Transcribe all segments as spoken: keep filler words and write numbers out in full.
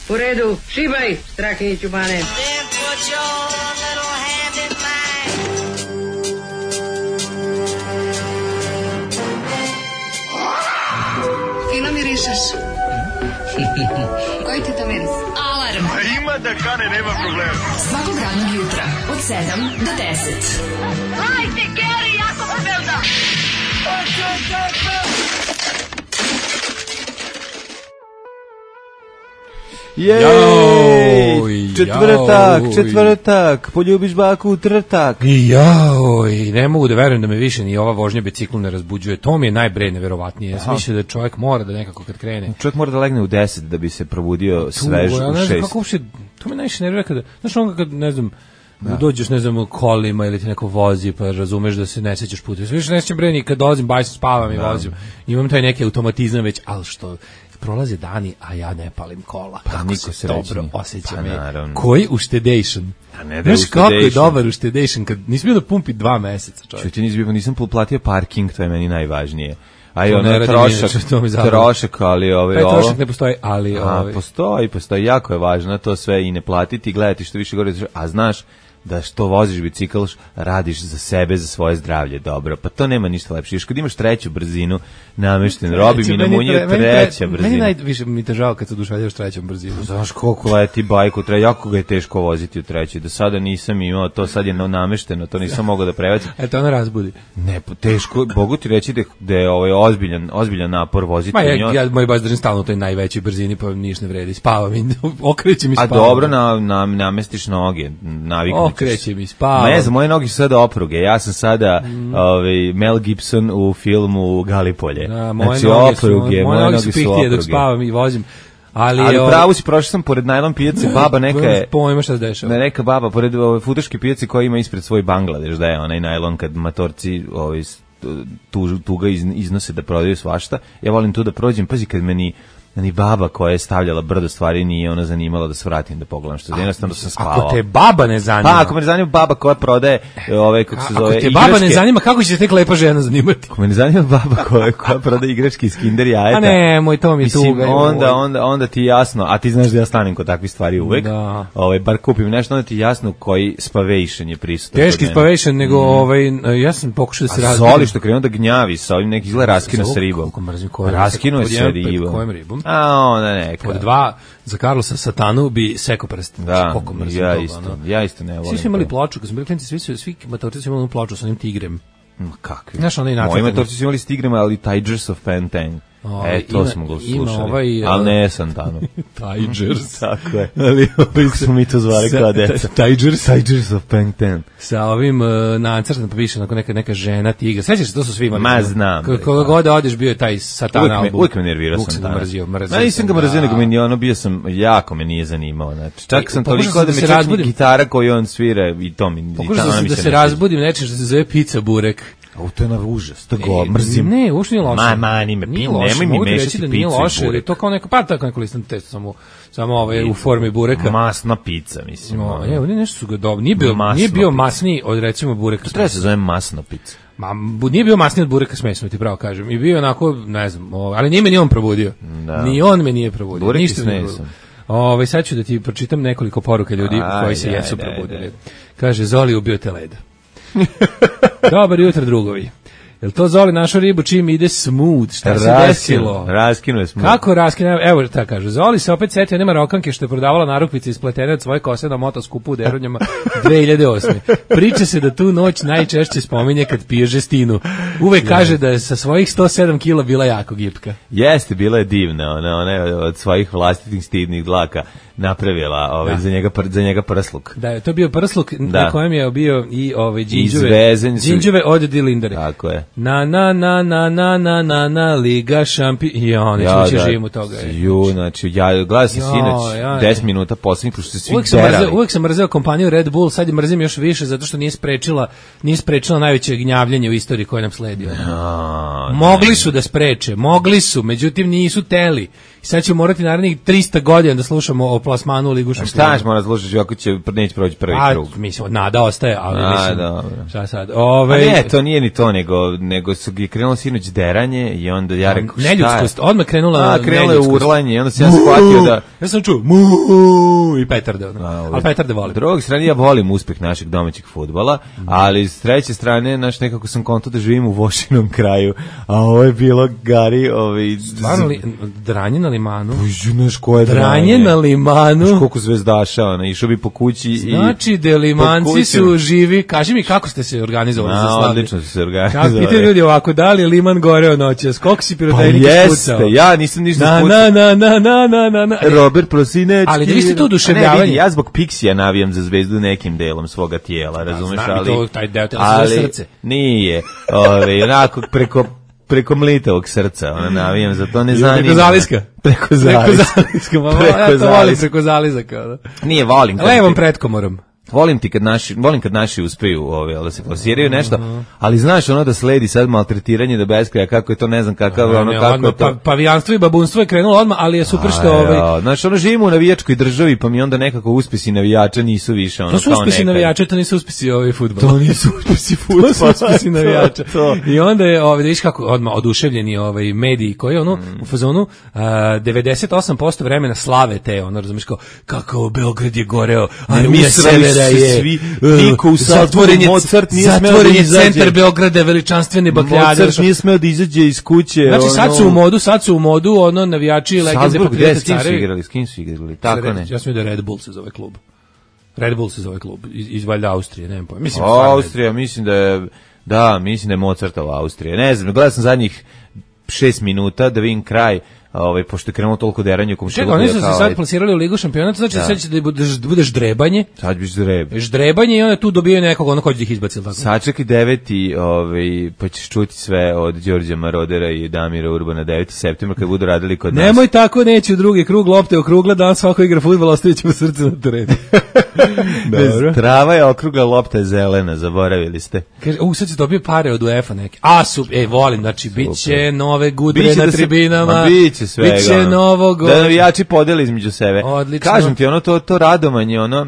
U redu, šibaj, Strahinjiću Bane. Fino mirišeš. Koji ti to miris? Alarm. A ima da kane, nema problema. Svakog radnog jutra, od sedam do deset. Hajde, Geri, jako se velda. Jej, četvrtak, četvrtak, poljubiš baku, trtak. Joj, ne mogu da verujem da me više ni ova vožnja biciklom ne razbuđuje. To mi je najbre neverovatnije. Ja sam mislio da čovjek mora da nekako kad krene. Čovjek mora da legne u deset da bi se probudio svež u šest. Kako uopšte, to me najviše nervira kada, znaš ono kad, ne znam, da. dođeš, ne znam, kolima ili ti neko vozi, pa razumeš da se ne sećaš puta. Više ne sećam bre ni kad dolazim, bajs spavam i da. vozim. Imam taj neki automatizam već, ali što prolaze dani, a ja ne palim kola. Pa kako se dobro osjećam. Pa, koji uštedation? A ne da znaš kako je dobar uštedation kad nisi bio da pumpi dva meseca, čovjek. Čuti, nisam, nisam platio parking, to je meni najvažnije. A i ono trošak, trošak, ali ove, taj trošak ne postoji, ali a, ove. Postoji, postoji, jako je važno to sve i ne platiti, gledati što više gore, a znaš da što voziš bicikl, radiš za sebe, za svoje zdravlje, dobro. Pa to nema ništa lepše. Još kad imaš treću brzinu, namešten, robi mi na munju treća brzina. Meni najviše mi te žao kad se oduševljaš trećom brzinom. Znaš koliko leti bajku, tre, jako ga je teško voziti u trećoj. Do sada nisam imao, to sad je namešteno, to nisam mogao da prevacim. Eto, ona razbudi. Ne, teško, mogu ti reći da, da je ovaj ozbiljan, ozbiljan napor voziti. Ma ja, ja moj baš držim stalno u toj najvećoj brzini, pa ništa ne vredi, spavam i okrećem i spavam. A dobro na, na, namestiš noge, naviknućeš. Okrećem i spavam. Ma ne znam, moje noge su sada opruge. Ja sam sada mm. ovaj, Mel Gibson u filmu Galipolje. Da, moje znači, noge opruge, su, moje, moje noge su pihtije dok spavam i vozim. Ali, ali pravo si, prošao sam pored najlon pijace, baba neka je... Pojma šta se dešava. Neka baba, pored ove futoške pijace koja ima ispred svoj Bangladeš, da je onaj najlon kad matorci ovaj, tu, tu ga iznose da prodaju svašta. Ja volim tu da prođem, pazi kad meni... ni baba koja je stavljala brdo stvari nije ona zanimala da se vratim da pogledam što je jednostavno sam spavao. Ako te baba ne zanima. Pa ako me ne zanima baba koja prodaje ove kako se zove. Ako te baba igračke, ne zanima kako će se tek lepa žena zanimati. Ako me ne zanima baba koja koja prodaje igračke iz Kinder jajeta. A ne, moj to mi je tuga. Onda onda onda ti jasno, a ti znaš da ja stanem kod takvih stvari uvek. Da. Ovaj bar kupim nešto, onda ti jasno koji spavation je prisutan. Teški spavation nego mm. ovaj ja sam pokušao da se razbijem. Zoli što krenuo da gnjavi sa ovim neki izgleda raskino sa ribom. Raskino je sa ribom. Kojim ribom? A ona ne. Pod dva za Carlosa Satanu bi seko prst. Da, ja toga, isto, no. ja isto ne volim. Svi su imali ploču, kad smo bili klinci, svi su, svi matorci su imali ploču sa onim tigrem. Ma kakvi? Znaš, onaj način. Moji matorci su imali s tigrema, ali Tigers of Pantang. O, e, to ima, smo ga slušali. Ovaj, ali ne Santanu. Tigers. Tako je. Ali kako smo mi to zvali kao deca. Tigers. Tigers of Pangtan. Sa ovim uh, nacrtom, pa više onako neka, neka žena tigra. Svećaš se, to su svi imali. Ma znam. Koga god odeš bio je taj Satan album. Uvijek me nervirao Santana. Mrzio, mrzio. Ma nisam ga mrzio, nego meni ono bio sam, jako me nije zanimao. Znači, čak sam toliko da mi čak gitara koju on svira i to mi. Pokušao da se razbudim nečim što se zove pizza burek. O, to je na užas, to go, mrzim. Ne, uopšte nije loše. Ma, mani me, nije loše, nemoj mi mešati picu i nije loše, burek. To kao neka, pa tako neko listan testo, samo, samo ovaj, u formi bureka. Masna pizza, mislim. No, je, oni nešto su ga dobro. Nije bio, nije bio masniji od, recimo, bureka. To treba se zove masna pizza. Ma, nije bio masniji od bureka smesno, ti pravo kažem. I bio onako, ne znam, ali nije me ni on probudio. Da. Ni on me nije probudio. Burek ništa ne sam. Ove, sad ću da ti pročitam nekoliko poruka ljudi aj, koji se aj, jesu aj, probudili. Aj, Kaže, Zoli ubio te leda. Dobar jutro, drugovi. Jel to Zoli našo ribu čim ide smooth? Šta se desilo? Raskinu je smooth. Kako raskinu? Evo ta kaže. Zoli se opet setio nema rokanke što je prodavala narukvice ispletene od svoje kose na motoskupu u Deronjama dve hiljade osme. Priča se da tu noć najčešće spominje kad pije žestinu. Uvek kaže da je sa svojih sto sedam kila bila jako gipka. Jeste, bila je divna. Ona, ona je od svojih vlastitih stidnih dlaka napravila ovaj, za, njega, za njega prsluk. Da, je to bio prsluk da. Na kojem je bio i ovaj, džinđuve, džinđuve od Dilindere. Tako je. Na, na, na, na, na, na, na, na, Liga šampiona. I on, ja, neću da, živim u toga. Ju, znači, ja gledam se sinoć ja, deset minuta posljednjih, pošto se svi uvijek derali. Sam mrzeo, uvijek sam mrzeo kompaniju Red Bull, sad je mrzim još više, zato što nije sprečila, nije sprečila najveće gnjavljenje u istoriji koje nam sledio. No, mogli ne. su da spreče, mogli su, međutim nisu teli. I sad ćemo morati narednih trista godina da slušamo o plasmanu u Ligu šampiona. Šta ćemo da slušaš ako će neće proći prvi A, krug? mislim, nada ostaje, ali A, mislim, dobro. šta sad? Ove, A ne, to nije ni to, nego, nego su gi krenulo sinoć deranje i onda ja rekao šta je? Neljudskost, odmah krenula A, krenulo je neljudskost. urlanje i onda sam ja shvatio da... Ja sam čuo mu i petarde, ono. A, Ali petarde volim. S druge strane, ja volim uspeh našeg domaćeg fudbala, ali s treće strane, naš nekako sam konto da živim u Vošinom kraju, a ovo je bilo Gari, ovaj... Stvarno li, dranje na limanu? Znaš ko je dranje? Dranje na limanu. Znaš koliko zvezdaša, ona, išao bi po kući i... Znači, da limanci su živi. Kaži mi, kako ste se organizovali za A, slavlje? odlično su se Kako organizovali. pitaju ljudi ovako, da li je liman goreo noćas? Koliko si Pa pirotehnika spucao? jeste, ja nisam ništa Na, spucao. na, na, na, na, na, na, na. Robert Prosinečki. Ali da vi ste to A oduševljavanje. ne, vidi, ja zbog Pixija navijam za zvezdu nekim delom svoga tijela, razumeš, znam i ali... to, taj deo tela se zove ali srce. Nije, ove, onako, preko preko mlitavog srca, ona navijam, za to ne I zanima. preko zaliska. Preko Preko zaliska. zaliska, ma, Preko ja to volim zaliska. preko zalizaka. Da. Nije, volim. kad Levom ti- pretkomorom. Volim ti kad naši, volim kad naši uspeju, ove, da se plasiraju nešto, ali znaš ono da sledi sad maltretiranje do beskraja, kako je to, ne znam kakav, ono, Ne, kako odmah, je to... pa, pavijanstvo i babunstvo je krenulo odmah, ali je super što... A, Ovaj, ja, znaš, ono, živimo u navijačkoj državi, pa mi onda nekako uspesi navijača nisu više, ono, to su kao uspesi nekad. navijača, to nisu uspesi ovaj fudbala. To nisu uspesi To fudbala. su uspesi navijača. To, to. I onda je, ovaj, da viš kako odmah oduševljeni ovaj, mediji koji ono, Mm. u fazonu, a, devedeset osam posto vremena slave te, ono, razumiješ kao, kako Beograd je goreo, armija usrali severa se je, svi, uh, niko u Salzburgu, zatvoren je, Mozart nije smeo zatvoren da je izađe. centar Beograda, veličanstvene bakljade. Mozart nije smeo da izađe iz kuće. Znači sad ono- su u modu, sad su u modu ono navijači legende Salzburg, gde, patriote s kim su carevi. igrali, s kim su igrali, tako ne. Ja sam vidio Red Bull se zove klub. Red Bull se zove klub iz, iz valjda Austrije, nemam pojma. Mislim stvarno. Austrija, mislim da je, da, mislim da je Mozartova Austrija. Ne znam, gledao sam zadnjih šest minuta da vidim kraj, ovaj, pošto je krenulo toliko deranje u komšiluku. Čekaj, oni su se kao, sad plasirali u Ligu šampiona, to znači da, Da. sad će da budeš, da budeš drebanje, Sad biš zreb. ždrebanje i onda tu dobijaju nekog, ono ko će da ih izbaci, ili tako? Sačekaj deveti, ovaj, pa ćeš čuti sve od Đorđa Marodera i Damira Urbana deveti septembra kad budu radili kod nas. Nemoj tako, neće u drugi krug, lopte okrugla, dan svako igra fudbal, ostavit ćemo srce na terenu. Dobro. Trava je okrugla, lopta je zelena, zaboravili ste. Kaže, u, sad se dobije pare od UEFA neke. A, su, ej, volim, znači, bit će nove gudre Biće na da se- tribinama. ma biće svega, Biće ono. novog... Da navijači podeli između sebe. Odlično. Kažem ti, ono, to, to radovanje, ono,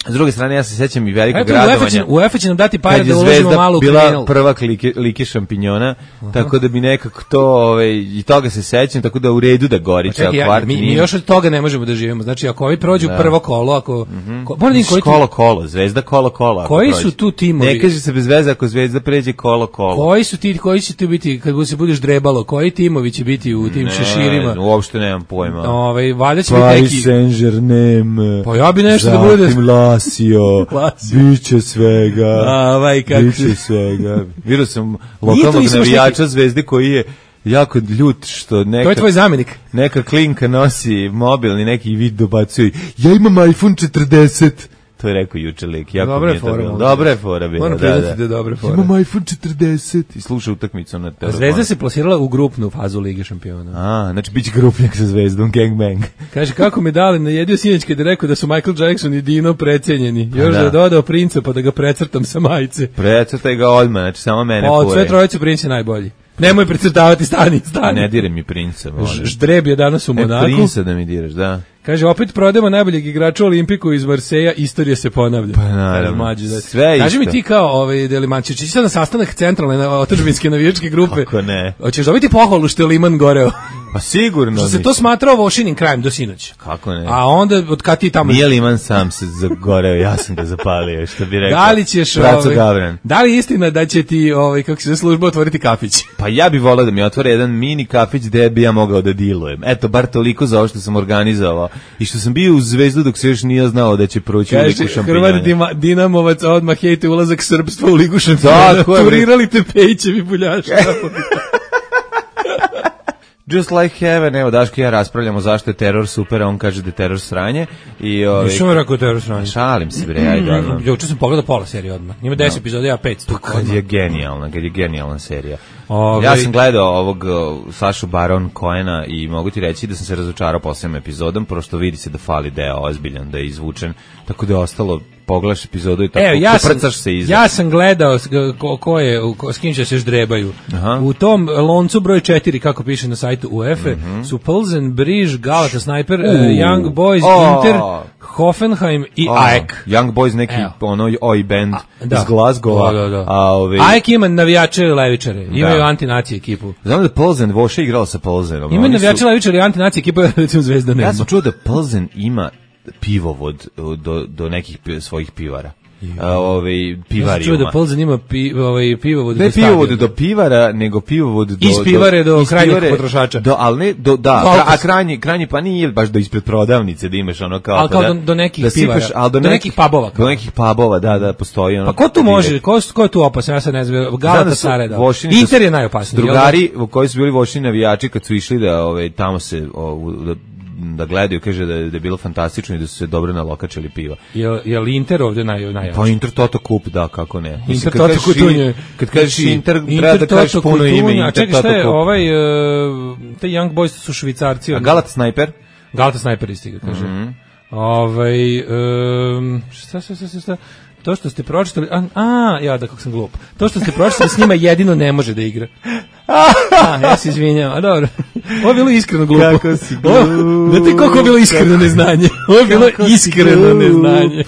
s druge strane, ja se sećam i velikog Eto, UEFA će, radovanja. UEFA će nam dati pare Kad je da uložimo Zvezda malo u bila kriminal. prvak like, like šampinjona, tako da bi nekako to, ovaj, i toga se sećam, tako da u redu da gori ceo Čekaj, ja, kvart. mi, mi nije- još od toga ne možemo da živimo. Znači, ako ovi prođu Da. prvo kolo, ako... Ko, moram da vidim koji, tu- Kolo, kolo, Zvezda, kolo, kolo. ako Koji prođe. su tu timovi? Ne kaže se bez veze ako Zvezda pređe kolo, kolo. koji su ti, koji će tu biti, kad se budeš drebalo, koji timovi će biti u tim šeširima? Ne, uopšte nemam pojma. Ovaj, valjda će biti Paris neki... Saint-Germain. Pa ja bi nešto da bude- Zatim Lazio. Lazio. Biće svega. Ovaj, kako Biće svega. Vidio sam Nije to lokalnog isto baš navijača Zvezde koji je jako ljut što neka, To je tvoj zamenik. neka klinka nosi mobilni neki vid dobacuje. Ja imam iPhone četrdeset. To je rekao juče lik. Jako Dobra mi je je to fora, bilo. možda. Dobra je fora bila. Moram Da, priznati da. da je dobra fora. Imam iPhone četrdeset. I sluša utakmicu na telefonu. Zvezda se plasirala u grupnu fazu Lige šampiona. A, znači biće grupnjak sa Zvezdom, gangbang. Kaže, kako me dali najedio sinoć kad je rekao da su Michael Jackson i Dino precenjeni. Još da da. je dodao princa pa da ga precrtam sa majice. Precrtaj ga odmah, znači samo mene Pa od sve fure. trojice princ je najbolji. Nemoj precrtavati, stani, stani. Ne dire mi princa, molim. Ž- Ždreb je danas u E, Monaku. princa da mi diraš, da. Kaže, opet prodajemo najboljeg igrača u Olimpiku iz Marseja, istorija se ponavlja. Pa naravno. Kaže, mlađe, da. Sve Kaži mi isto. ti kao ovaj, Delimančić, ići sad na sastanak centralne na otadžbinske navijačke grupe. Kako ne? Hoćeš dobiti pohvalu što je Liman goreo? Pa sigurno. Što se mi- to smatrao Vošinim krajem do sinoć. Kako ne? A onda, od kad ti tamo... Nije Liman sam se zagoreo, ja sam ga zapalio, što bi rekao. Da li ćeš, Braco ovaj, Gavran. da li je istina da će ti, ovaj, kako se zove služba, otvoriti kafić? Pa ja bih volao da mi otvore jedan mini kafić gde bi ja mogao da dilujem. Eto, bar toliko za ovo što sam organizovao. I što sam bio u Zvezdu dok se još nije znao da će proći u Kaže, Ligu šampionja. Hrvat Dima, Dinamovac odmah hejte ulazak Srpstva u Ligu šampiona. Tako je, bre. Turirali te Pejićevi buljaši. Just like heaven, evo Daško i ja raspravljamo zašto je teror super, a on kaže da je teror sranje. I, ovaj, Nisam rekao teror sranje. šalim se bre, ajde odmah. Juče sam pogledao pola serije odmah. Ima deset epizoda, ja pet. Kad je genijalna, kad je genijalna serija. Ove- Ja sam gledao ovog uh, Sašu Baron Cohena i mogu ti reći da sam se razočarao posljednom epizodom, prosto vidi se da fali deo ozbiljan, da je izvučen, tako da je ostalo pogledaš epizodu i tako, Evo, ja sam, prcaš se iza. ja sam gledao s- ko, ko je, ko, s kim će se ždrebaju. Aha. U tom loncu broj četiri, kako piše na sajtu UEFA, Mhm. su Pilsen, Briž, Galata Sniper, uh, U. Young Boys, O. Inter, Hoffenheim i Oh, A E K. Young Boys, neki Evo. ono oj band Da. iz Glasgowa. Da, da, da. A ove, A E K ima navijače levičare, imaju Da. antinacije ekipu. znam da Plzen, Voša je igrala sa Plzenom. Imaju Oni su- navijače levičare i antinacije ekipu, recimo Zvezda nema. Ja sam čuo da Plzen ima pivovod do, do nekih pi- svojih pivara. A, ove, Ja sam pivarijuma. čuo da Pilsen ima pi, ovaj, pivovod Ne do pivovod stadiona. do pivara, nego pivovod do... Iz pivare do iz krajnjeg pivare- potrošača. Do, ali ne, do, da, Do kra- a alkosa. krajnji, krajnji pa nije baš do ispred prodavnice da imaš ono kao... Ali pa kao da, do- do nekih da sipaš, pivara. ali do, Do nekih pubova kao. Do nekih pubova, da, da, postoji ono... Pa ko tu može, ko, ko je tu opasan, ja sad ne znam, Galata Sare da. Inter je najopasniji. jel da? Drugari u koji su bili vošni navijači kad su išli da ove, tamo se o, u- da, da gledaju, kaže da je, da je bilo fantastično i da su se dobro nalokačili piva. Jel, jel Inter ovdje naj, najjači? Pa Inter Toto Kup, da, kako ne. Mislim, Inter kad Toto kažeš i- Kutunje. Kad kažeš Znači, Inter, treba da kažeš Toto puno ime. Kutunje. A Inter čekaj, šta Toto je Kup. ovaj, uh, te Young Boys su Švicarci. A od- Galat Sniper? Galata Sniper isti ga kaže. Mhm. Ovaj, um, šta, šta, šta, šta, šta? To što ste pročitali, a, a, ja da kako sam glup. To što ste pročitali s njima jedino ne može da igra. A, ja se izvinjam, a dobro. Ovo je bilo iskreno glupo. Kako si glup. Ovo- Znate koliko je bilo iskreno neznanje? Ovo je bilo Kako si iskreno glup. neznanje.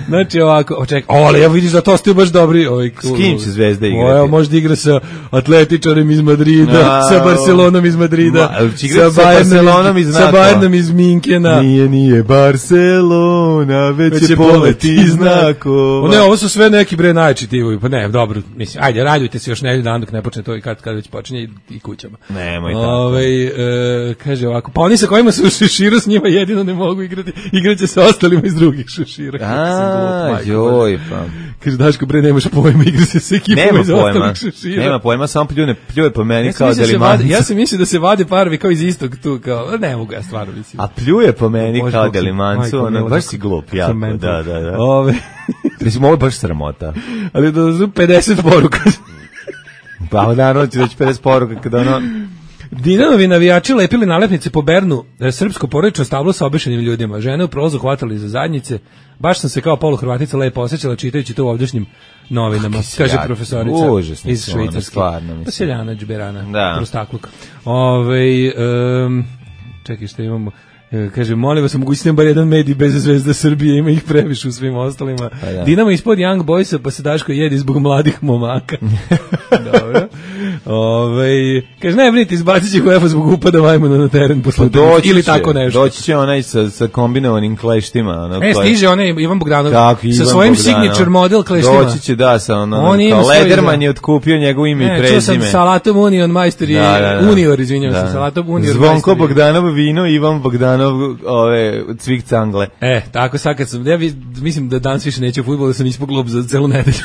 Znači ovako, o čekaj, o, ali evo vidiš da to ste baš dobri. Ovaj, S kim će Zvezda igrati? O, evo, možda igra sa atletičarem iz Madrida, A, sa Barcelonom iz Madrida, Ma, ali će igrati sa Barcelonom iz sa NATO-a. Bayernom iz Minkena. Nije, nije Barcelona, već, Već je je poleti poleti znakova. O ne, ovo su sve neki bre najči tivovi. Pa ne, dobro, mislim, ajde, radujte se još nedelju dan dok ne počne to i kad, kad već počinje i, i kućama. Nemoj tako. Ovaj, e, kaže ovako, pa oni sa kojima su u šeširu s njima jedino ne mogu igrati, igraće sa ostalima iz drugih šešira. Kako sam glup, A, majko joj, Božja. pa. Kaže, Daško, bre, nemaš pojma, igra se sa ekipama Nema iz pojma, ostalih šešira. nema pojma, samo pljune, pljuje po meni Ja sam, kao mislio da se vade, delimanca. ja sam mislio da se vade parovi kao iz istog tu, kao, ne mogu ja stvarno mislim. A pljuje po meni Bože, kao kako sam- delimancu, majko ono, mila, baš kako- si glup, kako jako, sam mental. da, da, da. Ove, Mislim, ovo je baš sramota. ali da su pedeset poruka. Pa naravno ću reći pedeset poruka kada ono... Dinanovi navijači lepili nalepnice po Bernu, e, srpsko porodično stablo sa obešenim ljudima. Žene u prolazu hvatali za zadnjice. Baš sam se kao poluhrvatica lepo osjećala čitajući to u ovdašnjim novinama, Kakvi kaže seljaki. profesorica Užasni iz su ono, Švajcarske. stvarno, mislim. Pa seljana džberana, Da. prostakluk. Ove, um, čekaj što imamo. E, Kaže, molim vas, mogućite bar jedan medij bez Zvezda Srbije, ima ih previše u svim ostalima. Pa da. Dinamo ispod Young Boysa, pa se Daško jedi zbog mladih momaka. Dobro. Ove, kaže, ne brinite, izbacit će UEFA zbog upada majmuna na teren posle Doći ili će, tako nešto. Doći će onaj sa, sa kombinovanim kleštima. Ono, E, koje- stiže onaj Ivan Bogdanov Kako, sa Ivan svojim Bogdanov. signature model kleštima. Doći će, da, sa ono, On ima kao svoj, Lederman da. je otkupio njegovo ime i Ne, čuo sam prezime. Salatom Union majstor i Da, da, da. Unior, izvinjavam Da. se, Salatom Unior Zvonko majstor i- Bogdanov vino, Ivan Bogdanov ove, cvik cangle. E, tako sad kad sam, ja vi- mislim da danas više neće u fudbalu, da sam ispod klub za celu nedelju.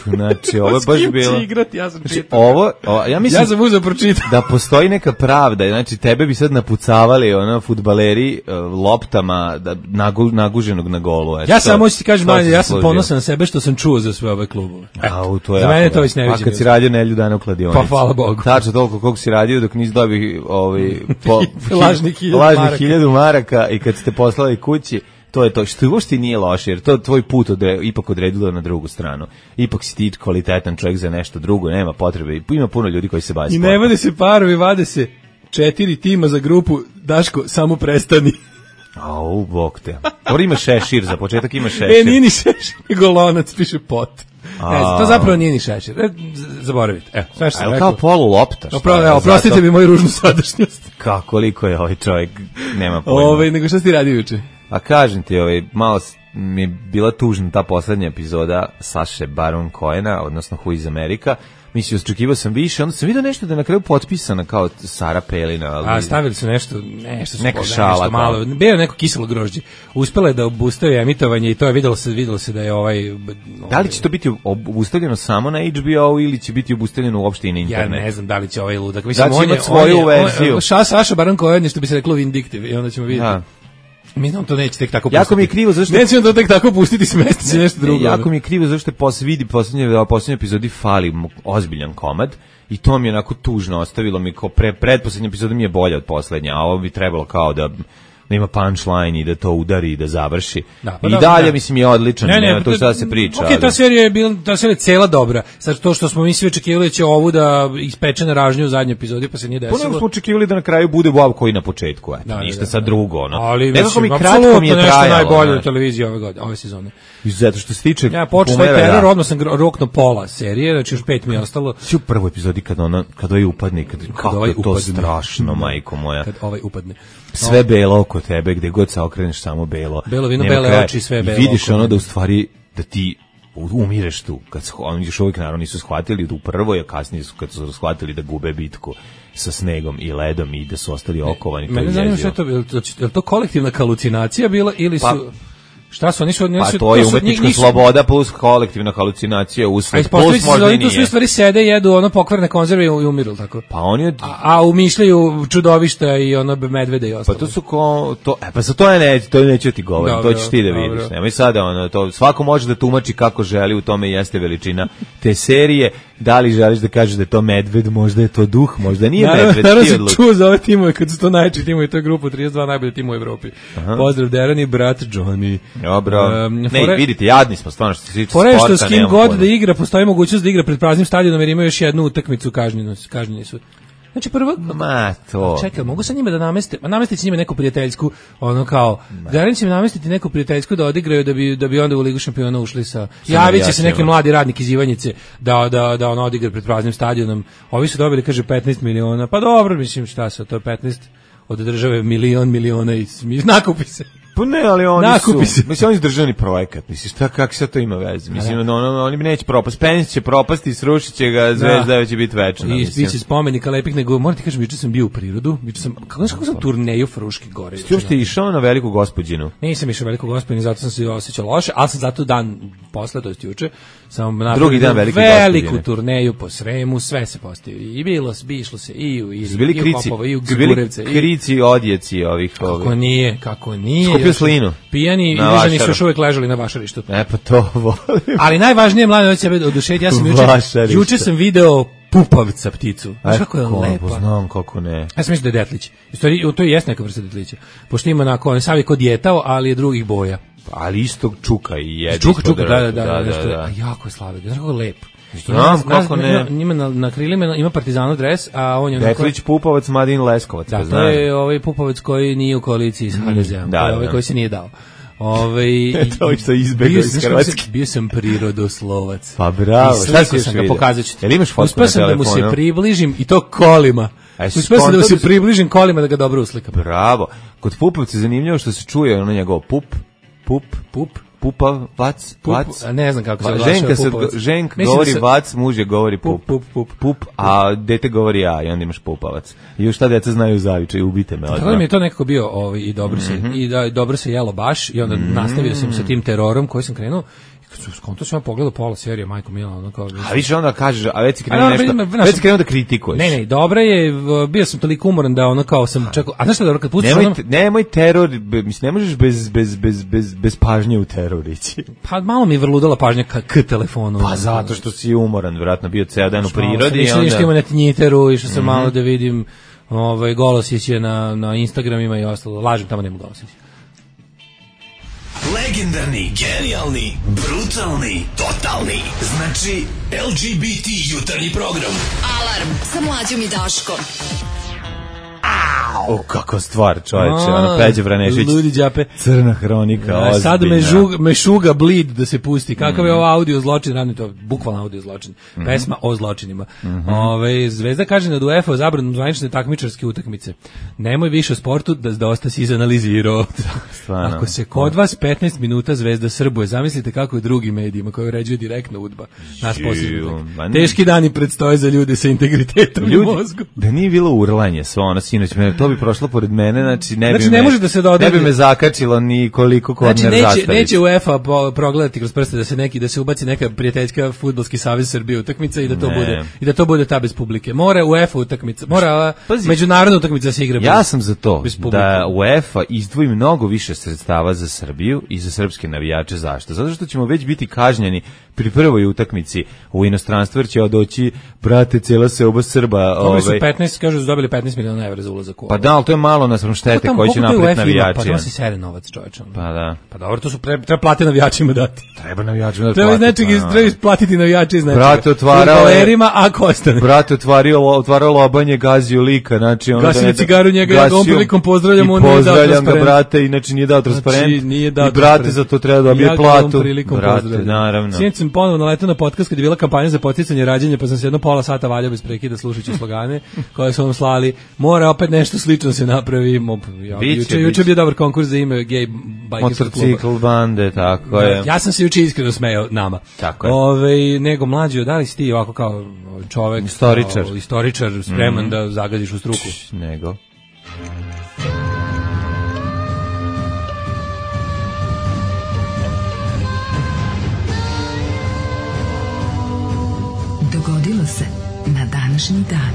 Znači, ovo je S baš kim bilo... će igrati, ja sam Znači, čitao. ovo, o, ja mislim Ja sam uzeo pročitao. da postoji neka pravda, znači tebe bi sad napucavali ono fudbaleri uh, loptama da, nagu, naguženog na golu. Eto, Ja samo hoću ti kažem, to manje, se ja sam složio. ponosan na sebe što sam čuo za sve ove klubove. A, to je Za jako mene je to dobro. već neviđeno. A kad si radio nelju dana u kladionici. Pa, hvala Bogu. Tačno toliko koliko si radio dok nisi dobio ovaj, po, Lažnih hiljadu lažnih maraka. hiljadu maraka i kad ste poslali kući, to je to, što uopšte nije loše, jer to tvoj put odre, ipak odredilo na drugu stranu. Ipak si ti kvalitetan čovjek za nešto drugo, nema potrebe. Ima puno ljudi koji se bave I sportom. ne vade se parovi, vade se četiri tima za grupu. Daško, samo prestani. Au, bog te. Dobro, ima šešir, za početak ima šešir. E, nije ni šešir, nego lonac, piše pot. Ne znam, to A. zapravo nije ni šešir. E, z- zaboravite. Evo, sve što A sam je rekao. kao polu lopta? šta Opra, je? evo, oprostite Zato- mi moju ružnu sadašnjost. Kako, koliko je ovaj čovjek, nema pojma. Ove, nego šta si ti radio juče? A kažem ti, ovaj, malo s- mi je bila tužna ta poslednja epizoda Saše Baron Cohena, odnosno Who is America. Mislim, očekivao sam više, onda sam vidio nešto da je na kraju potpisana kao Sara Pelina. Ali... A stavili su nešto, nešto su Neka nešto šala kao. malo. Bio je neko kiselo grožđe. Uspela je da obustavi emitovanje i to je videlo se, videlo se da je ovaj. Da li će to biti ob- obustavljeno samo na H B O ili će biti obustavljeno uopšte i na Ja internet? ne znam da li će ovaj ludak. Da Mislim, će on je, imat svoju on je, on- verziju. Ša, Saša Baron Cohen je što bi se reklo vindiktiv i onda ćemo vidjeti. Da. Mislim, on to neće tek tako Jako pustiti. mi je krivo zašto- Neće on to tek tako pustiti, smesti će nešto drugo. Ne, jako mi je krivo zašto je pos, vidi poslednje, poslednje epizodi fali mu ozbiljan komad i to mi je onako tužno ostavilo mi kao pre, predposlednja epizoda mi je bolja od poslednja, a ovo bi trebalo kao da da ima punchline i da to udari i da završi. Da, pa I da, dalje da. mislim je odličan, ne, ne, nema to šta se priča. Ok, ta serija je bila, ta serija je cela dobra. Sad to što smo mi svi očekivali će ovu da ispeče na ražnju u zadnjoj epizodi, pa se nije desilo. Pa nego smo očekivali da na kraju bude Bob koji na početku, eto, da, ništa da, da, sad da. drugo, ono. Ali nekako mi mislim, kratko mi je nešto trajalo. najbolje ono. u televiziji ove godine, ove sezone. I zato što se tiče Ja počeo taj teror, odmah sam roknuo pola serije, znači još pet mi je ostalo. Svi u prvoj epizodi kad ona kad ovaj upadne, kad, kad kako ovaj je to upadne. strašno, majko moja. Kad ovaj upadne. Sve belo oko tebe, gde god se okreneš samo belo. Belo vino, Nema bele kraja. oči, sve I belo vidiš oko ono mene. da u stvari da ti umireš tu. Kad se oni još uvijek naravno nisu shvatili da u prvoj, a kasnije su kad su shvatili da gube bitku sa snegom i ledom i da su ostali okovani. Mene zanima što je to, je li to, je li to kolektivna halucinacija bila ili su... Pa, šta su, oni su... Oni Pa su, to je su- umetnička njih nisu- sloboda plus kolektivna halucinacija A usled. ispostaviti Plus se možda da i oni tu svi nije. stvari sede, jedu ono pokvarne konzerve i umiru, tako? Pa oni od... A, a umišljaju čudovišta i ono medvede i Pa ostalo. to su ko to e pa sa to ja ne to neću ti govorim, Dobro, to ćeš ti da vidiš. dobro. Nemoj sada ono to svako može da tumači kako želi, u tome jeste veličina te serije. Da li želiš da kažeš da je to medved, možda je to duh, možda nije Naravno, medved, naravno ti se odluči. čuo za ove timove, kad su to najčešći timovi, to je grupa trideset dva najbolji tim u Evropi. Pozdrav Deran i brat Johnny. Dobro. Um, ne, fore- vidite, jadni smo stvarno što se tiče Fora je sporta. što s kim nemam god pojma. da igra, postoji mogućnost da igra pred praznim stadionom jer imaju još jednu utakmicu kažnjenu, kažnjeni su. Znači prvo, Ma to. čekaj, mogu sa njima da nameste, ma namestiti s njima neku prijateljsku, ono kao, Garan će im namestiti neku prijateljsku da odigraju da bi da bi onda u Ligu šampiona ušli sa. Javit će se neki navijačima. mladi radnik iz Ivanjice da da da on odigra pred praznim stadionom. Ovi su dobili kaže petnaest miliona. Pa dobro, mislim šta su, to je petnaest od države milion miliona i smi- nakupi se. Pa ne, ali oni Nakupi su, se. mislim, oni su državni projekat, mislim, šta, kak se to ima veze? Mislim, ono, ono, oni neće propast, Penić će propasti, srušit će ga, Zvezda će biti večna. I mislim. biće spomenika lepih, nego moram ti kažem, juče sam bio u prirodu, juče sam, kako znaš kako sam turneju Fruške gore. Ti uopšte išao na veliku gospođinu? Nisam išao veliko gospodin, zato sam se osjećao loše, ali sam zato dan posle, to jest juče, sam napravio Drugi dan velike veliku Gospodine. turneju po Sremu, sve se postavio. I bilo, bi išlo se i u Iri, Su bili i u krici, Popovo, i u su bili Grgurevce. i- krici, odjeci ovih, Kako ovih. nije, kako nije. Skupio još- slinu. Pijani i Na držani su vašaru. još uvek ležali na vašarištu. E, pa to volim. Ali najvažnije, mlade, od sebe oduševiti, ja sam juče, Vašarište. juče sam video pupavca pticu. Znaš kako je Ko, lepa. pa znam kako ne. Ja sam mislio da je detlić. U stvari, to je jes neka vrsta detlića. Pošto ima onako, on je sav je kod djetao, ali je drugih boja. Ali istog čuka i jedi. Čuka, ispod čuka, da, da, drveta, da, nešto je- a jako je slavio. Znaš kako je lep. Znam kako ne. Ima, ima na, na krilima ima partizanov dres, a on je onako... Detlić, Pupavac, Madin Leskovac. Da, pa to znam. je ovaj Pupovac koji nije u koaliciji s ha de ze-om. da, To je da, ovaj da. koji se nije dao. Ovaj To što je izbegao bio iz sam- znaš kako Hrvatske. sam- Bio sam prirodoslovac. Pa bravo, I šta slikao si još sam ga, vidio? pokazat ću ti. Jel imaš fotku Uspeo na sam da mu se telefonu? približim i to kolima. A jesi Uspeo sam da mu se skontao da- približim kolima da ga dobro uslikam. Bravo. Kod Pupovca je zanimljivo što se čuje ono njegov pup, pup, Pup. pupa, vac, Pup, vac. a ne znam kako se Va- oglašava Ženka se, Pupovac. ženk Mislim govori da se- vac, muž je govori pup. Pup, pup, pup. Pup, a dete govori ja i onda imaš pupavac. I još šta deca znaju zavičaj, ubite me Tako da odmah. mi je to nekako bio ovaj, i dobro se Mhm. i da i dobro se jelo baš i onda nastavio sam sa tim terorom koji sam krenuo i kad sam skonto sam ja pogledao pola serije Majko Mila ono kao A više onda kažeš, a već si A krenuo dobro, nešto, ima- znaš- već si krenuo da kritikuješ. Ne, ne, dobra je, v- bio sam toliko umoran da ono kao sam čekao, a znaš šta je dobro kad pustiš Nemoj, ono, te- nemoj teror, be- mislim, ne možeš bez, bez, bez, bez, bez pažnje u teror ići. pa malo mi je vrludala pažnja ka, k telefonu. Pa zato što si umoran, vjerojatno bio ceo dan u Malo sam prirodi i išao onda... što ima na Tinjiteru, išao sam malo da vidim ovaj, Golosić je na, na Instagramima i ostalo, lažem, tamo nema Golosić. Legendarni, genijalni, brutalni, totalni. Znači, el ge be te jutarnji program. Alarm sa mlađom i Daškom. O, kako stvar, čoveče, A, ono, Peđa Vranešić, Ludi đape. crna hronika, A, sad me, ozbiljna. žug, me šuga bleed da se pusti. Kakav je ovo audio zločin, radno to, bukvalno audio zločin. Pesma o zločinima. Ove, Zvezda kaže nad UEFA zabranom zvanične takmičarske utakmice. Nemoj više o sportu, da dosta si izanalizirao. Stvarno. Ako se kod vas petnaest minuta Zvezda srbuje, zamislite kako je drugim medijima koji uređuju direktno udba. Nas Ju, posljedno. ma ne- Teški dani predstoje za ljude sa integritetom u Ljudi, mozgu. da nije bilo urlanje svo ono sinoć, me- to bi prošlo pored mene, znači ne bi Znači, me, ne može da se doda- ne bi me zakačilo ni koliko korner Znači neće, zastaviš. neće UEFA po- progledati kroz prste da se neki da se ubaci neka prijateljska fudbalski savez Srbije utakmica i da to Ne. bude i da to bude ta bez publike. Mora UEFA utakmica, mora Pazi. međunarodna utakmica da se igra. Ja bez- sam za to bez publike. da UEFA izdvoji mnogo više sredstava za Srbiju i za srpske navijače. Zašto? Zato što ćemo već biti kažnjeni pri prvoj utakmici u inostranstvu, jer će doći, brate, cijela seoba Srba. Dobili su ovaj, petnaest, kažu da su dobili petnaest miliona evra za ulazak u Pa ovo. da, ali to je malo nas štete koji će napraviti navijači. Pa to si sere novac, čoveče. Pa da. Pa dobro, to su pre, treba platiti navijačima dati. Treba navijačima dati. Treba iz nečeg, iz, treba isplatiti navijači iz nečega. Brate, otvarao je... ako ostane. Brate, otvario, otvarao lobanje, gazio lika, znači... Ono gasio cigaru njega, ja ga ovom prilikom pozdravljam, on nije dao transparent. Pozdravljam ga, brate, inače nije dao transparent. Znači, nije dao I brate, za to treba dobije ja platu. Brate, naravno. Sinoć sam ponovo naletao na podcast kad je bila kampanja za podsticanje rađanja, pa sam se jedno pola sata valjao bez prekida slušajući slogane koje su vam slali. Mora opet nešto slično se napravi. Ja, juče, juče je bio dobar konkurs za ime gej bajkerskog kluba. Motocikl bande, tako je. Ja sam se juče iskreno smejao nama. Tako je. Ove, nego mlađi, da li si ti ovako kao čovek, istoričar, kao, istoričar spreman mm. da zagadiš u struku? Nego. Dogodilo se na današnji dan.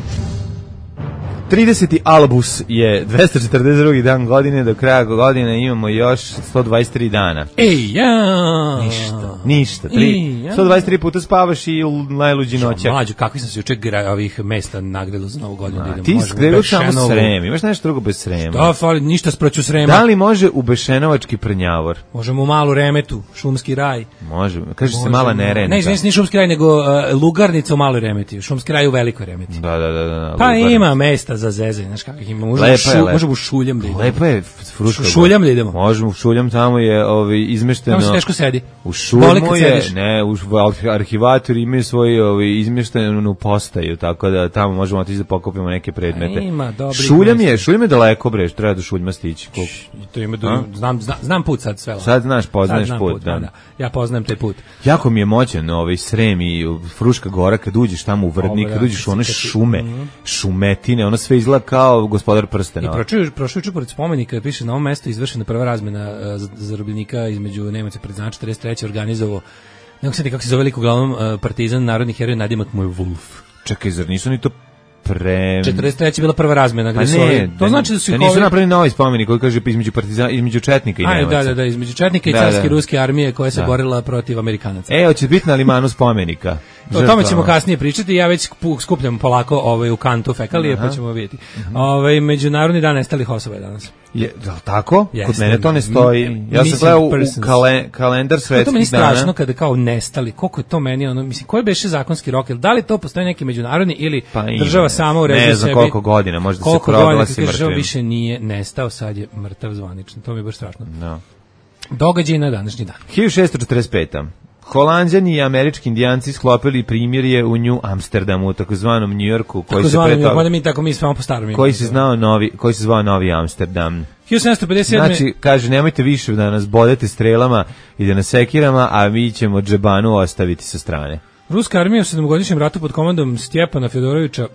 trideseti albus je dvesta četrdeset drugi dan godine, do kraja godine imamo još sto dvadeset tri dana. Ej, ja! Ništa, ništa. Tri, ja. sto dvadeset tri puta spavaš i najluđi noćak. Mlađo, kakvi sam se juče ovih mesta nagledao za novu godinu. A, ti skrenuo samo Srem, imaš nešto drugo bez Srema. Da, fali, ništa sproću Srema. Da li može u Bešenovački Prnjavor? Možemo u Malu Remetu, Šumski raj. Može, kaže se Mala Nerenka. Ne, izvini, nije Šumski raj, nego uh, Lugarnica u Maloj Remeti, Šumski raj u Velikoj Remeti. Da, da, da. da pa Lugarnica. Ima mesta za zezanje, znaš kakvih ima. Možemo šu, može u Šuljam da idemo. Lepo je Fruška. Šuljam da idemo. Možemo u Šuljam, tamo je ovaj izmešteno. Tamo se teško sedi. U Šuljmu je, ne, u arhivatori imaju svoju ovaj izmeštenu postaju, tako da tamo možemo otići da pokupimo neke predmete. A ima dobrih. Šuljam je, Šuljam je daleko bre, treba do Šuljma stići. Koliko? To ima do, znam, znam znam put sad sve. Sad znaš, poznaješ sad put, put da. da. Ja poznajem taj put. Jako mi je moćan ovaj Srem i Fruška Gora kad uđeš tamo u Vrdnik, kad uđeš u one šume, šumetine, ono sve izgleda kao Gospodar prstena. I prošao prošao pored spomenika, piše na ovom mestu izvršena prva razmena uh, zarobljenika između Nemaca priznača četrdeset treće organizovao. Ne znam kako se zove veliko uglavnom uh, partizan, narodni heroj, nadimak mu je Wolf. Čekaj, zar nisu ni to pre... četrdeset treće je bila prva razmena. Pa ne, to znači da su ih nisu ovi... napravili novi spomenik koji kaže između partizana, između četnika i Nemaca. Da, da, da, između četnika i carske ruske armije koja se da. borila protiv Amerikanaca. E, hoće biti na limanu spomenika. O tome ćemo kasnije pričati. Ja već skupljam polako ovaj u kantu fekalije, aha, pa ćemo vidjeti. Uh-huh. Ovaj Međunarodni dan nestalih osoba je danas. Je, da li tako? Yes, Kod mene to ne stoji. Ja sam gledao u kale, kalendar svetskih dana. To meni strašno kada kao nestali. Koliko je to meni, ono, mislim, koji beše zakonski rok? Da li to postoji neki međunarodni ili pa država sama uređuje sebi? Ne znam koliko godina, možda se proglasi mrtvim. Država više nije nestao, sad je mrtav zvanično. To mi je baš strašno. No. Događaj na današnji dan. hiljadu šessto četrdeset peta. Holanđani i američki indijanci sklopili primirje u New Amsterdamu, takozvanom New Yorku, koji se pre toga, mi tako mi smo po starom. Koji se znao novi, koji se zvao Novi Amsterdam. hiljadu sedamsto pedeset sedme. Znači, kaže, nemojte više da nas bodete strelama i da nas sekirama, a mi ćemo džebanu ostaviti sa strane. Ruska armija u sedmogodišnjem ratu pod komandom Stjepana Fjodorovića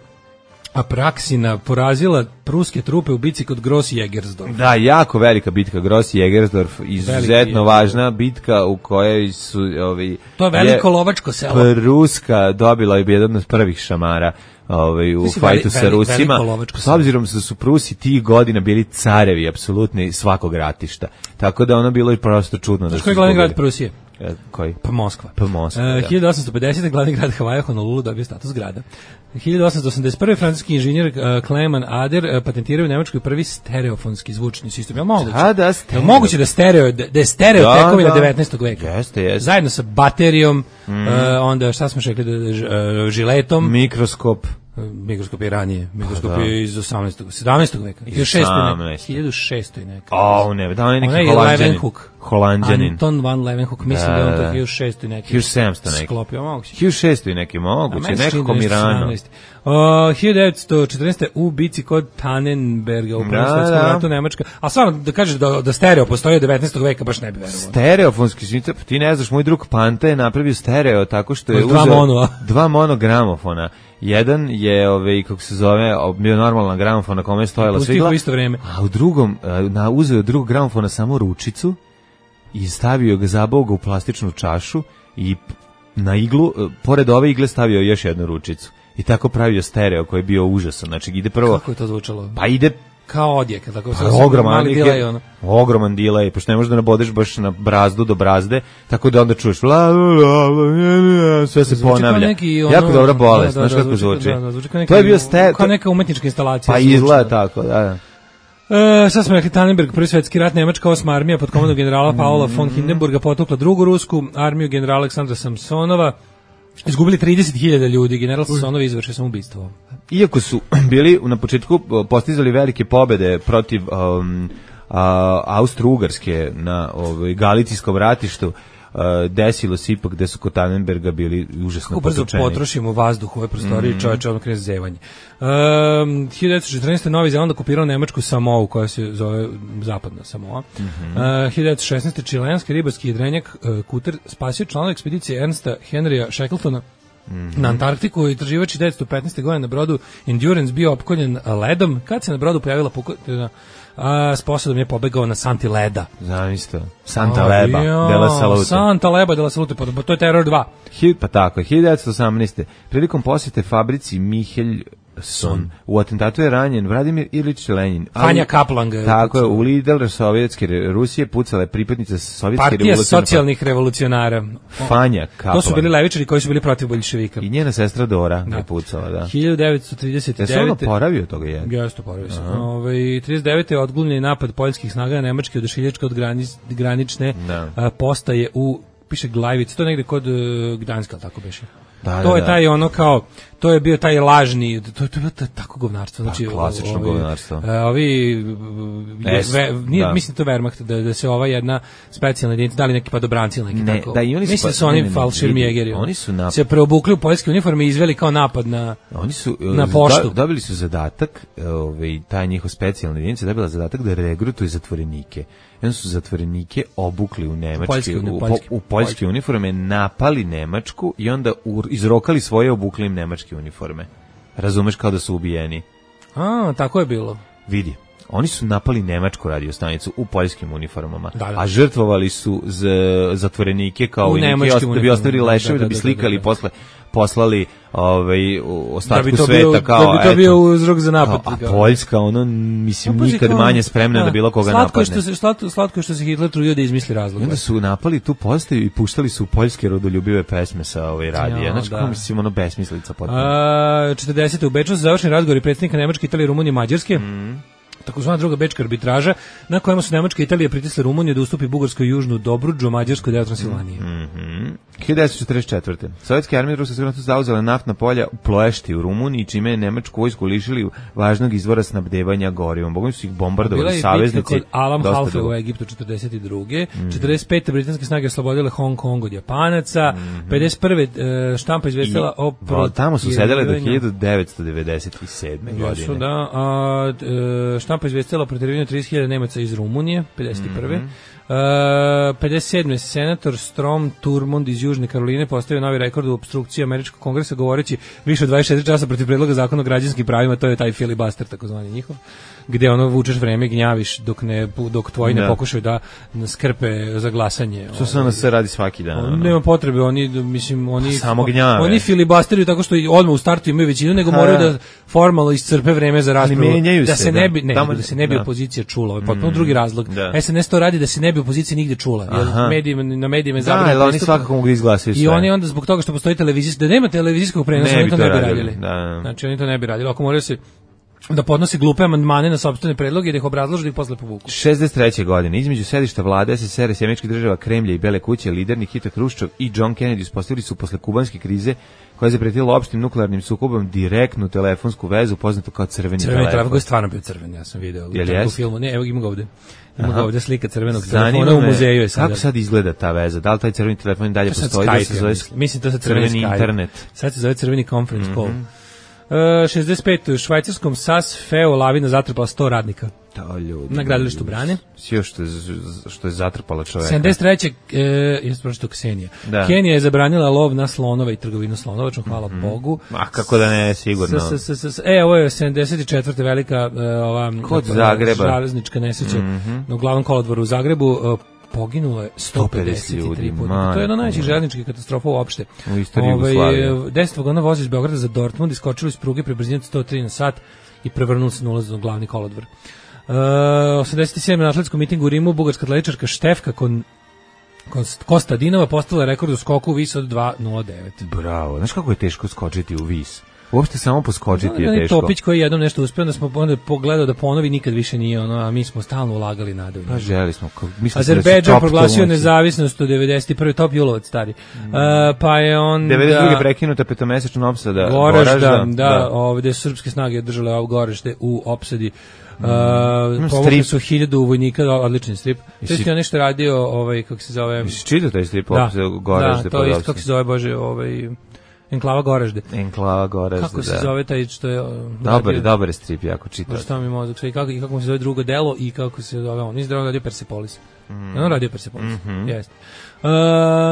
Apraksina porazila pruske trupe u bitci kod Gross-Jägersdorf. Da, jako velika bitka Gross-Jägersdorf, izuzetno važna bitka u kojoj su ovi to je veliko je, lovačko selo. Pruska dobila je jedan od prvih šamara ovaj u fajtu sa Rusima. S obzirom da su Prusi tih godina bili carevi apsolutni svakog ratišta. Tako da ono bilo i prosto čudno da su. Koji je glavni grad Prusije? E, koji? Pa Moskva. Pa Moskva. Uh, hiljadu osamsto pedesete. glavni grad Havaja Honolulu dobio status grada. hiljadu osamsto osamdeset prve. francuski inženjer uh, Clement Ader uh, patentirao u Nemačkoj prvi stereofonski zvučni sistem. Je li moguće? Da, da, stereo. Je moguće da stereo, da je stereo da, tekovina da. devetnaestog veka? Jeste, jeste. Zajedno sa baterijom, mm. uh, onda šta smo rekli, da, uh, žiletom. Mikroskop. Mikroskop je ranije, mikroskop da. je iz osamnaestog. sedamnaestog veka. hiljadu šesto neka. O, ne, da on je neki Holanđanin. Holanđanin. Anton van Leeuwenhoek, mislim da, da je on to hiljadu šesto neki. hiljadu sedamsto neki. Sklopio, moguće. hiljadu šesto neki, moguće, nekako Mirano. Uh, hiljadu devetsto četrnaeste. u bici kod Tannenberga u Prvom svetskom ratu Nemačka. A stvarno da kažeš da, da stereo postoji od devetnaestog veka, baš ne bi verovao. Stereofonski sistem, ti ne znaš, moj drug Panta je napravio stereo tako što je uzeo dva, mono. dva monogramofona. Jedan je, ovaj, kako se zove, bio normalna gramofona kome je stojala svigla, isto vreme. A u drugom, na, uzeo drugog gramofona samo ručicu i stavio ga, zabao ga u plastičnu čašu i na iglu, pored ove igle stavio još jednu ručicu. I tako pravio stereo koji je bio užasan. Znači ide prvo... Kako je to zvučalo? Pa ide... Kao odjek. Tako, pa, ogroman delay, ono. Ogroman delay, pošto ne možeš da nabodeš baš na brazdu do brazde, tako da onda čuješ la, la, la, sve se ponavlja. Neki, ono, jako dobra bolest, da, da, znaš da, kako zvuči. Da, da, zvuči kao to je bio ste... Kao neka umetnička instalacija. Pa izgleda tako, da, da. E, sad smo rekli Tannenberg, prvi svetski rat, Nemačka osma armija pod komandom generala Paula von Hindenburga potukla drugu rusku armiju generala Aleksandra Samsonova. Izgubili trideset hiljada ljudi, general Samsonov izvršio samoubistvo. Iako su bili na početku postizali velike pobede protiv um, a, Austro-Ugarske na ovaj, Galicijskom ratištu, Uh, desilo se ipak da su kod Tannenberga bili užasno kako brzo potučeni. Potrošimo vazduh u ovoj prostoriji, mm. čovječe, ono krene zevanje. Um, hiljadu devetsto četrnaeste. Novi Zeland okupirao Nemačku Samou, koja se zove Zapadna Samoa. Mm -hmm. uh, hiljadu devetsto šesnaeste. čilenski ribarski jedrenjak uh, Kuter spasio članova ekspedicije Ernsta Henrya Shackletona mm -hmm. na Antarktiku i traživač devetsto petnaeste. godine na brodu Endurance bio opkoljen ledom. Kad se na brodu pojavila pukotina, a s posadom je pobegao na Santi Leda. Zamislite, Santa Leba, della Salute. Santa Leba, della Salute, pa to je Terror dva. Hi, pa tako, hiljadu devetsto osamnaeste. Prilikom posjete fabrici Michelson, u atentatu je ranjen Vladimir Ilić Lenin. Fanja Kaplan ga je tako je, u lider sovjetske Rusije pucala je pripadnica sovjetske Partija revolucionarne socijalnih revolucionara. Fanja Kaplan. To su bili levičari koji su bili protiv boljševika. I njena sestra Dora da. je pucala, da. hiljadu devetsto trideset devete. Je se ono poravio toga je? Jeste, poravio se. Ove, trideset devete. odglumljen napad poljskih snaga na nemačke odašiljačke od granic, granične da. a, postaje u, piše Glajvic, to je negde kod uh, Gdanska, tako beše. Da, to da, je taj da. ono kao, to je bio taj lažni, to, to je bilo tako govnarstvo. Znači, pa, klasično ovi, govnarstvo. Ovi, ovi ve, nije, da. mislim to Wehrmacht, da, da se ova jedna specijalna jedinica, da li neki padobranci ili neki ne, tako. Da, i oni su, mislim da su oni falširmjegeri. Oni su napad. Se preobukli u poljske uniforme i izveli kao napad na, oni su, na poštu. Da, dobili su zadatak, ovaj, taj njihov specijalna jedinica dobila zadatak da regrutuje zatvorenike. I onda su zatvorenike obukli u nemačke, poljske, u, poljske, u poljske uniforme, napali Nemačku i onda u, izrokali svoje obukli im nemačke uniforme. Razumeš, kao da su ubijeni. A, tako je bilo. Vidi. Oni su napali nemačku radiostanicu u poljskim uniformama, da, da. a žrtvovali su z, zatvorenike kao u i neki osta, da bi ostavili leševe, da, da, da bi slikali i posle poslali ovaj ostatku da sveta bio, kao da bi to eto, bio uzrok za napad. Kao, a Poljska ono mislim no, nikad kao, manje spremna da, da bilo koga slatko napadne. Što se, slatko, slatko što se Hitler trudio da izmisli razlog. Onda su napali tu postaju i puštali su poljske rodoljubive pesme sa ovaj radija. Znači kako mislim ono besmislica potpuno. A četrdesete. u Beču su završeni razgovori predsjednika Nemačke, Italije, Rumunije, Mađarske. Mm. Takozvana druga bečka arbitraža na kojima su Nemačka i Italija pritisle Rumuniju da ustupi Bugarskoj južnu Dobrudžu, Mađarskoj deo Transilvanije. Mhm. hiljadu devetsto četrdeset četvrte. Sovjetske armije i ruske sigurnosti zauzele naftna polja u Ploešti u Rumuniji, čime je nemačku vojsku lišili važnog izvora snabdevanja gorivom. Bogom su ih bombardovali saveznici. Bila je bitka kod Alam Halfe u Egiptu četrdeset druge. Mm. četrdeset pete. britanske snage oslobodile Hong Kong od Japanaca. Mm. pedeset prve. štampa izvestila o pro... Tamo su sedele do hiljadu devetsto devedeset sedme. godine. Jesu, da. A, štampa izvestila o protjerivanju trideset hiljada Nemaca iz Rumunije, pedeset prve. Mm. Uh, pedeset sedme. senator Strom Thurmond iz Južne Karoline postavio novi rekord u opstrukciji američkog kongresa govoreći više od dvadeset četiri časa protiv predloga zakona o građanskim pravima, to je taj filibuster takozvani njihov, gde ono vučeš vreme, gnjaviš dok ne dok tvoji ne pokušaju da skrpe za glasanje. Što se ono se radi svaki dan. Ono. Nema potrebe, oni mislim oni samo gnjave. Oni filibusteruju tako što odmah u startu imaju većinu, nego ha. moraju da formalno iscrpe vreme za raspravu. Da se, se ne bi ne, Tamo, da se ne bi da. opozicija čula. Ovo je potpuno mm, drugi razlog. Da. es en es to radi da se ne bi opozicija nigde čula. Jer medijima, na medijima je zabrano. Da, oni svakako mogu izglasati sve. I oni onda zbog toga što postoji televizijski, da nema televizijskog prenosa, ne oni to ne bi radili. radili. Da. Znači oni to ne bi radili. Ako moraju se da podnosi glupe amandmane na sopstvene predloge i da ih obrazlože da ih posle povuku. šezdeset treće. godine između sedišta vlade es es er i američkih država Kremlja i Bele kuće lider Nikita Hruščov i John Kennedy uspostavili su posle kubanske krize koja je zapretila opštim nuklearnim sukobom direktnu telefonsku vezu poznatu kao crveni, crveni telefon. telefon koji je stvarno bio crven, ja sam video u filmu. Ne, evo ima ga ovde. Ima ga ovde slika crvenog Zanima telefona u muzeju je sada. Kako sad izgleda ta veza? Da li taj crveni telefon dalje postoji? Da se zove, mislim to se crveni, crveni internet. Sad se zove crveni conference call. Mm -hmm. uh, šezdeset pete. u švajcarskom S A S Feo lavina zatrpala sto radnika. To ljudi. Na gradilištu Brane. Sve što je što je zatrpala čoveka. sedamdeset treće. E, jeste pročitao Ksenija. Da. Kenija je zabranila lov na slonove i trgovinu slonovačom, hvala mm -hmm. Bogu. A kako da ne, sigurno. S, s, s, s, e, ovo je sedamdeset četvrte velika uh, ova kod Zagreba. Železnička nesreća mm -hmm. na glavnom kolodvoru u Zagrebu. Uh, poginulo je sto pedeset tri puta. To je jedna od najvećih željezničkih katastrofa uopšte. U istoriji Jugoslavije. deset vagona vozi iz Beograda za Dortmund, iskočili iz pruge pri brzini sto tri na sat i prevrnuli se na ulaz na glavni kolodvor. Uh, osamdeset sedme. na atletskom mitingu u Rimu bugarska atletičarka Štefka Kon, Kostadinova postala rekord u skoku u vis od dva nula devet. Bravo. Znaš kako je teško skočiti u vis? Uopšte samo poskočiti no, je teško. Topić koji jednom nešto uspeo, da smo onda pogledao da ponovi nikad više nije ono, a mi smo stalno ulagali nadu. Pa želi smo. Azerbejdžan proglasio nezavisnost u devedeset prve. Top Julovac stari. Mm. Uh, pa je onda... devedeset druge prekinuta petomesečna opsada Goražda. Goražda, da, da, ovde su srpske snage držale ovo Goražde u opsadi. Uh, povukli su hiljadu vojnika, odlični strip. To je nešto radio, ovaj, kako se zove... Jesi čitao taj strip? Da, Goražde, da, to je isto, kako se zove, Bože, ovaj... Enklava Goražde. Enklava Goražde, kako se da. zove taj što je... Dobar je, dobar je strip, jako čitao. Šta mi mozak, i kako, i kako mu se zove drugo delo i kako se zove on. Nisi radio Persepolis. Mm. On radio Persepolis, mm -hmm. jeste. Uh,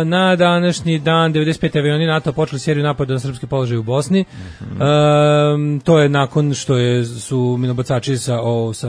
na današnji dan devedeset pete avioni NATO počeli seriju napada na srpske položaje u Bosni. Mm-hmm. Uh, to je nakon što je su minobacači sa o, sa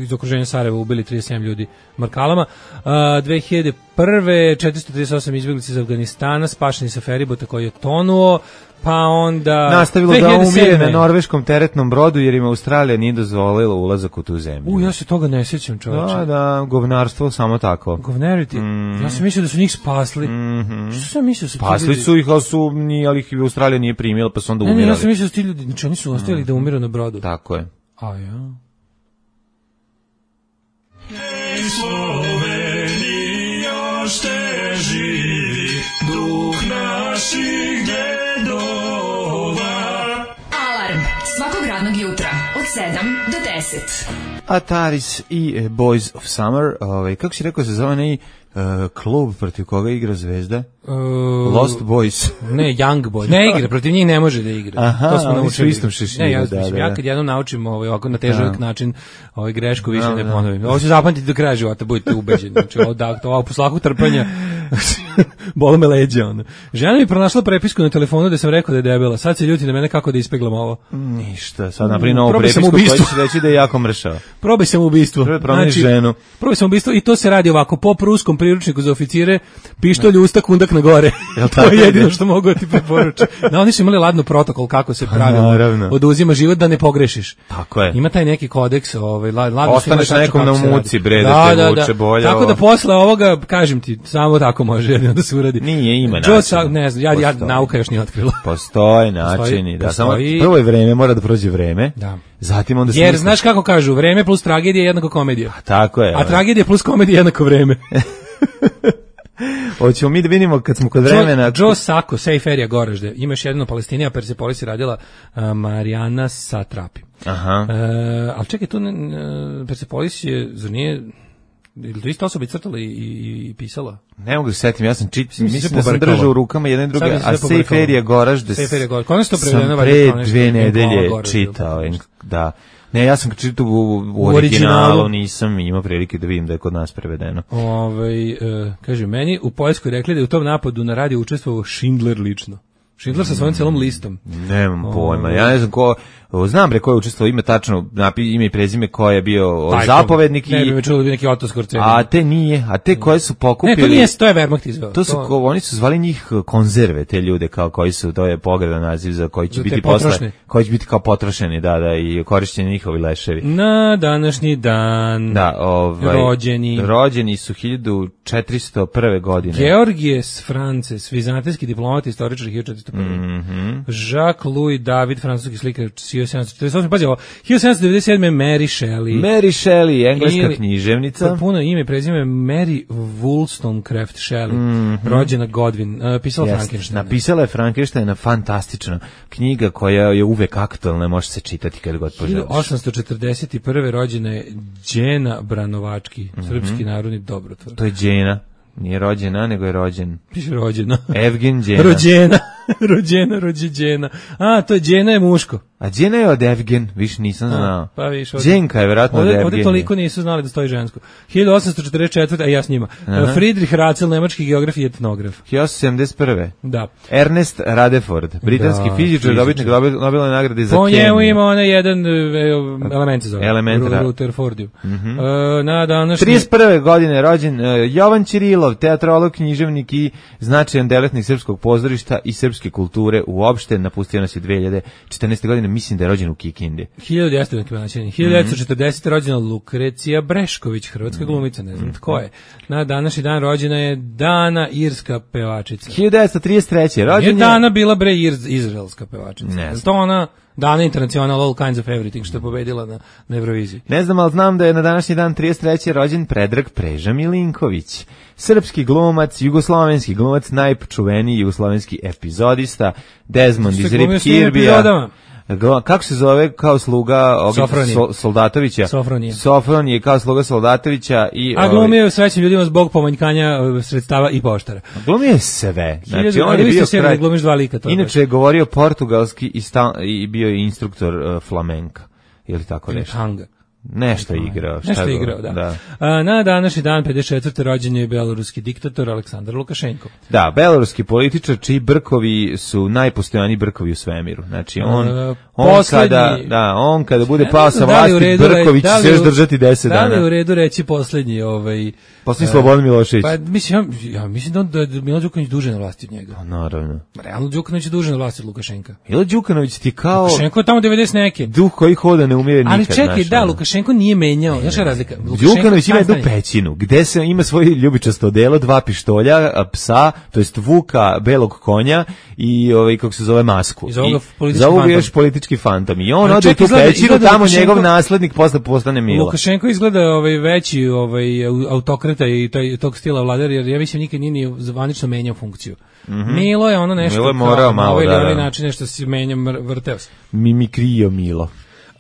iz okruženja Sarajeva ubili trideset sedam ljudi markalama. Uh, dve hiljade prve četiristo trideset osam izbeglica iz Afganistana spašeni sa feribota koji je tonuo. Pa onda nastavilo da umire na norveškom teretnom brodu jer im Australija nije dozvolila ulazak u tu zemlju. U, ja se toga ne sjećam, čoveče. Da, da, govnarstvo samo tako. Govneriti. Mm. Ja sam mislio da su njih spasli. Mm-hmm. Što sam mislio su spasli ljudi... su ih, ali su ni, ali ih Australija nije primila, pa su onda umirali. Ne, ne, ja sam mislio da su ti ljudi, znači oni su ostavili mm. da umiru na brodu. Tako je. A ja. Ej, Slovenija, još te živi duh naših dedova. Alarm svakog radnog jutra od sedam do deset. Ataris i Boys of Summer, ovaj, kako si rekao se zove nej uh, klub protiv koga igra Zvezda? Uh, Lost Boys. Ne, Young Boys. Ne igra, protiv njih ne može da igra. Aha, to smo naučili. Istom šeširu, ne, ja, da, da, da. ja kad jednom naučim ovaj, ovako na težak način ovaj, grešku više da, ne ponovim. Ovo ću zapamtiti do kraja života, budite ubeđeni. Znači, ovo, da, ovo po slaku trpanja bolo me leđa. Ono. Žena mi pronašla prepisku na telefonu da sam rekao da je debela. Sad se ljuti na mene kako da ispeglam ovo. Ništa, sad napravi novu prepisku koja će reći da je jako mršava. Probaj sam ubistvo. Probaj znači, ženu. Probaj sam ubistvo i to se radi ovako, po pruskom priručniku za oficire, pištolj, usta, kundak na gore. To je jedino što mogu ti preporučiti. Da, oni su imali ladno protokol kako se pravilno oduzima život da ne pogrešiš. Tako je. Ima taj neki kodeks, ovaj ladno. Ostaneš nekom na muci, bre, da, da te vuče bolje. Tako ovo. Da posle ovoga, kažem ti, samo tako može jedino da se uradi. Nije, ima način. Sa, ne znam, ja, ja nauka još nije otkrila. Postoje načini, da. Samo prvo je vreme, mora da prođe vreme. Da. Zatim onda jer znaš kako kažu, vreme plus tragedija je jednako komedija. A tako je. A tragedija plus komedija je jednako vreme. Hoćemo mi da vidimo kad smo kod vremena. Joe, Joe Sacco, Safe Area Goražde. Ima još jedno na Palestini, a Persepolis je radila uh, Marijana Satrapi. Aha. Uh, ali čekaj, tu uh, Persepolis je, zar nije, ili to isto osoba i crtala i, i, i pisala? Ne mogu se setim, ja sam čit, mislim, mislim da sam držao u rukama jedne druge, a Safe Area Goražde Safe Area Goražde. Sam pre dve nedelje čitao, da. Ne, ja sam čitao u, u originalu, nisam imao prilike da vidim da je kod nas prevedeno. Ovaj e, kaže, meni u Poljskoj rekli da je u tom napadu na radio učestvovao Schindler lično. Schindler sa svojom celom listom. Nemam pojma, ja ne znam ko, znam bre ko je učestvovao, ime tačno, ime i prezime ko je bio taj, zapovednik. Ne, i, ne bi čulo da bi neki Otto Skorceni. A te nije, a te koje su pokupili. Ne, to nije, to je Wehrmacht izveo. To su, to... Ko, oni su zvali njih konzerve, te ljude, kao koji su, to je pogredan naziv za koji će za biti posle, koji će biti kao potrošeni, da, da, i korišćeni njihovi leševi. Na današnji dan da, ovaj, rođeni. Rođeni su hiljadu četiristo prve godine. Georgijes Frances, vizantijski diplomat, istoričar hiljadu četiristo prve. Mm-hmm. Jacques-Louis David, francuski slikar hiljadu sedamsto četrdeset osam. Pazi ovo, hiljadu sedamsto devedeset sedme. Mary Shelley. Mary Shelley, engleska ili, književnica. Puno ime i prezime Mary Wollstonecraft Shelley, mm-hmm. rođena Godwin, uh, pisala yes. Frankensteina. Napisala je Frankensteina, fantastična knjiga koja je uvek aktualna, može se čitati kad god poželiš. hiljadu osamsto četrdeset prve. rođena je Đena Branovački, mm-hmm. srpski narodni dobrotvor. To je Đena. Nije rođena, nego je rođen. Piše rođena. Evgen Đena. Rođena. Rođena, rođena. A, to je Đena je muško. A Đena je od Evgen, više nisam znao. A, pa viš, Đenka je vjerojatno od Evgen. Ovdje toliko nisu znali da stoji žensko. hiljadu osamsto četrdeset četvrte. A ja s njima. Aha. Friedrich Ratzel, nemački geograf i etnograf. hiljadu osamsto sedamdeset prve. Da. Ernest Rutherford, britanski da, fizičar, dobitnik Nobelove nagrade za po kemiju. Po njemu ima onaj jedan element se zove. Element Rutherfordiu. Mm-hmm. Uh, na današnji... trideset prve. godine rođen uh, Jovan Ćirilov, teatrolog, književnik i značajan delatnik srpskog pozorišta i srpske kulture uopšte. Napustio nas je dve hiljade četrnaeste. godine. godine, mislim da je rođen u Kikindi. hiljadu devetsto četrdesete rođena Lukrecija Brešković, hrvatska glumica, ne znam tko je. Na današnji dan rođena je Dana, irska pevačica. hiljadu devetsto trideset treće rođen je Dana bila bre iz, izraelska pevačica. Ne znam. To ona Dana International All Kinds of Everything što je pobedila na, na Euroviziji. Ne znam, ali znam da je na današnji dan trideset treće rođen Predrag Preža Milinković. Srpski glumac, jugoslovenski glumac, najčuveniji jugoslovenski epizodista, Desmond iz Rip Kirbija. Kako se zove kao sluga Sol, Soldatovića? Sofronije. Sofronije kao sluga Soldatovića. I, a glumio je srećnim ljudima zbog pomanjkanja sredstava i poštara. Glumio je sve. Znači, on je bio kraj, glumiš dva lika. Inače je govorio portugalski i, sta, i bio je instruktor uh, flamenka. Ili tako nešto? Hanga. Nešto je igrao. Nešto je igrao, da. da. A, na današnji dan, pedeset četvrte rođen je beloruski diktator Aleksandar Lukašenko. Da, beloruski političar čiji brkovi su najpostojaniji brkovi u svemiru. Znači, on, A, on, kada, da, on kada bude pao sa vlasti, Brković će se još držati deset dana. Da li je u redu reći poslednji ovaj... Poslednji Slobodan Milošević. Pa, mislim, ja, ja mislim da je Milo Đukanović duže na vlasti od njega. A, naravno. Realno Đukanović je duže na vlasti od Lukašenka. Milo Đukanović ti kao... Lukašenko je tamo devedeset neke. Duh koji hoda ne umire nikad. Ali čekaj, naš, da, Lukašenko nije menjao. Znaš šta je razlika? Đukanović ima jednu pećinu, gde se ima svoje ljubičasto odelo, dva pištolja, psa, to jest vuka, belog konja i ovaj kako se zove masku. I za ovoga još politički fantom. I on ode u tu pećinu, tamo Lukašenko, njegov naslednik posle postane Milo. Lukašenko izgleda ovaj veći ovaj autokrata i taj tog stila vladar, jer ja mislim nikad nije ni zvanično menjao funkciju. Mm -hmm. Milo je ono nešto Milo je morao malo, ovaj, da, da. način nešto se menja, vrteo se. Mimikrio Milo.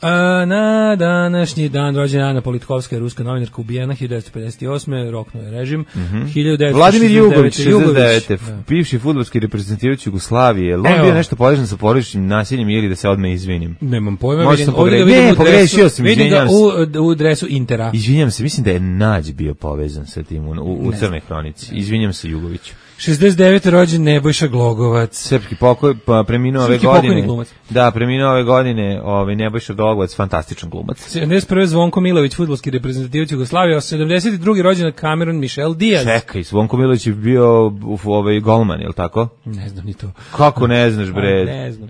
A, na današnji dan rođena Ana Politkovska, ruska novinarka, ubijena hiljadu devetsto pedeset osme roknuo je režim. Mm -hmm. hiljadu devetsto Vladimir Jugović, šezdeset devete Da. Bivši fudbalski reprezentativač Jugoslavije. Je on bio nešto podrežen sa porodičnim nasiljem ili da se odmah izvinim? Nemam pojma. Možda pogre... Ne, pogrešio sam, izvinjam se. U, u dresu Intera. Izvinjam se, mislim da je Nađ bio povezan sa tim u, u, u Crnoj hronici. Izvinjam se Jugoviću. šezdeset devete rođen Nebojša Glogovac. Srpski pokoj, pa preminuo ove godine. Da, preminuo ove godine, ovaj Nebojša Glogovac, fantastičan glumac. sedamdeset prve Zvonko Milović, fudbalski reprezentativac Jugoslavije, a sedamdeset druge rođen Cameron Michel Diaz. Čekaj, Zvonko Milović je bio ovaj golman, je l' tako? Ne znam ni to. Kako ne znaš, bre? Ne znam.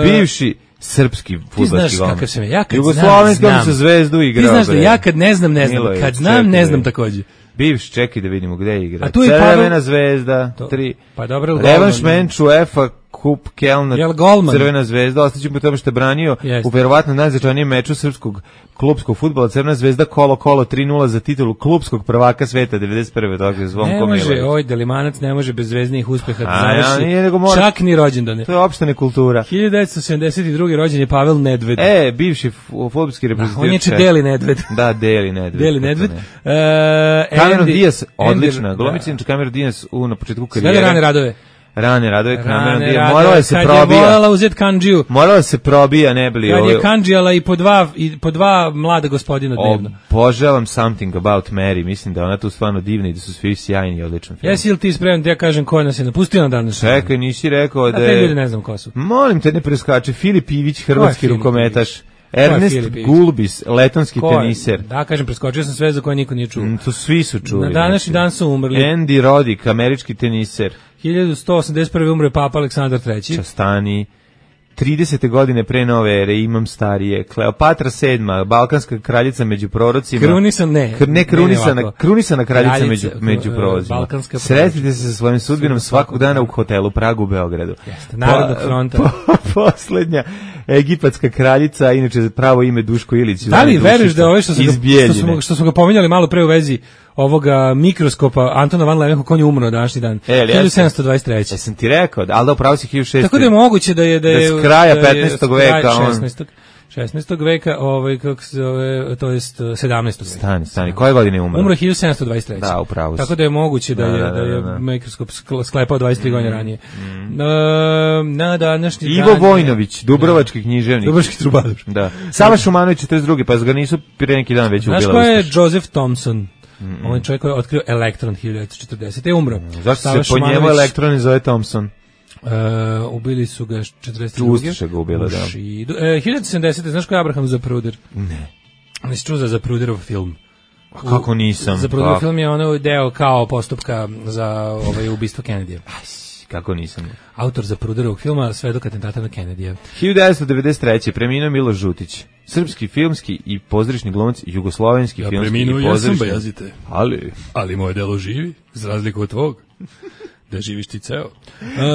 Bivši srpski fudbalski golman. Ti znaš kakav sam ja, kad Jugoslovenski znam, sa Zvezdu igrao. Ti znaš da ja kad ne znam, ne znam. Milović, kad znam, ne znam takođe. Bivš, čekaj da vidimo gde je igra. Crvena Pavel... zvezda, to, tri. Pa dobro, Revanš menč UEFA Kup Kelna, Crvena zvezda, ostaćemo po tome što je branio Jeste. u verovatno najznačajnijem meču srpskog klubskog fudbala. Crvena zvezda kolo kolo tri nula za titulu klubskog prvaka sveta devedeset prve Toga Zvonko Milović. Ne može, oj, Delimanac ne može bez zvezdinih uspeha da završi. Ja, mora... Čak ni rođendane. To je opšta nekultura. hiljadu devetsto sedamdeset druge rođen je Pavel Nedved. E, bivši fudbalski reprezentativač. On je če Deli Nedved. Da, Deli Nedved. Deli Nedved. Uh, Cameron Diaz, odlična. Glumicin Cameron Diaz u na početku karijere. Sve rane radove. Rane radove Cameron Diaz. Morala je se probija. Kad je volala uzeti kandžiju. Morala se probija, ne bili. Kad je kandžijala i po dva, i po dva mlada gospodina dnevno. Obožavam Something About Mary. Mislim da ona tu stvarno divna i da su svi sjajni i odličan film. Jesi li ti spreman da ja kažem ko nas je napustio na danas? Čekaj, nisi rekao da je... A te ljudi ne znam ko su. Molim te, ne preskače. Filip Ivić, hrvatski rukometaš. Ernest Gulbis, letonski teniser. Da, kažem, preskočio sam sve za koje niko nije čuo. Mm, to svi su čuli. Na današnji dan su umrli. Andy Roddick, američki teniser. hiljadu sto osamdeset prve umre Papa Aleksandar treći. Častani. tridesete godine pre nove ere, imam starije. Kleopatra sedma, balkanska kraljica među prorocima. Krunisan, ne. Kr, ne krunisana, ne krunisana kraljica, kraljica među, među prorocima. Sretite se sa svojim sudbinom svakog dana u hotelu Pragu u Beogradu. Jeste, Narodnog fronta. Po, po, poslednja egipatska kraljica, inače pravo ime Duško Ilić. Da li veriš da ove što smo, ga, što, smo, što smo ga pominjali malo pre u vezi ovoga mikroskopa Antona van Leeuwenhoek, on je umro današnji dan. E, hiljadu sedamsto dvadeset treće. Jesam ti rekao, ali da upravo si hiljadu šeststo. Tako da je moguće da je da je s kraja petnaestog veka on šesnaestog veka, ovaj kako se zove, to jest sedamnaestog veka. Stani, stani. Koje godine je umro? Umro hiljadu sedamsto dvadeset treće. Da, upravo. Tako da je moguće da, da je da, da, da, da. je mikroskop sklepao dvadeset tri mm, godine ranije. Mm. Na, na današnji Ivo dan Vojnović, Dubrovački da. književnik. Dubrovački trubadur. Da. Sava Šumanović četrdeset druge pa ga nisu pre neki dan već ubila. Znaš ko je Joseph Thomson? Mm -mm. On je čovjek koji je otkrio elektron hiljadu devetsto četrdesete je umro. Mm. Zašto Sava se po njemu elektron zove Thomson? Uh, ubili su ga četrdeset druge Ustaše ga ubila, da. Uh, hiljadu sedamdesete znaš ko je Abraham Zapruder? Ne. Nisi čuo za Zapruderov film? A kako nisam? Zapruderov film je ono deo kao postupka za ovaj ubistvo Kennedyja. kako nisam. Autor za Pruderovog filma Svedok atentata na Kennedyja. hiljadu devetsto devedeset treće preminuo Miloš Žutić. Srpski filmski i pozorišni glumac, jugoslovenski Ja filmski preminuo, i ja sam pozorišni. bajazite. Ali Ali moje delo živi, za razliku od tvog. Da živiš ti ceo.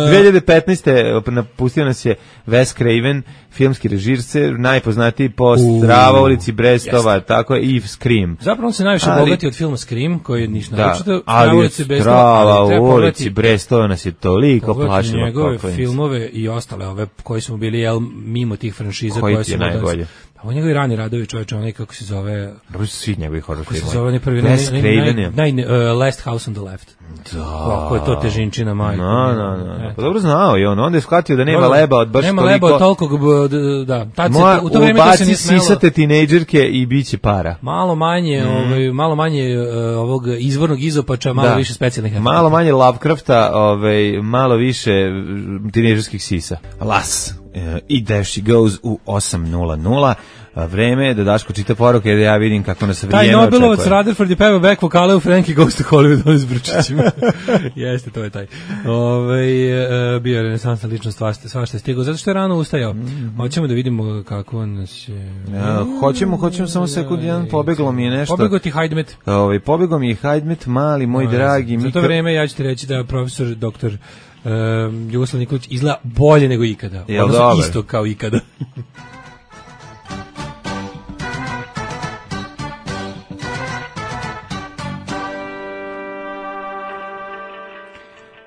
dve hiljade petnaeste napustio nas je Wes Craven, filmski režiser, najpoznatiji po Strava, ulici Brestova, jeste. tako je, i Scream. Zapravo on se najviše Ali- bogati od filma Scream, koji je ništa Da, naročito. ali od Strava, ali treba u ulici pogledati- Brestova nas je toliko pogledati plašilo. njegove kako je. filmove i ostale ove koji su mu bili jel, mimo tih franšiza Koji koje ti su je mu danas- najbolje? Pa on njegovi rani radovi, čovječe, onaj kako se zove, Dobro su svi njegovi horror kako se filmovi. zove onaj prvi, Wes naj, Craven naj, je. naj, naj, uh, Last House on the Left. Da. Kako je to težinčina, majko. No, no, no. Eto. Pa dobro znao je on, onda je shvatio da nema Da, leba od baš nema toliko. leba od toliko, b- d- da. Tad se, Moja, u to vreme to se ubaci nije smelo. sisate tinejdžerke i bit će para. Malo manje, Mm. ovaj, malo manje uh, ovog izvornog izopača, malo Da. više specijalnih efekata. Malo manje Lovecrafta, ovaj, malo više tinejdžerskih sisa. Las. E, I there she goes u osam nula nula. A vreme je da Daško čita poruke da ja vidim kako nas vrijeme Taj očekuje. Nobelovac Rutherford je pevao back vokale u Frankie Goes to Hollywood on s Brčićima. Jeste, to je taj. Ove, e, bio je renesansna ličnost, svašta, svašta je stigao, zato što je rano ustajao. Hoćemo da vidimo kako nas je... Ja, hoćemo, hoćemo samo sekund, jedan pobeglo mi je nešto. Pobegao ti Hajdmet. Ovaj, pobegao mi je Hajdmet, mali, moj dragi. Za to Mika- vreme ja ću ti reći da profesor doktor um, Jugoslav Nikolić izgleda bolje nego ikada. Jel Odnosno dobar? isto kao ikada.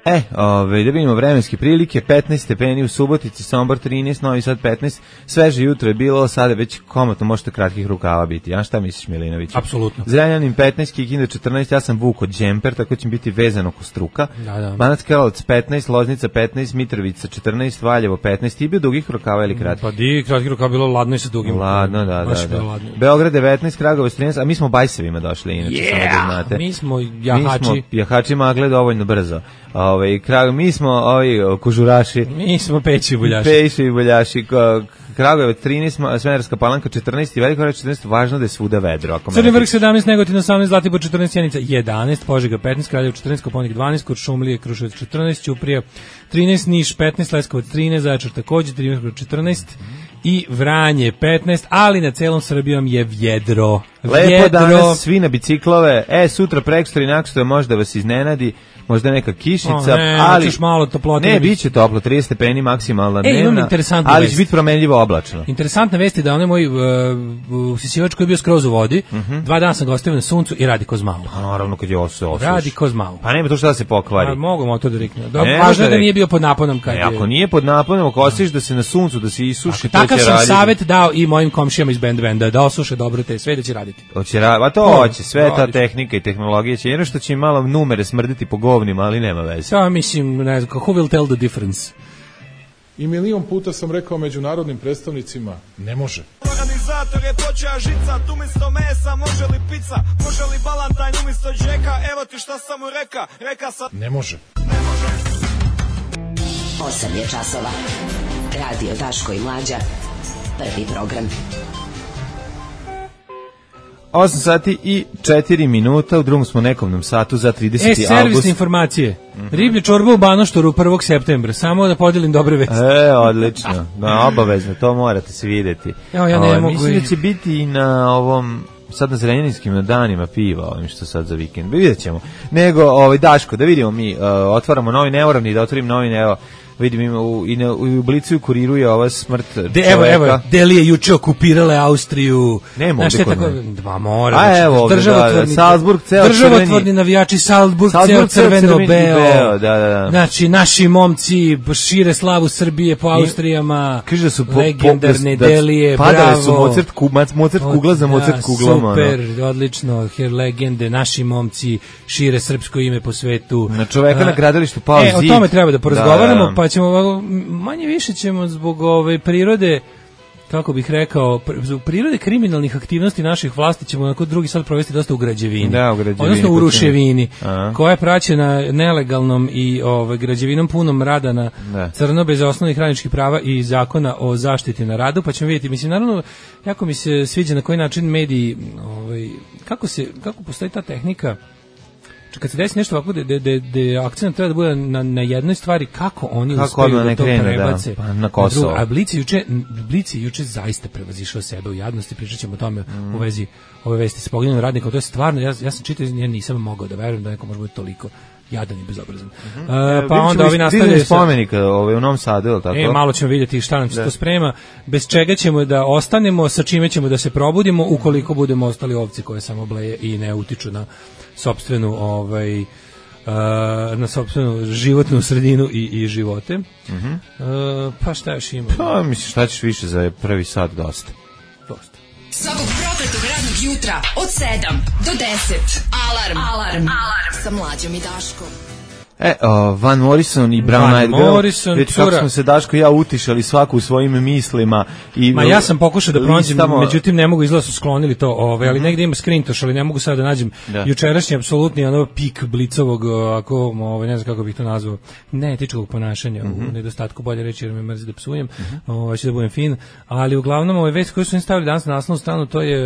E, ove, da vidimo vremenske prilike, petnaest stepeni u Subotici, Sombor trinaest, Novi Sad petnaest, sveže jutro je bilo, sada već komotno možete kratkih rukava biti. Ja šta misliš, Milinović? Apsolutno. Zrenjanin petnaest, Kikinda četrnaest, ja sam vuko džemper, tako će mi biti vezan oko struka. Da, da. Banac Karlovac petnaest, Loznica petnaest, Mitrovica četrnaest, Valjevo petnaest, ti bio dugih rukava ili kratkih? Pa di, kratki rukav bilo ladno i sa dugim. Ladno, da, Baš da, je bilo da. ladno. Beograd devetnaest, Kragovac trinaest, a mi smo bajsevima došli, inače, samo da znate. Mi smo Mi jahači. smo jahači magle dovoljno brzo. Ovaj krag mi smo ovi kužuraši. Mi smo peći buljaši. Peći i buljaši. Ko- Kragujevac trinaest, Ma- Smederevska Palanka četrnaest i Veliko Gradište četrnaest, važno da je svuda vedro. Ako Crni mene vrh sedamnaest, Negotin osamnaest, Zlatibor četrnaest, Sjenica jedanaest, Požega petnaest, Kraljevo četrnaest, Koponik dvanaest, Kuršumlije, Kruševac četrnaest, Ćuprija trinaest, Niš petnaest, Leskovac trinaest, Zaječar takođe četrnaest i Vranje petnaest, ali na celom Srbijom je vjedro. Lepo Vjedro. danas, svi na biciklove. E, sutra, prekstra i naksutra možda vas iznenadi, možda neka kišnica, O, ne, ali hoćeš malo toplote ne, da bi- biće toplo, trideset stepeni maksimalna E, imam dnevna, interesantnu ali vest. će biti promenljivo oblačno. Interesantna vest je da onaj moj uh, usisivač koji je bio skroz u vodi, dva dana sam ga ostavio na suncu i radi ko zmao. Pa naravno kad je osu, osuš. Radi ko zmao. Pa nema to šta da se pokvari. Pa, mogu motor da rikne. Da, Ne, važno je može da nije bio pod naponom kad E, je... ako nije pod naponom, ako osjetiš da se na suncu, da se isuši, to Takav će sam raditi. savjet dao i mojim komšijama iz band benda, da osuše dobro te sve da će raditi. Hoće ra- a to To, hoće, sve ta radiš. tehnika i tehnologija će, jedno što će im malo numere smrditi po govnima, ali nema veze. Ja mislim, ne znam, who will tell the difference? I milion puta sam rekao međunarodnim predstavnicima, ne može. Organizator je počeo žicat, umjesto mesa može li pizza, može li balantajn umjesto džeka, evo ti šta sam mu reka, reka sam... Ne može. osam je časova. Radio Daško i Mlađa. Prvi program. osam sati i četiri minuta, u drugom smo nekomnom satu za E, trideseti servisne avgust. informacije. Riblje čorba u Banoštoru prvog septembra. Samo da podelim dobre vesti. E, odlično. Da, obavezno, to morate se videti. Evo, ja ne Ovaj, mogu Mislim i- da će biti i na ovom sad na Zrenjaninskim danima piva, ovim što sad za vikend. Vidjet ćemo. Nego, ovaj, Daško, da vidimo mi, uh, otvaramo novi neuravni, da otvorim novi neo. Vidim ima u, i na, u Blicu i Kuriru je ova smrt De, evo, čoveka. evo, Deli je juče okupirale Austriju. Nema Znaš ovde šta je kod tako, mene. dva mora. A, znači, evo ovde, državotvorni- da, da, Salzburg ceo Državotvorni crveni. navijači, Salzburg, Salzburg ceo ceo crveno crveni i beo. beo, da, da, da. Znači, naši momci šire slavu Srbije po Austrijama. Kaže da su po, legendarne po, da, Delije, padale bravo. su Mozart, ku, Mozart kugla za Mozart Da, kuglom. ono. Super, odlično, her legende, naši momci šire srpsko ime po svetu. Na čoveka A, na gradilištu pao E, o zid. tome treba da porazgovaramo, Da, da. pa ćemo ovako, manje više ćemo zbog ove prirode, kako bih rekao, pr- zbog prirode kriminalnih aktivnosti naših vlasti ćemo onako drugi sad provesti dosta u građevini. Da, u građevini, Odnosno u kod ruševini, Aha. koja je praćena nelegalnom i ovaj građevinom punom rada na Da. crno bez osnovnih radničkih prava i zakona o zaštiti na radu, pa ćemo vidjeti. Mislim, naravno, jako mi se sviđa na koji način mediji, ovaj, kako se, kako postoji ta tehnika kad se desi nešto ovako da da akcent treba da bude na na jednoj stvari, kako oni kako uspeju da to krene, prebace da, pa na Kosovo. Na a Blic juče Blic juče zaista prevazišao sebe u jadnosti, pričaćemo o tome mm. u vezi ove vesti sa poginulim radnikom. To je stvarno, ja ja sam čitao, ja nisam mogao da verujem da neko može biti toliko jadan i bezobrazan. Mm -hmm. uh, pa onda ovi nastavljaju spomenika ovaj u Novom Sadu, je li tako? E, malo ćemo vidjeti šta nam se to sprema, bez čega ćemo da ostanemo, sa čime ćemo da se probudimo ukoliko budemo ostali ovci koje samo bleje i ne utiču na sopstvenu ovaj uh, na sopstvenu životnu sredinu i, i živote. Mm -hmm. uh, pa šta još ima? Pa misliš šta ćeš više za prvi sat dosta. Dosta. Svakog prokletog radnog jutra od sedam do deset. Alarm. Alarm. Alarm. Sa Mlađom i Daškom. E, uh, Van Morrison i Brown Eyed Girl, već kako smo se Daško i ja utišali svaku u svojim mislima. I ma ja sam pokušao da pronađem, međutim ne mogu, izgleda su sklonili to, ovaj, ali mm -hmm. negdje ima screentosh, ali ne mogu sada da nađem da. Jučerašnji apsolutni ono pik Blicovog, ako, ovaj, ne znam kako bih to nazvao, neetičkog ponašanja, mm -hmm. u nedostatku bolje reći jer me mrzi da psujem, mm -hmm. ovaj, ću da budem fin, ali uglavnom ove vesti koje su im stavili danas na naslovnu stranu, to je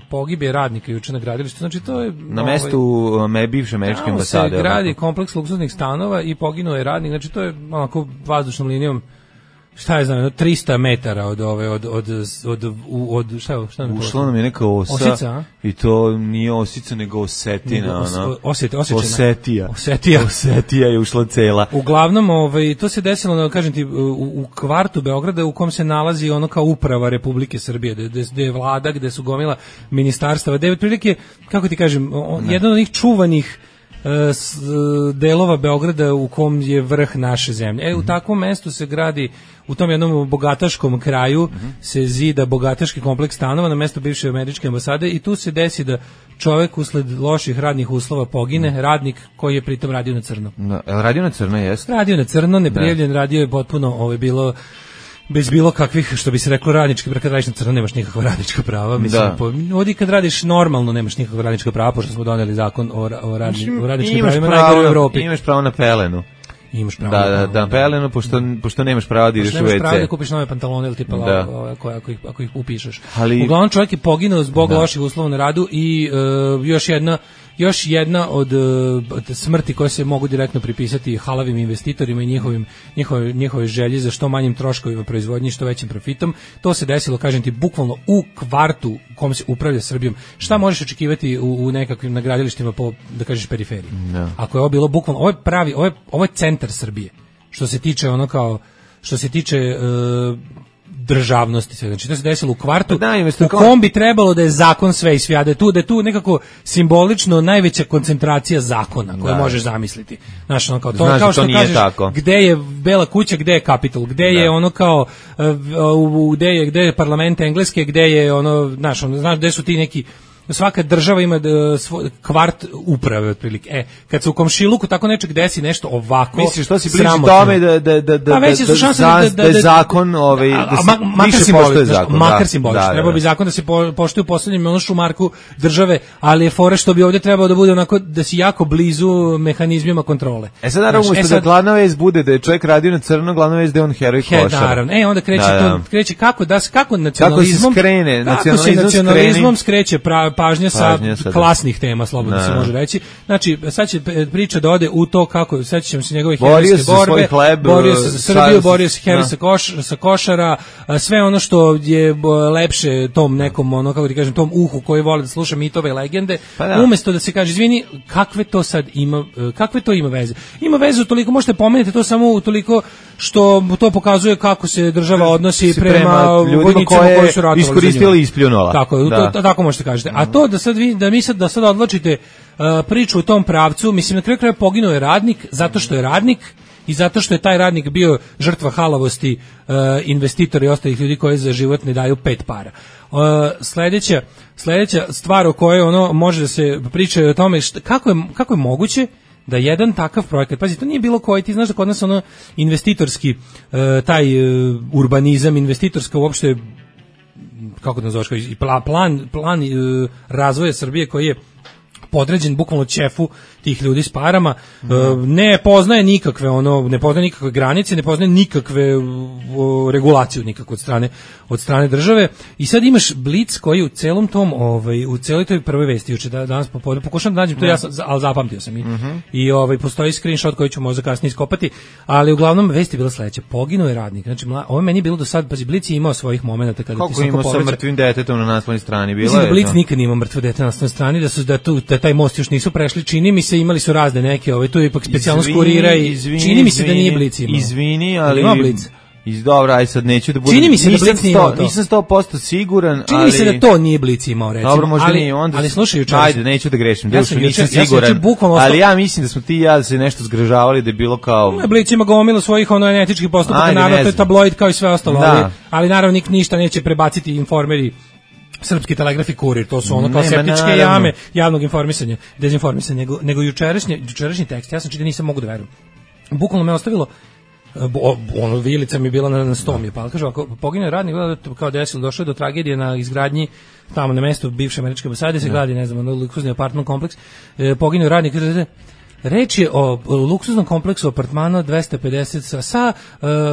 pogibije radnika juče na gradilištu, znači to je na ovaj, mestu me bivše američke ambasade. Se gradi kompleks luksuznih stanova i poginuo je radnik, znači to je onako vazdušnom linijom, šta je znam, trista metara od ove od od od od šta šta nam ušla nam je neka osa osica, i to nije osica nego osetina, ona osjet osjećana osetija osetija osetija je ušla cela. Uglavnom ovaj to se desilo, da kažem ti, u, u kvartu Beograda u kom se nalazi ono kao uprava Republike Srbije, gde, gde je vlada, gde su gomila ministarstava, devet prilike, kako ti kažem, on, jedan od njih čuvanih delova Beograda u kom je vrh naše zemlje. E, u takvom mestu se gradi, u tom jednom bogataškom kraju mm -hmm. se zida bogataški kompleks stanova na mesto bivše američke ambasade i tu se desi da čovek usled loših radnih uslova pogine, mm -hmm. radnik koji je pritom radio na crno. Da, radio na crno, jeste? Radio na crno, neprijavljen, radio je potpuno, ovo je bilo bez bilo kakvih, što bi se reklo, radnički, kad radiš na crno nemaš nikakva radnička prava, mislim, da. Po, ovdje kad radiš normalno nemaš nikakva radnička prava, pošto smo doneli zakon o, o, radni, o radničkim pravima najgore u Evropi. Imaš pravo na pelenu. Imaš pravo da, da, da, pelenu, pošto, pošto nemaš pravo da ideš u ve ce. Nemaš pravo da kupiš nove pantalone ili tipa da. Lava, ako, ako, ih, ako ih upišeš. Ali, uglavnom čovjek je poginuo zbog da. loših uslova na radu i uh, još jedna Još jedna od, od smrti koje se mogu direktno pripisati halavim investitorima i njihovim, njihove, njihove želje za što manjim troškovima proizvodnje i što većim profitom. To se desilo, kažem ti, bukvalno u kvartu u kom se upravlja Srbijom. Šta možeš očekivati u, u nekakvim nagradilištima po, da kažeš, periferiji? No. Ako je ovo bilo bukvalno, ovo je pravi, ovo je, ovo je centar Srbije. Što se tiče ono kao, što se tiče uh, državnosti sve. Znači to se desilo u kvartu da, u kom bi trebalo da je zakon sve i svijade tu, da je tu nekako simbolično najveća koncentracija zakona koje da. možeš zamisliti. Znaš, ono kao, to, Znaš, kao što to kažeš, tako. Gde je Bela kuća, gde je Kapitol, gde da. je ono kao, uh, gde je, gde je parlament Engleske, gde je ono, znaš, ono, znaš, gde su ti neki, svaka država ima svoj kvart uprave otprilike. E, kad se u komšiluku tako nečeg desi nešto ovako, misliš što si bliži tome da da da da a veće su šanse da, da, da, da, da zakon ovaj da se ma, više poštuje zakon. Makar simbolično. Da, da, treba bi zakon da se po, poštuje u poslednjem ono šumarku države, ali je fora što bi ovdje trebalo da bude onako da si jako blizu mehanizmima kontrole. E sad naravno umesto da glavna vest bude da je čovjek radio na crno, glavna vest da je on heroj košara. Naravno. E onda kreće da, da. to kreće kako da kako nacionalizmom kako se skrene, nacionalizmom skreće pažnja sa pažnja, klasnih tema, slobodno ne. se može reći. Znači, sad će priča da ode u to kako, sećam se njegove herojske borbe, hleb, borio se za Srbiju, borio se heroj sa, koš, sa košara, sve ono što je lepše tom nekom, ono, kako ti kažem, tom uhu koji vole da sluša mitove i legende, pa da. Umjesto da se kaže, izvini, kakve to sad ima, kakve to ima veze? Ima veze utoliko, možete pomenuti to samo utoliko što to pokazuje kako se država odnosi prema, prema vojnicima koji su ratovali iskoristili i ispljunula. Tako, da. to, tako možete kažete. A to da sad vi, da mi sad, da sad odločite uh, priču u tom pravcu, mislim, na kraju kraja poginuo je radnik zato što je radnik i zato što je taj radnik bio žrtva halavosti uh, investitora i ostalih ljudi koji za život ne daju pet para. Uh, sledeća, sledeća stvar o kojoj ono može da se priča o tome šta, kako, je, kako je moguće da jedan takav projekat, pazi, to nije bilo koji, ti znaš da kod nas ono investitorski, uh, taj uh, urbanizam, investitorska uopšte, kako da nazoveš, plan, plan uh, razvoja Srbije koji je podređen bukvalno ćefu tih ljudi s parama, mm. ne poznaje nikakve ono, ne poznaje nikakve granice, ne poznaje nikakve o, regulaciju nikakve od strane od strane države. I sad imaš Blic koji u celom tom, ovaj u celoj toj prvoj vesti juče da danas popodne pokušam da nađem to, ja sam, al zapamtio sam i mm-hmm. i ovaj postoji screenshot koji ću možda kasnije iskopati, ali uglavnom vest je bila sledeća: poginuo je radnik. Znači mla, ovo meni je bilo do sad, pa Blic je imao svojih momenata kada kako ti se imao sa mrtvim detetom na naslovnoj strani, bilo je. Da Blic no. nikad nije imao mrtvo dete na naslovnoj strani, da su da tu da taj most još nisu prešli, čini mi se, imali su razne neke, ovaj tu je ipak specijalnost kurira i izvini, čini mi se da nije Blic imao. Izvini, ali ima Blic. Iz dobra, aj sad neću da budem. Čini mi se da Blic nije imao to. Nisam sto posto siguran, čini ali mi se da to nije Blic imao, recimo. Dobro, možda ali, nije onda. Ali slušaj, juče. Ajde, neću da grešim. Ja Dušu, nisam juče, siguran. Ja ostao... Ali ja mislim da smo ti i ja se nešto zgražavali da je bilo kao ne, Blic ima gomilu svojih ono etičkih postupaka, naravno to je tabloid kao i sve ostalo, ali, ali naravno nik ništa neće prebaciti informeri. Srpski telegraf i Kurir, to su ono kao Nema, septičke naravno. jame javnog informisanja, dezinformisanja, nego, nego jučerašnji, jučerašnji tekst, ja sam čitao, nisam mogu da verujem. Bukvalno me ostavilo, bo, ono, vilica mi je bila na, na sto mi je pala. Kaže, ako pogine radnik, kao desilo, došlo je do tragedije na izgradnji, tamo na mestu bivše američke ambasade, se gradi, ne znam, ono, luksuzni apartman kompleks, e, pogine radnik, reč je o luksuznom kompleksu apartmana dvesta pedeset sa, sa,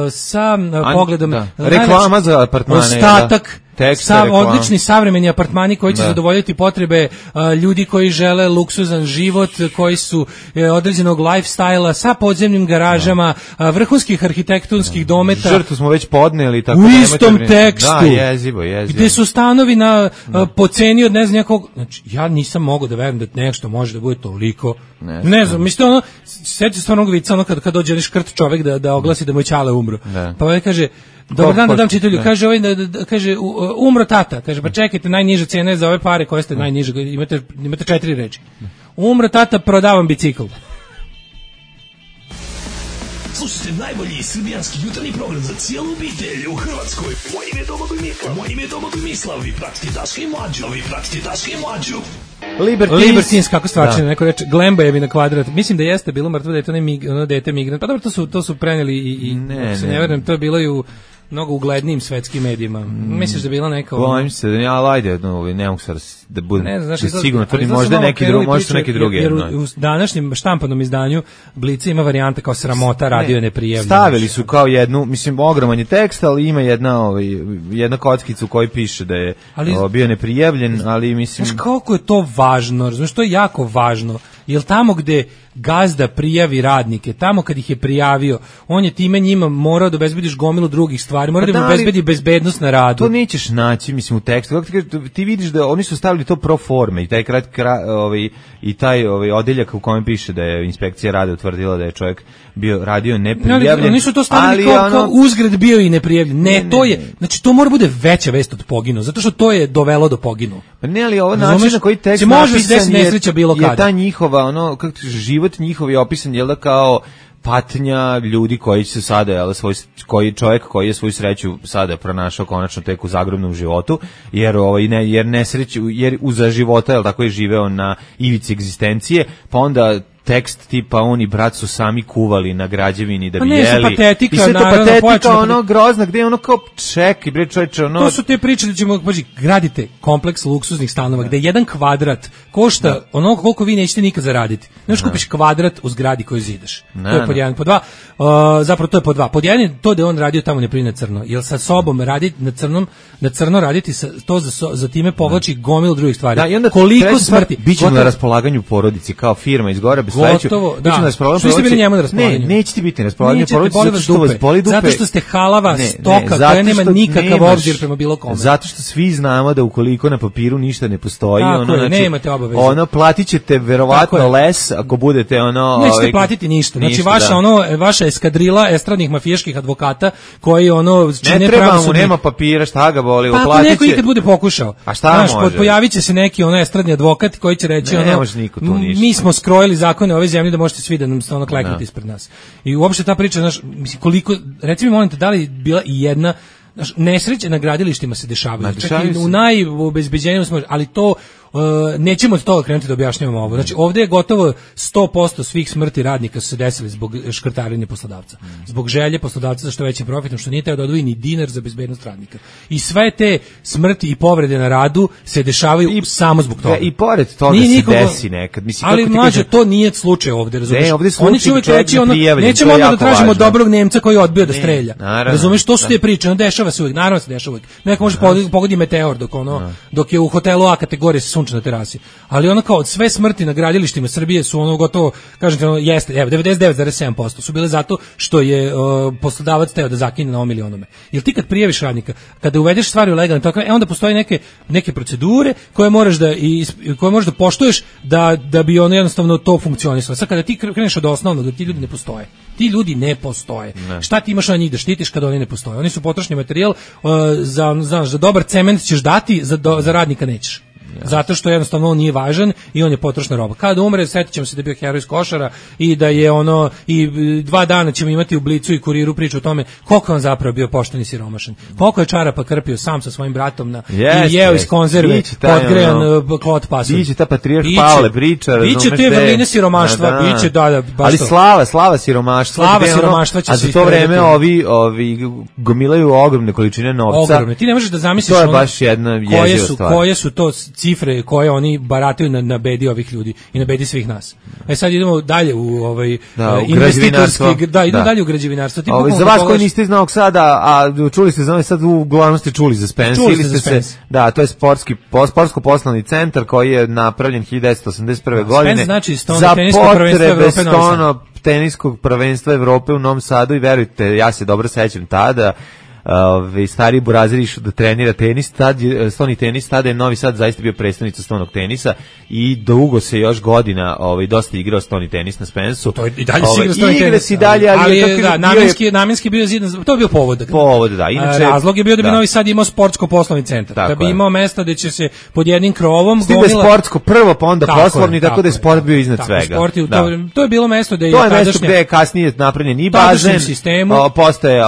sa An, pogledom... Da. Reklama za apartmane. Ostatak, da. sav, odlični savremeni apartmani koji će da. zadovoljiti potrebe a, ljudi koji žele luksuzan život, koji su e, određenog lifestyle-a sa podzemnim garažama, a, vrhunskih arhitektonskih da. dometa. Žrtvu smo već podneli. Tako u istom tekstu. Da, jezivo, jezivo. Gde su stanovi na a, po ceni od ne znam nekog... Znači, ja nisam mogao da verujem da nešto može da bude toliko... Ne, ne znam, mislim, ono, seća stvarno ovog vica, ono kad, kad dođe škrt čovek da, da oglasi da mu je ćale umro. Da. Pa ovaj kaže, dobar dan da dam čitelju, kaže, ovaj, da, da, kaže, umro tata, kaže, pa čekajte, najniža cena je za ove pare koje ste najniže, imate, imate četiri reči. Umro tata, prodavam bicikl. Slušajte najbolji srbijanski jutarnji program za cijelu obitelj u Hrvatskoj. Moje ime je Domagoj Mislav. Moje ime je Domagoj Mislav. Vi pratite Daška i Mlađu. Vi pratite Daška i Mlađu. Libertins, Libertins kako stvarčine, da. Neko reče, Glembajevi na kvadrat. Mislim da jeste bilo mrtvo dete, ono, mig, ono dete migrant. Pa dobro, to su, to su preneli i, i ne, se ne, ne verujem, to je bilo i u mnogo uglednijim svetskim medijima. Mm. Misliš da je bila neka... Bojim se, da ja lajde, no, ne mogu sad da budem ne, znaš, da sigurno, to ali možda neki drugi, možda neki drugi. Jer, jer u, u današnjem štampanom izdanju Blica ima varijanta kao sramota, radio je neprijavljeno. Stavili su kao jednu, mislim, ogroman je tekst, ali ima jedna, ovaj, jedna kockica u kojoj piše da je ali, o, bio neprijavljen, ali mislim... Znaš, koliko je to važno, znaš, to je jako važno. Jer tamo gde gazda prijavi radnike, tamo kad ih je prijavio, on je time njima morao da obezbediš gomilu drugih stvari, mora pa da im obezbedi bezbednost na radu. To nećeš naći, mislim, u tekstu. Kako ti, kažeš, ti vidiš da oni su stavili to pro forme i taj krat, kra, ovaj, i taj ovaj, odeljak u kojem piše da je inspekcija rada utvrdila da je čovjek bio radio neprijavljen. Ali, oni su to stavili kao, ono, kao uzgred bio i neprijavljen. Ne, ne, to je, znači to mora bude veća vest od poginu, zato što to je dovelo do poginu. Pa ne, ali ovo način na koji tekst napisan je, je ta njihova, ono, kako ti, život njihov je opisan, jel da, kao patnja ljudi koji se sada, jel, svoj, koji čovjek koji je svoju sreću sada pronašao konačno tek u zagrobnom životu, jer ovaj ne jer nesreću, jer uza života, jel, tako je živeo na ivici egzistencije, pa onda tekst tipa oni brat su sami kuvali na građevini da bi jeli. Patetika, i sve to naravno, patetika, ono grozna, gde je ono kao ček, bre čoveče, ono... To su te priče da ćemo, paži, gradite kompleks luksuznih stanova, da. Gde jedan kvadrat košta da. Ono koliko vi nećete nikad zaraditi. Neš kupiš kvadrat u zgradi koju zidaš. Da, to je pod jedan, pod dva. Uh, zapravo to je pod dva. Pod jedan je to da on radio tamo ne pri na crno. Jel sa sobom raditi na crnom, na crno raditi sa, to za, so, za time povlači gomilu drugih stvari. Da, i onda koliko smrti. Bićemo na raspolaganju porodici kao firma iz Gore bez sledeću. Da. Što ste bili njemu na raspolaganju? Ne, nećete biti na raspolaganju porodici zato što vas boli dupe. Zato što ste halava ne, stoka koja nema nikakav obzir prema bilo kome. Zato što svi znamo da ukoliko na papiru ništa ne postoji, tako ono, je, znači, nemate obaveze. Ono platit ćete verovatno les ako budete ono... Nećete ovaj, platiti ništa. Znači ništa, vaša, da. ono, vaša eskadrila estradnih mafijaških advokata koji ono čine ne treba mu, nema papira, šta ga boli, pa ako neko ikad bude pokušao. A šta može? Pojavit će se neki ono estradni advokat koji će reći ono, mi smo skrojili zakone ove zemlje da možete svi da nam ono kleknuti ispred nas. I uopšte ta priča, znaš, mislim, koliko, reci mi molim te, da li bila i jedna, znaš, nesreće na gradilištima se dešavaju, čak i u najobezbeđenijem smo, ali to uh, nećemo od toga krenuti da objašnjavamo ovo. Znači, ovdje je gotovo sto posto svih smrti radnika su se desili zbog škrtarenja poslodavca. Zbog želje poslodavca za što većim profitom, što nije teo da odvoji ni dinar za bezbednost radnika. I sve te smrti i povrede na radu se dešavaju i, samo zbog toga. I pored toga nije se nikogo, desi nekad. Mislim, ali mlađe, to nije slučaj ovdje, razumiješ? Ne, ovdje Oni će uvijek reći, ono, nećemo onda da tražimo važno. Dobrog Nemca koji je odbio da strelja. Razumiješ, to su te priče, ono dešava se uvijek, naravno se dešava uvijek. Neko može pogoditi, pogodi meteor dok, ono, dok je u hotelu A kategorije se sunče na terasi. Ali ono kao sve smrti na gradilištima Srbije su ono gotovo, kažete, ono, jeste, evo, devedeset devet zarez sedam posto su bile zato što je uh, poslodavac teo da zakine na ovom milionome. Jel ti kad prijaviš radnika, kada uvedeš stvari u legalne tokove, e onda postoje neke neke procedure koje moraš da i koje možeš da poštuješ da da bi ono jednostavno to funkcionisalo. Sad kada ti kreneš od osnovnog, da ti ljudi ne postoje. Ti ljudi ne postoje. Ne. Šta ti imaš na njih da štitiš kad oni ne postoje? Oni su potrošni materijal, uh, za znaš, za dobar cement ćeš dati, za do, za radnika nećeš. Zato što jednostavno on nije važan i on je potrošna roba. Kada umre, setit ćemo se da je bio heroj iz Košara i da je ono, i dva dana ćemo imati u Blicu i Kuriru priču o tome koliko on zapravo bio pošten i siromašan. Koliko je čarapa krpio sam sa svojim bratom na, yes, i jeo yes. iz konzerve podgrejan no, klot pasulj. Biće ta patrijarh Pavle priča. Biće te vrline siromaštva, da, da. biće da, da, baš ali to. slava, slava siromaštva. Slava siromaštva će a za to vreme ovi, ovi gomilaju ogromne količine novca. Ogromne. Ti ne možeš da zamisliš to je ono, baš jedna koje su, koje su to cifre koje oni barataju na, na bedi ovih ljudi i na bedi svih nas. E sad idemo dalje u ovaj da, uh, investitorski, da, idemo da. dalje u građevinarstvo. Ti Ove, za vas koji niste iz Novog Sada, a čuli ste za sad uglavnom ste čuli za Spence čuli ili ste se, da, to je sportski sportsko poslovni centar koji je napravljen hiljadu devetsto osamdeset prve da, godine. Spence znači za potrebe stono teniskog prvenstva Evrope u Novom Sadu i verujte, ja se dobro sećam tada. Ove, stari burazir išao da trenira tenis, tad je, stoni tenis, tada je Novi Sad zaista bio predstavnica stonog tenisa i dugo se još godina ovaj, dosta igrao stoni tenis na Spensu. To je i dalje se igra stoni tenis. Si dalje, ali, ali je, je, da, namjenski, je, namjenski bio zidan, to je bio povod. Povod, da. Inače, razlog je bio da bi da. Novi Sad imao sportsko-poslovni centar, tako da bi je. imao mesta da će se pod jednim krovom gomila... Stigla sportsko prvo, pa onda tako poslovni, tako, tako da je sport bio iznad tako, svega. Sport je, da. to, to je bilo mesto da je... To je mesto gde je kasnije napravljen i bazen, postaje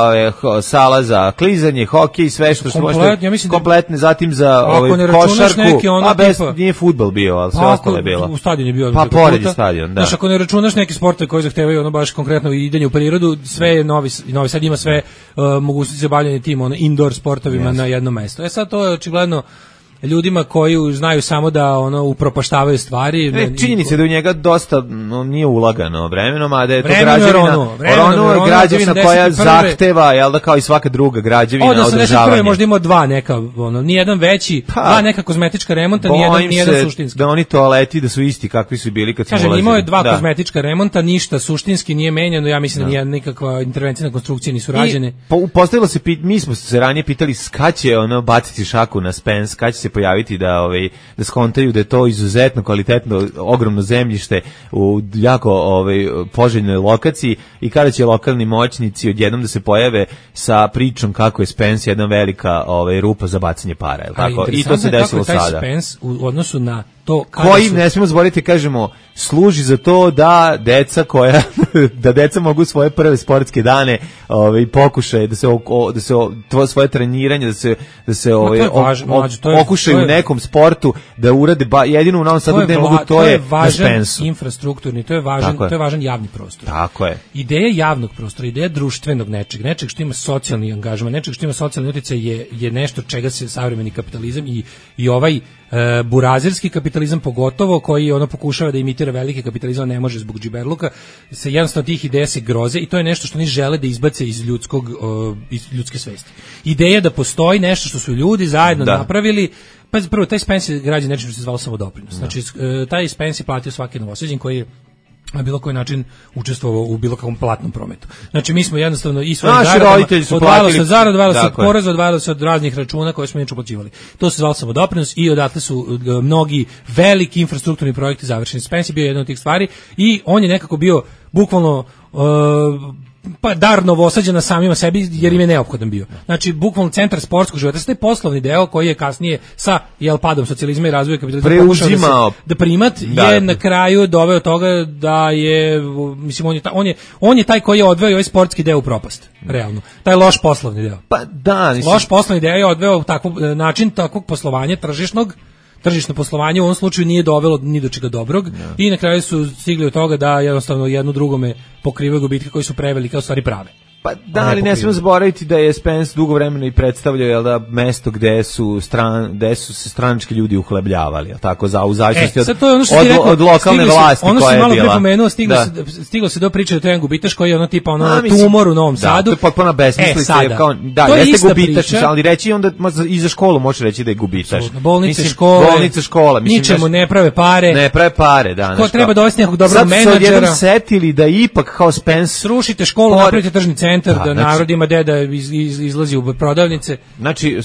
sala za klizanje, hokej, sve što što možete ja kompletne, zatim za ovaj košarku, a bez tipa, nije fudbal bio, ali sve ostalo je bilo. U stadion je bio. Pa pored stadion, da. Znaš, ako ne računaš neke sportove koji zahtevaju ono baš konkretno idenje u prirodu, sve je Novi, Novi Sad ima sve uh, mogućnosti za bavljenje tim ono indoor sportovima yes. na jednom mestu. E sad to je očigledno ljudima koji znaju samo da ono upropaštavaju stvari. Ne, činjenica je da u njega dosta no, nije ulagano vremenom, a da je to vremenom građevina, Rono, vremenom Rono je građevina koja zahteva, jel da kao i svaka druga građevina održavanje. Od osamdeset prve možda ima dva neka, ono, nijedan veći, pa, dva neka kozmetička remonta, nijedan, nijedan suštinski. Da oni toaleti da su isti kakvi su bili kad su ulazili. Kažem, imao je dva da. kozmetička remonta, ništa suštinski nije menjano, ja mislim da, da nije nikakva intervencija na konstrukcije nisu rađene. Po, postavilo se, mi smo se ranije pitali kad će ono baciti šaku na Spence, kad će se pojaviti da ovaj da skontaju da je to izuzetno kvalitetno ogromno zemljište u jako ovaj poželjnoj lokaciji i kada će lokalni moćnici odjednom da se pojave sa pričom kako je Spence jedna velika ovaj rupa za bacanje para, je tako? I to se desilo sada. Taj Spence u odnosu na to koji su... ne smijemo zaboraviti, kažemo, služi za to da deca koja da deca mogu svoje prve sportske dane ovaj pokušaju da se o, da se o, to svoje treniranje da se da se ovaj okušaju u nekom sportu da urade ba, jedino u Novom Sadu gde mogu to, to je, je važan infrastrukturni, to je važan Tako to je važan javni prostor. Tako je. Ideja javnog prostora, ideja društvenog nečeg, nečeg što ima socijalni angažman, nečeg što ima socijalni uticaj je je nešto čega se savremeni kapitalizam i i ovaj E, burazirski kapitalizam pogotovo koji ono pokušava da imitira veliki kapitalizam, ne može zbog džiberluka, se jednostavno tih ideja se groze i to je nešto što oni žele da izbace iz ljudskog uh, iz ljudske svesti. Ideja da postoji nešto što su ljudi zajedno da. napravili. Pa prvo taj Spence je građen nečim što se zvalo samodoprinos. Znači uh, taj Spence je platio svaki Novosađanin koji je na bilo koji način učestvovao u bilo kakvom platnom prometu. Znači mi smo jednostavno i svoje zarade odvajalo se zarad, odvajalo se od poreza, odvajalo se od raznih računa koje smo inače uplaćivali. To se zvalo samodoprinos i odatle su uh, mnogi veliki infrastrukturni projekti završeni. Spence je bio jedan od tih stvari i on je nekako bio bukvalno uh, pa dar Novosađana samima sebi jer im je neophodan bio. Znači bukvalno centar sportskog života, taj poslovni deo koji je kasnije sa jel padom socijalizma i razvoja kapitalizma preuzimao da, da primat da, je na kraju doveo toga da je mislim on je ta, on je on je taj koji je odveo ovaj sportski deo u propast. Realno. Taj loš poslovni deo. Pa da, mislim. Loš poslovni deo je odveo takav način takvog poslovanja tržišnog tržišno poslovanje u ovom slučaju nije dovelo ni do čega dobrog no. i na kraju su stigli od toga da jednostavno jedno drugome pokrivaju gubitke koji su prevelike, a u stvari prave. Pa da, ali ne smijemo zaboraviti da je Spence dugo vremena i predstavljao jel da mesto gde su stran gde su se stranački ljudi uhlebljavali, al tako za u zavisnosti e, od, to je ono što od, rekao, od lokalne se, vlasti ono koja je bila. Ono se malo prepomenuo, stiglo da. se stiglo se do priče da to je jedan gubitaš koji je ono tipa ono A, mislim, tumor u Novom da, Sadu. To je potpuno besmislica, e, kao da, jeste gubitaš, ali reći onda i za školu može reći da je gubitaš. Bolnice, škole, bolnice, škola, mislim ničemu ne prave pare. Ne prave pare, da. Ko treba dovesti nekog dobrog menadžera. Sad su setili da ipak kao Spence srušite školu, napravite tržni centar da narod ima gde da iz, iz, izlazi u prodavnice. Znači,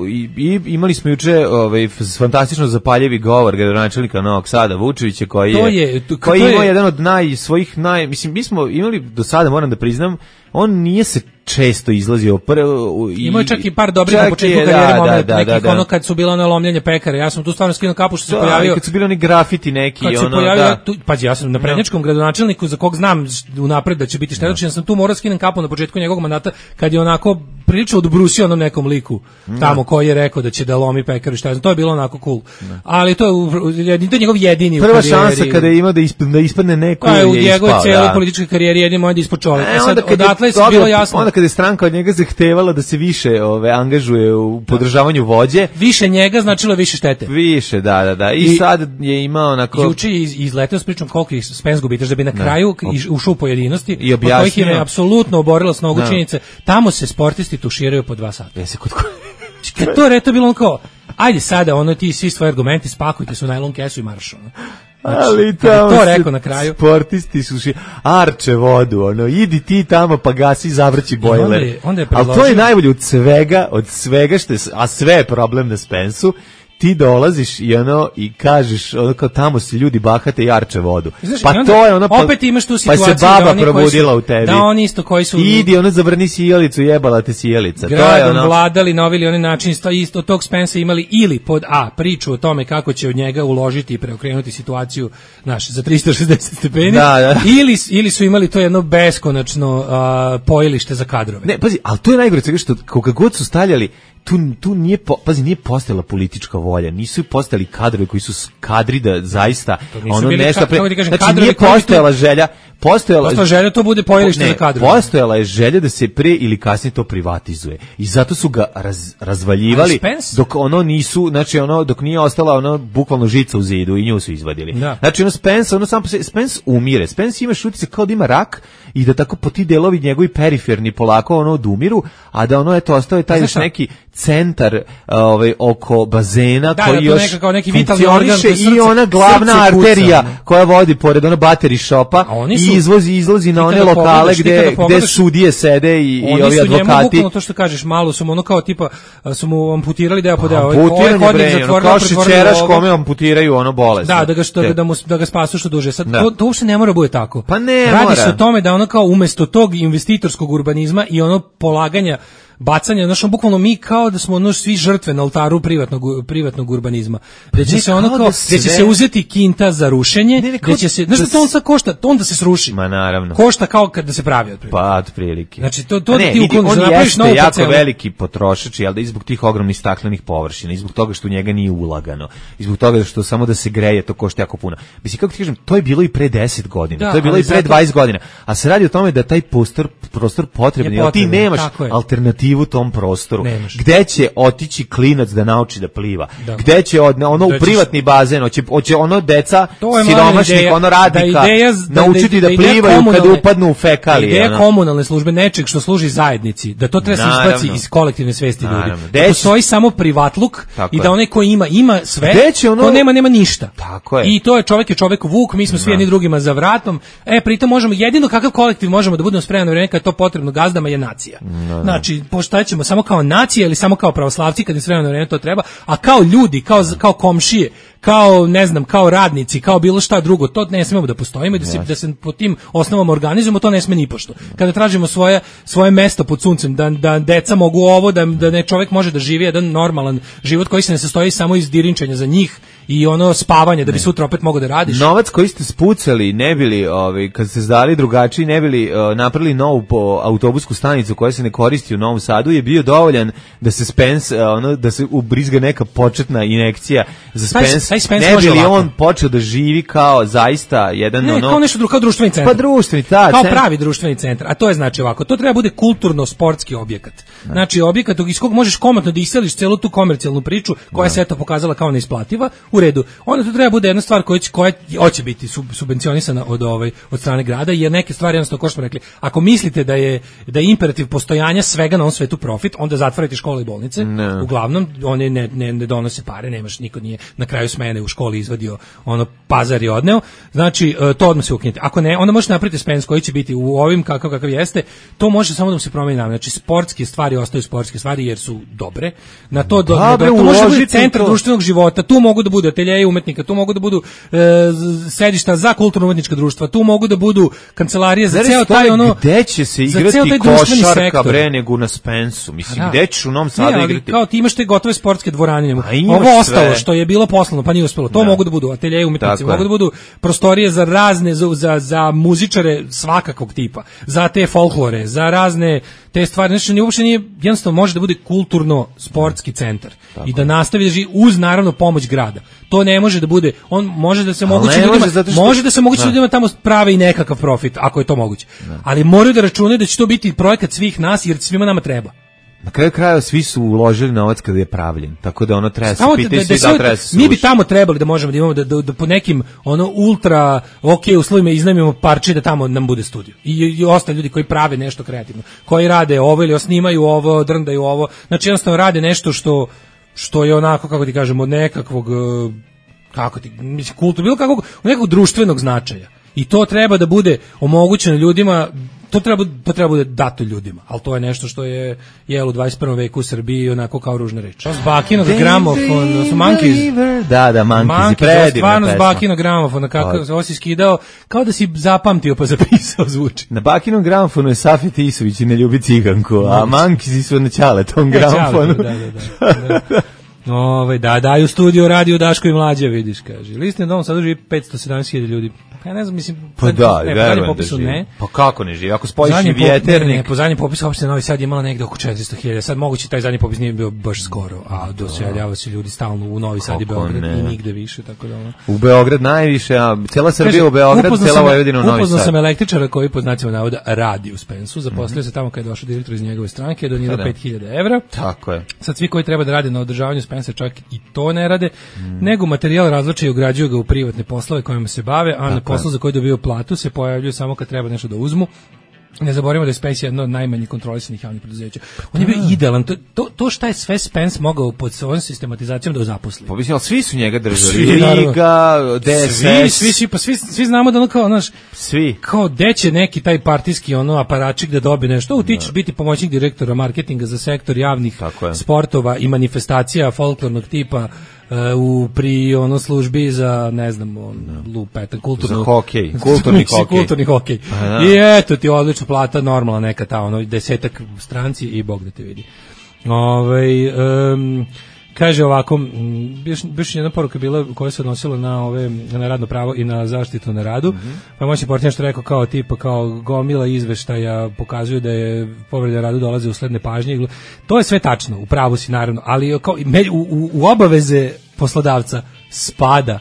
i, i, imali smo juče ovaj, fantastično zapaljevi govor gradonačelnika Novog Sada, Vučevića, koji je, je, to, koji to imao je, jedan od naj, svojih naj... Mislim, mi smo imali do sada, moram da priznam, on nije se često izlazio prvo i imao čak i par dobrih na početku karijere, moment da, da, nekih da, da. ono kad su bila ona lomljenja pekara. Ja sam tu stvarno skinuo kapu što se da, pojavio. Kad su bili oni grafiti neki kad ono, se pojavio, da. Tu, pazi, ja sam na prednjačkom gradonačelniku za kog znam unapred da će biti štetočin, ja sam tu morao skinem kapu na početku njegovog mandata kad je onako prilično odbrusio onom nekom liku tamo koji je rekao da će da lomi pekaru, šta znam, to je bilo onako cool. Da. Ali to je to je njegov jedini prva šansa kada je imao da ispadne, da ispadne neko je u njegovoj celoj političkoj karijeri jedini moj da ispod čoveka. E, sad odatle je bilo jasno. Onda kada je stranka od njega zahtevala da se više ove angažuje u podržavanju vođe, više njega značilo više štete. Više, da, da, da. I, I sad je imao onako juče iz, izleteo s pričom koliko ih Spence gubitaš da bi na kraju da. ušao u pojedinosti i objasnio, od kojih je apsolutno oborila s nogu činjenice. Tamo se sportisti tuširaju po dva sata. Jesi kod kad to reto bilo on kao ajde sada ono ti svi svoje argumente spakujte su u najlon kesu i marš ono. Znači, ali tamo to rekao na kraju. Sportisti su ši, arče vodu, ono, idi ti tamo pa gasi, zavrći bojler. Onda je, onda je ali to je najbolje od svega, od svega što je, a sve je problem na Spensu, ti dolaziš i ono i kažeš ono kao tamo se ljudi bahate i arče vodu. Znaš, pa to je ono pa, opet imaš tu situaciju pa se baba da oni probudila su, u tebi. Da oni isto koji su idi ono zavrni sjelicu, jebala te sjelica. Gradom to je ono vladali na ovaj onaj način isto od tog Spensa imali ili pod a priču o tome kako će od njega uložiti i preokrenuti situaciju naš za tristo šezdeset stepeni da, da. ili ili su imali to jedno beskonačno uh, pojilište za kadrove. Ne, pazi, al to je najgore svega što koga god su stavljali tu tu nije po, pazi nije postojala politička volja, nisu postojali kadrovi koji su kadri da zaista ono nešto pre, ka, kažem, znači nije postojala želja postojala postojala želja to bude pojilište za kadrove. Postojala je želja da se pre ili kasnije to privatizuje i zato su ga raz, razvaljivali dok ono nisu, znači ono dok nije ostala ono bukvalno žica u zidu i nju su izvadili. Da. Znači ono Spence, ono sam Spence umire. Spence ima šutice kao da ima rak i da tako po ti delovi njegovi periferni polako ono odumiru, a da ono eto ostao je taj još neki centar ovaj oko bazena da, koji da, još nekako neki vitalni organ i ona glavna arterija koja vodi pored ona bateri šopa i izvozi izlazi na one lokale gde gde sudije sede i, i ovi advokati. Oni su to što kažeš, malo su mu ono kao tipa su mu amputirali deo po deo. Ovaj hodnik zatvorili, kao šećeraš kome amputiraju ono bolest. Da, da ga što da mu da ga spasu što duže. Sad da. to, to uopšte ne mora bude tako. Pa ne, radi mora. se o tome da ono kao umesto tog investitorskog urbanizma i ono polaganja bacanje, znači bukvalno mi kao da smo ono svi žrtve na oltaru privatnog privatnog urbanizma. Da će ne, se ono kao, da, sve... da će se uzeti kinta za rušenje, ne, ne, da će se, znači da to on sad košta, to onda se sruši. Ma naravno. Košta kao kad da se pravi otprilike. Pa otprilike. Znači to to ne, da ti ukloniš, da napraviš novu jako parcelu. Veliki potrošač, jel da i zbog tih ogromnih staklenih površina, i zbog toga što u njega nije ulagano, i zbog toga što samo da se greje to košta jako puno. Mislim kako ti kažem, to je bilo i pre deset godina, da, to je bilo i pre zato... dvadeset godina, a se radi o tome da taj prostor prostor potreban, jer ti nemaš alternativu tom prostoru. Gde će otići klinac da nauči da pliva? Da. Gde će od, ono u privatni bazen, hoće hoće ono deca siromašnih, ono radnika da naučiti da, da, da plivaju kad upadnu u fekalije. Ideja komunalne službe nečeg što služi zajednici, da to treba se izbaci iz kolektivne svesti ljudi. Da postoji samo privatluk i da onaj ko ima ima sve, ono... ko nema nema ništa. Tako je. I to je čovjek je čovjek vuk, mi smo svi jedni drugima za vratom. E pritom možemo jedino kakav kolektiv možemo da budemo spremni na vreme kad to potrebno gazdama je nacija. No, znači poštaćemo samo kao nacija ili samo kao pravoslavci kad je s vremena na vreme to treba, a kao ljudi, kao, kao komšije, kao ne znam, kao radnici, kao bilo šta drugo, to ne smemo da postojimo i da se da se po tim osnovama organizujemo, to ne sme ni pošto. Kada tražimo svoje svoje mesto pod suncem, da da deca mogu ovo, da da ne čovjek može da živi jedan normalan život koji se ne sastoji samo iz dirinčenja za njih i ono spavanje da bi sutra opet mogao da radiš. Novac koji ste spucali, ne bili, ovaj, kad ste zdali drugačiji, ne bili uh, napravili novu po autobusku stanicu koja se ne koristi u Novom Sadu, je bio dovoljan da se Spence, uh, ono, da se ubrizga neka početna injekcija za Spence. Taj Spence ne može bili ovako. On počeo da živi kao zaista jedan ne, ono... kao nešto drugo, kao društveni centar. Pa društveni, ta, kao centar. pravi društveni centar. A to je znači ovako, to treba bude kulturno-sportski objekat. Ne. Znači objekat iz kog možeš komotno da iseliš celu tu komercijalnu priču koja ne. se eto pokazala kao neisplativa, u redu. Onda to treba bude jedna stvar koja će, koja hoće biti sub, subvencionisana od ovaj od strane grada, jer neke stvari jednostavno kao što smo rekli, ako mislite da je da je imperativ postojanja svega na ovom svetu profit, onda zatvarajte škole i bolnice. Ne. Uglavnom one ne, ne, ne donose pare, nemaš, niko nije na kraju smene u školi izvadio ono pazar i odneo. Znači to odmah se ukinite. Ako ne, onda možete napraviti Spence koji će biti u ovim kakav kakav jeste. To može samo da se promeni namen. Znači sportske stvari ostaju sportske stvari jer su dobre. Na to do, da, do, to može biti centar društvenog života. Tu mogu da budu ateljeji umetnika, tu mogu da budu e, sedišta za kulturno-umetnička društva, tu mogu da budu kancelarije za ceo taj ono gde će se igrati košarka bre nego na Spensu. Mislim da. Gde ćeš u Novom Sadu ne, igrati? Kao ti imaš te gotove sportske dvorane. Ovo ostalo što je bilo poslano pa nije uspelo. To da. mogu da budu ateljeji umetnici, mogu da budu prostorije za razne za, za, za muzičare svakakvog tipa, za te folklore, za razne te stvari. Znači uopšte nije, jednostavno može da bude kulturno-sportski centar. Tako. I da nastavi da živi uz naravno pomoć grada. To ne može da bude, on može da se moguće ljudima, može, što... može da se moguće ljudima tamo prave i nekakav profit, ako je to moguće. Ne. Ali moraju da računaju da će to biti projekat svih nas, jer svima nama treba. Na kraju krajeva svi su uložili novac kada je pravljen, tako da ono treba se pitati svi da, da treba se mi bi tamo trebali da možemo da imamo da, da, da po nekim ono ultra ok uslovima iznajmimo parče da tamo nam bude studio i, i ostali ljudi koji prave nešto kreativno, koji rade ovo ili snimaju ovo, drndaju ovo, znači jednostavno rade nešto što što je onako, kako ti kažemo, od nekakvog kako ti, mislim, kultu, bilo kakvog, nekog društvenog značaja. I to treba da bude omogućeno ljudima, to treba, to treba bude dato ljudima, ali to je nešto što je jel u dvadeset prvom veku u Srbiji onako kao ružna reč. Bakinog gramofon, su Monkeys. Da, da, Monkeys, predivna stvarno s Bakinog gramofona, kako se osi skidao, kao da si zapamtio pa zapisao zvuči. Na Bakinom gramofonu je Safet Isović i ne ljubi ciganku, a Monkeys su na Ćaletom gramofonu. Da, da, da. da. Ove, da, daju studio radio Daško i Mlađa, vidiš, kaže. Listni dom sad živi petsto sedamdeset hiljada ljudi. Pa ne znam, mislim, pa da, ne, verujem da živi. Ne. Pa kako ne živi? Ako spojiš i Vjeternik. Ne, ne, po zadnjem popisu opšte Novi Sad je imala negde oko četiristo hiljada. Sad moguće taj zadnji popis nije bio baš skoro, a doseljavaju se ljudi stalno u Novi Sad i Beograd i nigde više, tako da ono. U Beograd najviše, a cijela Srbija u Beograd, cijela Vojvodina u Novi Sad. Upoznao sam električara koji pod znacima navoda radi u Spensu, zaposlio se tamo kad je došao direktor iz njegove stranke, donirao pet hiljada evra. Tako je. Sad svi koji treba da rade na održavanju Spensa čak i to ne rade, nego materijal razvlače i ugrađuju ga u privatne poslove kojima se bave, a na poslu za koji dobiju platu se pojavljuju samo kad treba nešto da uzmu. Ne zaboravimo da je Spence jedno od najmanjih kontrolisanih javnih preduzeća. On je bio idealan. To, to, to šta je sve Spence mogao pod svojom sistematizacijom da zaposli. Pa mislim, ali svi su njega držali. Liga, D S S. Svi, svi, pa svi, svi znamo da ono kao, znaš, svi. Kao deće neki taj partijski ono aparačik da dobije nešto. U, ti ćeš biti pomoćnik direktora marketinga za sektor javnih sportova i manifestacija folklornog tipa u pri ono službi za ne znam on lupeta kulturno za hokej, kulturni hokej. Kulturni hokej. I eto ti odlična plata, normalna neka ta ono desetak stranci i bog da te vidi. Ovaj um, kaže ovako, još, još jedna poruka bila koja se odnosila na ove na radno pravo i na zaštitu na radu. Mm-hmm. Pa moćni portir što rekao kao tipa kao gomila izveštaja pokazuju da je povreda radu dolaze usled nepažnje. To je sve tačno, u pravu si naravno, ali kao u, u, u obaveze poslodavca spada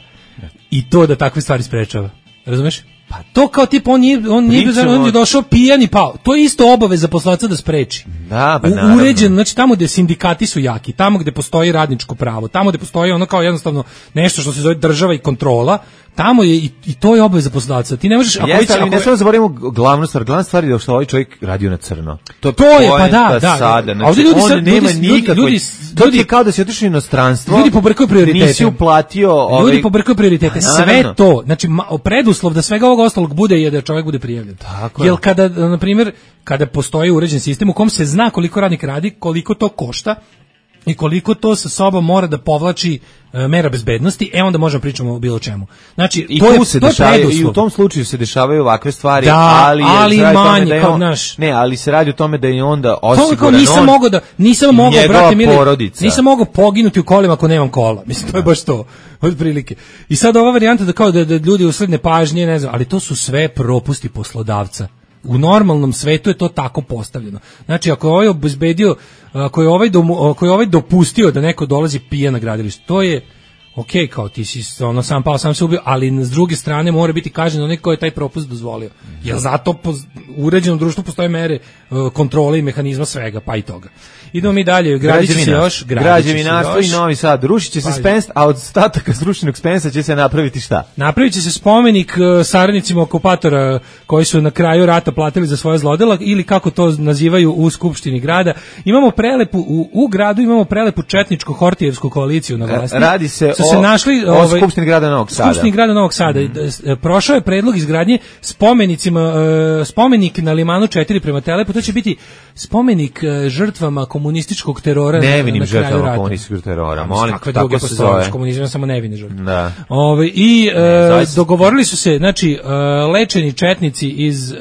i to da takve stvari sprečava. Razumeš? Pa to kao tip on nije on nije on je došao pijan i pao. To je isto obaveza poslodavca da spreči. Da, pa naravno. Uređen, znači tamo gde sindikati su jaki, tamo gde postoji radničko pravo, tamo gde postoji ono kao jednostavno nešto što se zove država i kontrola, tamo je i, i to je obaveza poslodavca. Ti ne možeš ako Jeste, ali ako ne samo zaboravimo glavnu stvar, glavna stvar je da što ovaj čovjek radio na crno. To, to je pa da, da. Sada, znači, ovdje ljudi on nema nikakve. Ljudi, ljudi je kao da se otišli u inostranstvo. Ljudi pobrkaju prioritete. Nisi uplatio ovaj ljudi pobrkaju prioritete. Sve to, znači preduslov da svega ovog ostalog bude je da čovjek bude prijavljen. Jel kada na primjer kada postoji uređen sistem u kom se zna koliko radnik radi, koliko to košta, i koliko to sa sobom mora da povlači e, mera bezbednosti, e onda možemo pričamo o bilo čemu. Znači, I, to je, se to je dešavaju, i u tom slučaju se dešavaju ovakve stvari, da, ali, ali je, manje, da kao on, naš. Ne, ali se radi o tome da je onda To kao osiguran nisam on mogao da nisam mogao brate mili, porodica. nisam mogao poginuti u kolima ako nemam kola. Mislim to je baš to. Otprilike. I sad ova varijanta da kao da, da ljudi usled nepažnje, ne znam, ali to su sve propusti poslodavca. U normalnom svetu je to tako postavljeno. Znači, ako je ovaj obezbedio, ako je ovaj, domu, ako je ovaj dopustio da neko dolazi pijan na gradilište, to je ok, kao ti si ono sam pao, sam se ubio, ali s druge strane mora biti kažnjen onaj ko je taj propust dozvolio. Jer zato po uređenom društvu postoje mere kontrole i mehanizma svega, pa i toga. Idemo mi dalje, gradit će se još, građevinarstvo i Novi Sad, rušit će se Spens, a od ostataka srušenog Spensa će se napraviti šta? Napravit će se spomenik saradnicima okupatora koji su na kraju rata platili za svoje zlodela, ili kako to nazivaju u Skupštini grada. Imamo prelepu, u, u gradu imamo prelepu četničko-hortijevsku koaliciju na vlasti. Radi se su o, se našli, o ovaj, Skupštini grada Novog Sada. Skupštini grada Novog Sada. Mm. Prošao je predlog izgradnje spomenicima, spomenik na Limanu četiri prema Telepu, to će biti spomenik žrtvama komunističkog terora nevinim na kraju žrtvama rata. komunističkog terora. Molim, kakve druge postoje, komunizam samo nevine žrtve. Da. Ove, i ne, e, dogovorili su se, znači, e, lečeni četnici iz e,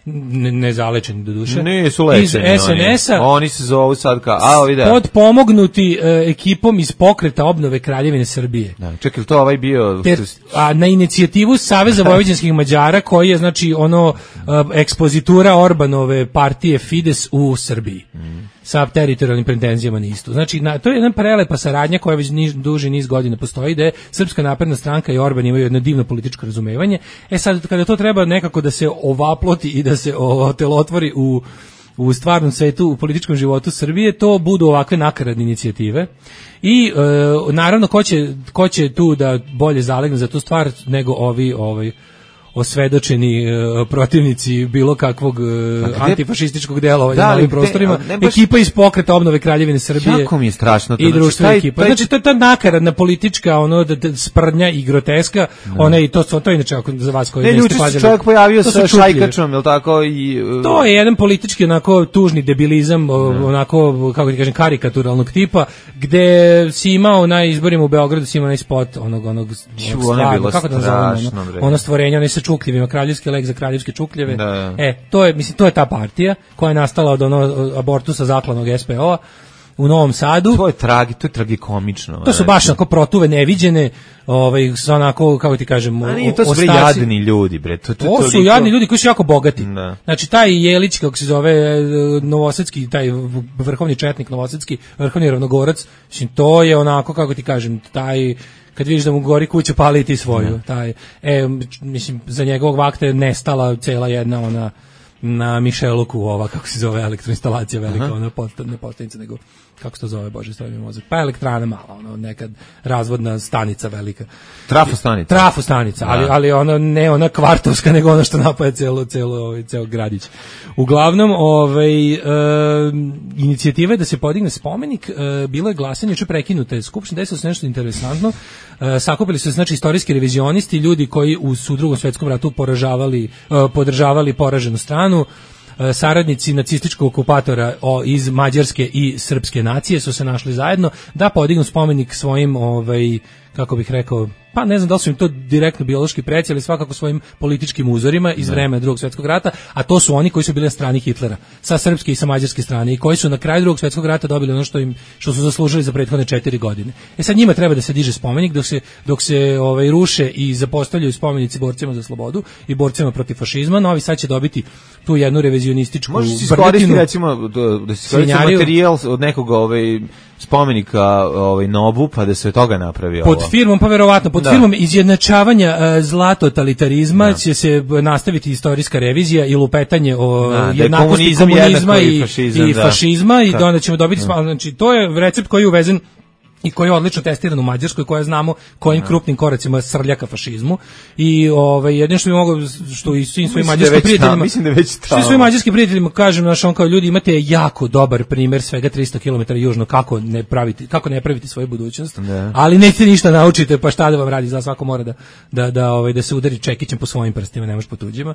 ne, ne zalečeni do duše. Nisu lečeni. Iz es en es-a. Oni, oni se zovu sad kao, a ovdje. Podpomognuti e, ekipom iz pokreta obnove Kraljevine Srbije. Da, čekaj, to ovaj bio... Ter, a na inicijativu Saveza vojvođanskih Mađara, koji je, znači, ono, e, ekspozitura Orbanove partije Fides u Srbiji. Mm. Sa teritorijalnim pretenzijama na istu. Znači, na, to je jedna prelepa saradnja koja već niž, duži niz godina postoji, da je Srpska napredna stranka i Orban imaju jedno divno političko razumevanje. E sad, kada to treba nekako da se ovaploti i da se otelotvori u, u stvarnom svetu, u političkom životu Srbije, to budu ovakve nakaradne inicijative. I, e, naravno, ko će, ko će tu da bolje zalegne za tu stvar nego ovi, ovaj, osvedočeni uh, protivnici bilo kakvog uh, antifašističkog delovanja na ovim prostorima, baš... ekipa iz pokreta obnove Kraljevine Srbije. Jako mi je strašno to. I društvena ekipa. Znači, to je ta nakaradna politička, ono, da, da, sprdnja i groteska, no. Ona i to, to je inače, ako za vas koji ne, niste pazili. Ne, čovjek pojavio sa šajkačom, jel tako? I, uh... To je jedan politički, onako, tužni debilizam, no. onako, kako ti kažem, karikaturalnog tipa, gde si imao na izborima u Beogradu, si imao onaj spot, onog, onog, Ču, ono kako da nazovemo, ono, ono stvorenje, onaj sa čukljevima, kraljevski lek za kraljevske čukljeve. Da. E, to je, mislim, to je ta partija koja je nastala od ono abortusa zaklanog es pe o-a u Novom Sadu. To je tragi, to je tragikomično. To su baš onako protuve neviđene, ovaj, sa onako, kako ti kažem, a nije, to su bre jadni ljudi, bre. To, to, to, to su toliko... jadni ljudi koji su jako bogati. Da. Znači, taj Jelić, kako se zove, novosadski, taj vrhovni četnik novosadski, vrhovni ravnogorac, mislim, to je onako, kako ti kažem, taj... kad vidiš da mu gori kuća, pali ti svoju. Ne. Taj, e, mislim, za njegovog vakta je nestala cela jedna ona na Mišeluku, ova, kako se zove, elektroinstalacija velika, aha, ona posta, ne postanica, nego, kako se to zove, bože, stavim mi mozak, pa elektrana mala, ono, nekad razvodna stanica velika. Trafo stanica. Trafo stanica, ali, ali ona, ne ona kvartovska, nego ona što napaje celo, celo, ovaj, ceo gradić. Uglavnom, ovaj, e, inicijativa je da se podigne spomenik, e, bilo je glasanje, juče prekinute skupštine, desilo se nešto interesantno, e, sakupili su se, znači, istorijski revizionisti, ljudi koji u, u drugom svetskom ratu poražavali, e, podržavali poraženu stranu, saradnici nacističkog okupatora o, iz mađarske i srpske nacije su se našli zajedno da podignu spomenik svojim, ovaj, kako bih rekao, pa ne znam da li su im to direktno biološki preci, ali svakako svojim političkim uzorima iz vremena Drugog svjetskog rata, a to su oni koji su bili na strani Hitlera, sa srpske i sa mađarske strane, i koji su na kraju Drugog svjetskog rata dobili ono što im što su zaslužili za prethodne četiri godine. E sad njima treba da se diže spomenik dok se dok se ovaj ruše i zapostavljaju spomenici borcima za slobodu i borcima protiv fašizma. Novi Sad će dobiti tu jednu revizionističku može se iskoristiti, recimo da se koristi materijal od nekog ovaj spomenika ovaj Nobu, pa da se od toga napravi ovo. Pod firmom, pa verovatno, pod da. firmom izjednačavanja uh, zlatotalitarizma da. će se nastaviti istorijska revizija i lupetanje o da, jednakosti komunizma i fašizam, i, fašizma, i da. i onda ćemo dobiti, da. znači to je recept koji je uvezen i koji je odlično testiran u Mađarskoj, koja znamo kojim krupnim koracima srlja ka fašizmu i ovaj jedino što bi mogao, što i svim svojim mađarskim prijateljima, mislim da je već tamo. Svim mađarskim prijateljima kažem, naš on kao ljudi, imate jako dobar primer svega tristo kilometara južno kako ne praviti, kako ne praviti svoju budućnost, ne. Ali nećete ništa naučite, pa šta da vam radi, za svako mora da da da ovaj da se udari čekićem po svojim prstima, ne može po tuđima.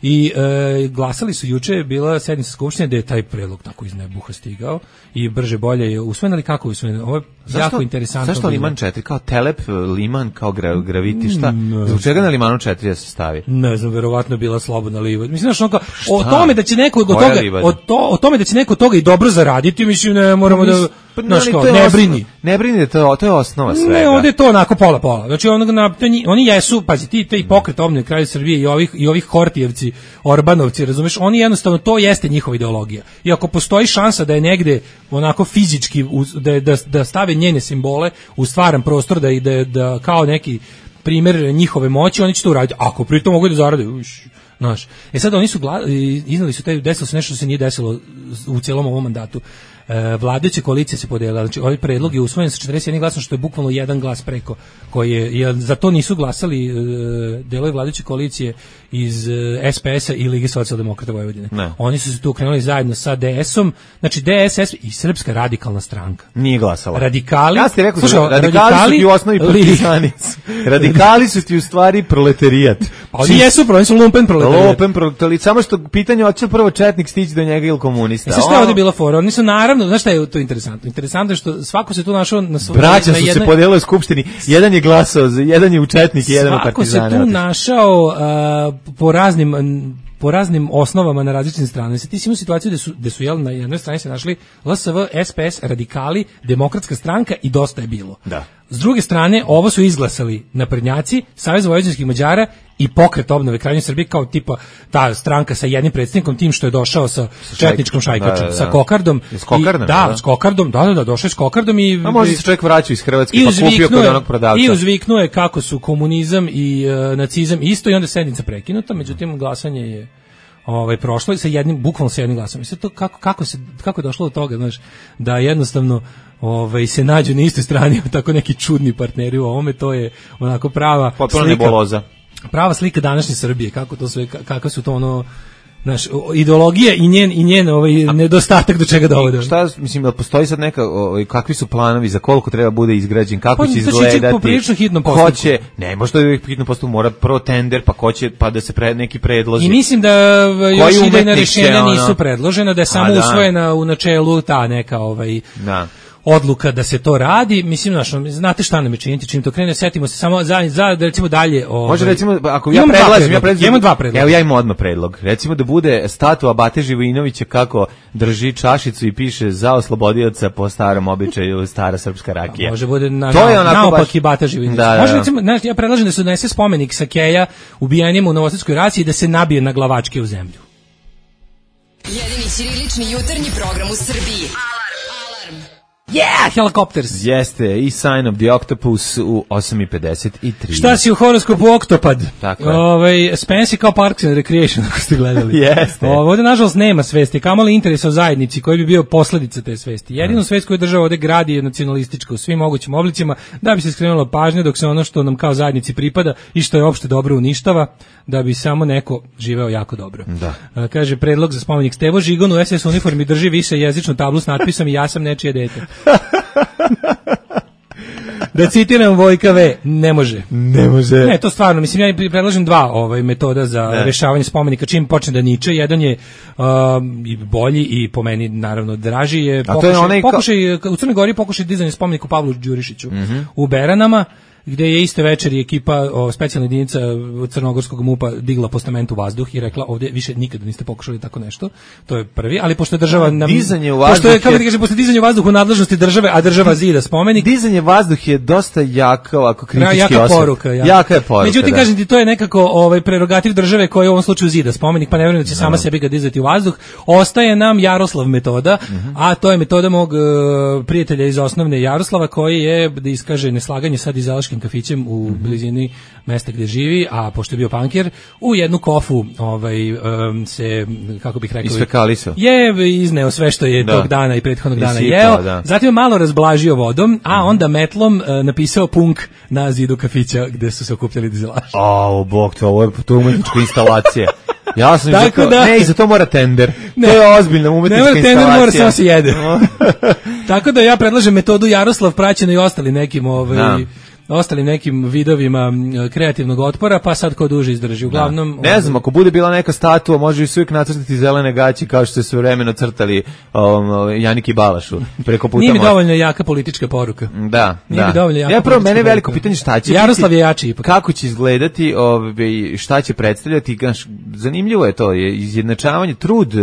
I e, glasali su juče, bila sednica skupštine da je taj predlog tako iz nebuha stigao i brže bolje je usvojen, ali kako je usvojen? Ovo je jako interesantno. Zašto Liman četiri? Kao Telep, Liman, kao gra, gravitišta? Mm, Zbog čega na Limanu četiri da se stavi? Ne znam, verovatno bila slobodna liva. Mislim, znaš, onka, o tome da će neko od toga, o, to, o tome da će neko od toga i dobro zaraditi, mislim, ne moramo da... Pa, znaš, kao, ne osnova, brini. Ne brini, to, to je osnova svega. Ne, ovdje je to onako pola-pola. Znači, onog na, oni jesu, pazi, ti, te i pokret Obnove kralja Srbije i ovih, i ovih Hortijevci, Orbanovci, razumeš, oni jednostavno, to jeste njihova ideologija. I ako postoji šansa da je negde onako fizički, da, da, da stave njene simbole u stvaran prostor, da, da, da kao neki primjer njihove moći, oni će to uraditi. Ako pritom mogu da zarade, uš, znaš. E sad, oni su gla, iznali su, taj, desilo se nešto što se nije desilo u cijelom ovom mandatu. E, vladajuća koalicija se podelila, znači ovaj predlog je usvojen sa četrdeset jedan glasom, što je bukvalno jedan glas preko, koji je, jer za to nisu glasali e, delovi vladajuće koalicije iz e, S P S-a i Lige socijaldemokrata Vojvodine. Ne. Oni su se tu krenuli zajedno sa D S-om, znači D S S i Srpska radikalna stranka. Nije glasala. Radikali, ja ste rekao, slušaj, radikali, radikali su ti u osnovi partizani. Radikali su ti u stvari proletarijat. Pa oni jesu, oni su lumpen proletarijat. Lumpen proletarijat, samo što pitanje hoće prvo četnik stići do njega ili komunista. E, šta je ovdje bila fora? Oni su naravno, znaš šta je to interesantno? Interesantno je što svako se tu našao na svoj... Braća na su jednoj... se podelili u skupštini, jedan je glasao, jedan je u četnik i jedan u partizane. Svako se tu našao uh, po raznim... po raznim osnovama na različitim stranama. Ti si imao situaciju gde su, gde su jel, na jednoj strani se našli L S V, S P S, radikali, Demokratska stranka i Dosta je bilo. Da. S druge strane, ovo su izglasali naprednjaci, Savez vojvođanskih Mađara i Pokret Obnove Kraljevine Srbije kao tipa ta stranka sa jednim predsjednikom, tim što je došao sa četničkom šajkačom, da, da, da. sa kokardom. S kokardom, i, da, da, s kokardom, da, da, da, došao je s kokardom i... A možda se čovjek vraća iz Hrvatske pa kupio kod onog prodavca. I uzviknuo je kako su komunizam i uh, nacizam isto i onda sednica prekinuta, međutim glasanje je ovaj prošlo sa jednim bukvalno sa jednim glasom. Mislim to kako kako se kako je došlo do toga, znaš, da jednostavno ovaj se nađu na istoj strani tako neki čudni partneri u ovome, to je onako prava potpuno neboloza. Prava slika današnje Srbije, kako to sve kako su to ono naš ideologija i njen i njen ovaj nedostatak do čega dovode. Šta mislim da postoji sad neka ovaj kakvi su planovi za koliko treba bude izgrađen, kako pa, će izgledati? Poprilično hitnom postupku. Ko će, ne, možda je hitno postupak, mora pro tender, pa ko će pa da se pre neki predlozi. I mislim da još idejna rješenja ono... nisu predložena, da je samo da. usvojena u načelu ta neka ovaj da. odluka da se to radi. Mislim, znaš, znate šta nam je činiti, čim to krene, setimo se samo za, za da recimo dalje... Ovaj, može recimo, ako ja predlažem, ja predlažem... Imam dva predloga. Evo ja imam odmah predlog. Recimo da bude statua Bate Živojinovića kako drži čašicu i piše za oslobodioca po starom običaju stara srpska rakija. A može bude na, to je onako naopak baš... i Bata Živojinović. Da, da, može recimo, znaš, ja predlažem da se donese spomenik Sakeja ubijanjem u Novosadskoj raciji i da se nabije na glavačke u zemlju. Jedini ćirilični jutarnji program u Srbiji. Yeah, Helicopters. Jeste, i Sign of the Octopus u osam i pedeset tri. Šta si u horoskopu Oktopad? Tako je. Ovaj Spensi kao Parks and Recreation, ako ste gledali. Jeste. Ovdje, nažalost, nema svesti, kamoli interesa o zajednici koji bi bio posledica te svesti. Jedinu hmm. svest koju država ovdje gradi je nacionalistička u svim mogućim oblicima, da bi se skrenulo pažnje dok se ono što nam kao zajednici pripada i što je opšte dobro uništava, da bi samo neko živeo jako dobro. Da. A, kaže, predlog za spomenik Stevo Žigon u S S uniformi drži više jezičnu tablu s natpisom i ja sam nečije dete. Da citiram Vojka V, ne može. Ne može. Ne, to stvarno, mislim, ja predlažem dva ovaj, metoda za ne. rešavanje spomenika, čim počne da niče. Jedan je um, i bolji i po meni, naravno, draži je pokušaj, je onaj pokušaj ka... u Crnoj Gori pokušaj dizanja spomenika Pavlu Đurišiću mm-hmm. u Beranama, gde je iste večeri ekipa o, specijalna jedinica crnogorskog MUP-a digla postament u vazduh i rekla ovdje više nikada niste pokušali tako nešto. To je prvi, ali pošto je država nam, dizanje u vazduh pošto je, kako ti kažem, pošto dizanje u vazduh u nadležnosti države, a država zida spomenik. Dizanje vazduh je dosta jaka, ovako kritički jaka osvrt. Poruka, ja. Jaka je poruka. Međutim, da. kažem ti, to je nekako ovaj prerogativ države koja u ovom slučaju zida spomenik, pa ne vjerujem da će no. sama sebi ga dizati u vazduh. Ostaje nam Jaroslav metoda, mm-hmm. a to je metoda mog uh, prijatelja iz osnovne Jaroslava, koji je da iskaže neslaganje sa dizalačkim daškim kafićem u mm-hmm. blizini mesta gde živi, a pošto je bio pankir, u jednu kofu ovaj, um, se, kako bih rekao, isfekalisao. Je izneo sve što je da. tog dana i prethodnog dana Isipao, jeo, da. zatim je malo razblažio vodom, a onda metlom uh, napisao punk na zidu kafića gde su se okupljali dizelaši. O, bog te, ovo je to umetnička instalacija. Ja sam Tako za to, da, ne, i za to mora tender. Ne, to je ozbiljna umetnička ne instalacija. Tender mora samo se jede. Tako da ja predlažem metodu Jaroslav praćeno i ostali nekim ovaj da. ostalim nekim vidovima kreativnog otpora, pa sad ko duže izdrži. Uglavnom, da. Ne znam, ako bude bila neka statua, može i uvijek nacrtati zelene gaće kao što se sve vremeno crtali um, Janiki Balašu preko puta. Nije mi dovoljno jaka politička poruka. Da, Nije da. mi dovoljno jaka ja prvo, mene poruka. veliko pitanje šta će Jaroslav biti, je jači ipak. Kako će izgledati, ovaj, šta će predstavljati, zanimljivo je to, je izjednačavanje, trud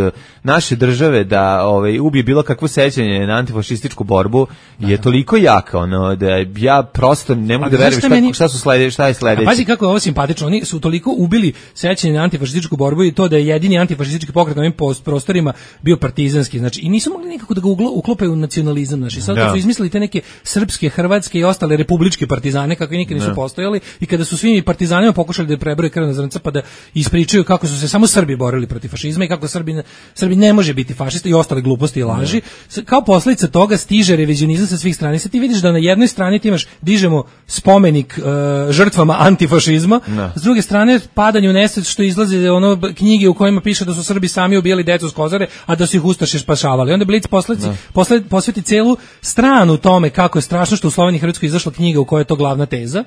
naše države da ovaj, ubije bilo kakvo sećanje na antifašističku borbu je da. toliko jaka, ono, da ja prosto ne mogu da verujem šta, meni... šta su slede, šta je sledeće. A pazi kako je ovo simpatično, oni su toliko ubili sećanje na antifašističku borbu i to da je jedini antifašistički pokret na ovim prostorima bio partizanski, znači i nisu mogli nikako da ga uklope u nacionalizam, znači sad da. su izmislili te neke srpske, hrvatske i ostale republičke partizane kakvi nikad nisu da. postojali i kada su svim partizanima pokušali da prebroje krvna zrnca pa da ispričaju kako su se samo Srbi borili protiv fašizma i kako Srbi ne, Srbi ne može biti fašista i ostale gluposti i laži, da. kao posledica toga stiže revizionizam sa svih strana. Sad ti vidiš da na jednoj strani ti imaš, dižemo spomenik uh, žrtvama antifašizma, no. s druge strane padanje u nesvest što izlaze ono knjige u kojima piše da su Srbi sami ubijali decu s Kozare, a da su ih ustaše spašavali. Onda Blic posledici no. posle, posveti celu stranu tome kako je strašno što u Sloveniji i Hrvatskoj izašla knjiga u kojoj je to glavna teza.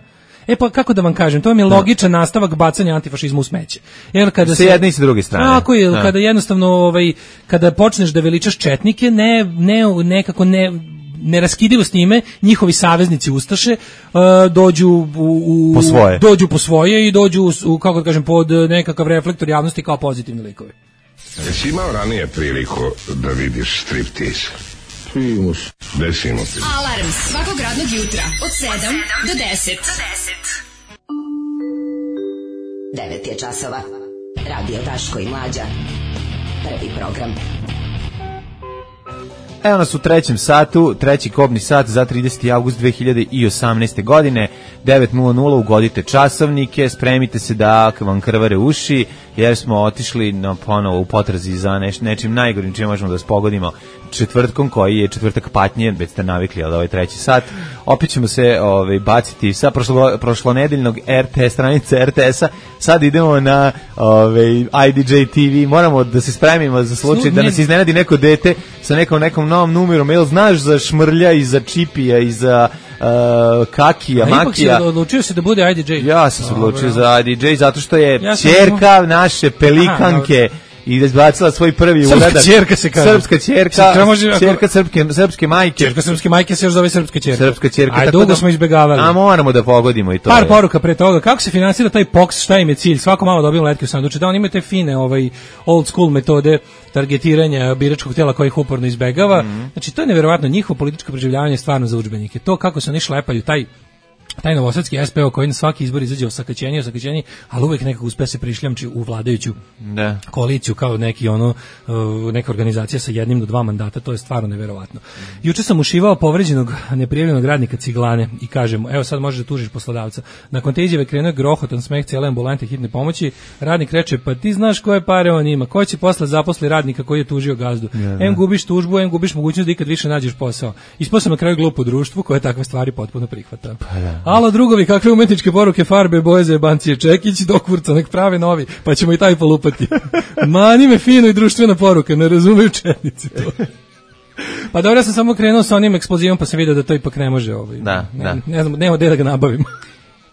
E pa kako da vam kažem, to je logičan no. nastavak bacanja antifašizma u smeće. Jer kada se jedne i sa druge strane. Tako je, no. kada jednostavno ovaj kada počneš da veličaš četnike, ne ne nekako ne neraskidivo s njime, njihovi saveznici ustaše uh, dođu u, u po svoje. dođu po svoje i dođu u, kako da kažem, pod nekakav reflektor javnosti kao pozitivni likovi. Jesi imao ranije priliku da vidiš striptease? Primus. Desimo ti. Alarm svakog radnog jutra od sedam do deset. devet je časova. Radio Daško i Mlađa. Prvi program. Evo nas u trećem satu, treći kobni sat za trideseti avgust dve hiljade osamnaeste. godine, devet nula nula, ugodite časovnike, spremite se da vam krvare uši, jer smo otišli na ponovo u potrazi za neš, nečim najgorim čim možemo da vas pogodimo četvrtkom, koji je četvrtak patnje, već ste navikli, ali ovaj treći sat. Opet ćemo se ovaj, baciti sa prošlo, prošlonedeljnog R T stranice R T S-a, sad idemo na ovaj, I D J T V, moramo da se spremimo za slučaj da nas iznenadi neko dete sa nekom nekom novom numerom, jel znaš za Šmrlja i za Čipija i za uh, Kakija, a Makija. Ipak si odlučio se da bude I D J. Ja sam se odlučio za I D J zato što je ja ćerka sam... naše pelikanke Aha, i izbacila svoj prvi srpska uradak. Ćerka se kaže. Srpska ćerka, može, ćerka srpske, srpske majke. Ćerka srpske majke se još zove srpska ćerka. Srpska ćerka. Aj, dugo da, smo izbegavali. A moramo da pogodimo i to. Par je. Poruka pre toga. Kako se finansira taj P O X, šta im je cilj? Svako malo dobijemo letke u sanduče. Da, oni imaju te fine ovaj, old school metode targetiranja biračkog tela koji ih uporno izbegava. Mm-hmm. Znači, to je nevjerovatno. Njihovo političko preživljavanje je stvarno za udžbenike. To kako se oni šlepaju, taj taj novosadski S P O koji na svaki izbor izađe osakaćenje, osakaćenje, ali uvek nekako uspe se prišljamči u vladajuću da. koaliciju kao neki ono neka organizacija sa jednim do dva mandata, to je stvarno neverovatno. Juče sam ušivao povređenog neprijavljenog radnika Ciglane i kažem, evo sad možeš da tužiš poslodavca. Nakon te izjave krenuo grohotan smeh cijele ambulante hitne pomoći. Radnik reče, pa ti znaš koje pare on ima, ko će posle zaposli radnika koji je tužio gazdu. Ja, em gubiš tužbu, em gubiš mogućnost da ikad više nađeš posao. Ispao sam na kraju glupo društvu koje takve stvari potpuno prihvata. Pa da. Alo drugovi, kakve umetničke poruke, farbe, boje za jebancije, Čekić, dokvurca, nek prave novi, pa ćemo i taj polupati. Mani me fino i društvena poruka, ne razumeju četnici to. Pa dobro, ja sam samo krenuo sa onim eksplozivom, pa sam vidio da to ipak ne može. Ovaj. Da, ne, da. Ne znam, nema gde da ga nabavim.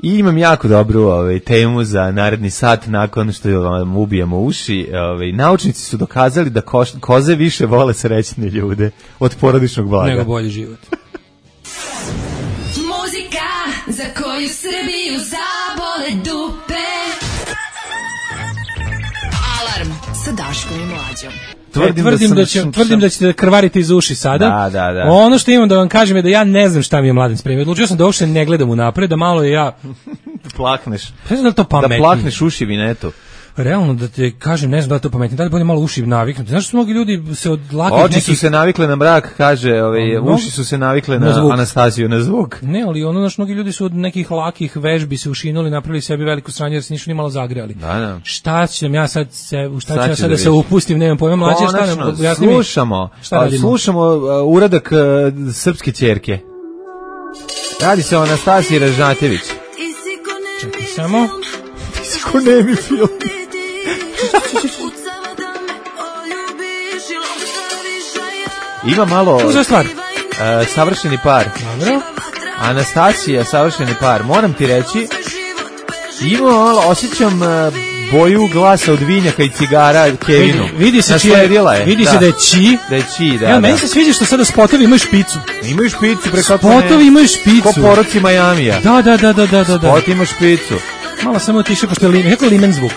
I imam jako dobru ovaj, temu za naredni sat nakon što vam ubijemo uši. Ovaj, naučnici su dokazali da koš, koze više vole srećne ljude od porodičnog blaga. Nego bolji život. Za koju Srbiju zabole dupe. Alarm sa Daškom i Mlađom. Tvrdim, e, tvrdim, da, da, će, šum, tvrdim da ćete krvariti iz uši sada. Da, da, da. Ono što imam da vam kažem je da ja ne znam šta mi je Mladen spremio. Odlučio sam da uopšte ne gledam unapred, da malo je ja... plakneš. Ne znam da to pametnije. Da plakneš uši vinetu. realno da te kažem, ne znam da li to pametno, da li bolje malo uši naviknuti. Znaš što mnogi ljudi se od lakih Oči nekih... su se navikle na mrak, kaže, ove, no, uši su se navikle na, na Anastasiju, na zvuk. Ne, ali ono, znaš, mnogi ljudi su od nekih lakih vežbi se ušinuli, napravili sebi veliku sranje jer se nisu ni malo zagrejali. Da, da. Šta ćem ja sad se, u šta sad ću ja sad da, da se upustim, nemam pojma, mlađe, šta nam, jasni mi? Slušamo, šta radimo? Slušamo uh, uradak uh, srpske ćerke. Radi se o Anastasiji Ražnatović. Čekaj samo. Ti si ko nemi film. Ima malo Uza stvar. Uh, savršeni par. Dobro. Anastasija, savršeni par. Moram ti reći, ima malo, osjećam uh, boju glasa od vinjaka i cigara Kevinu. Vidi, vidi se čije, je. vidi da. se da je či. Da je či, da. Ja, da. meni se sviđa što sada spotovi imaju špicu. Imaju špicu preko Spotovi imaju špicu. Ko poroci Majamija. Da, da, da, da, da, da. Spot ima špicu. Malo samo tiše, pošto je limen, kako je limen zvuk.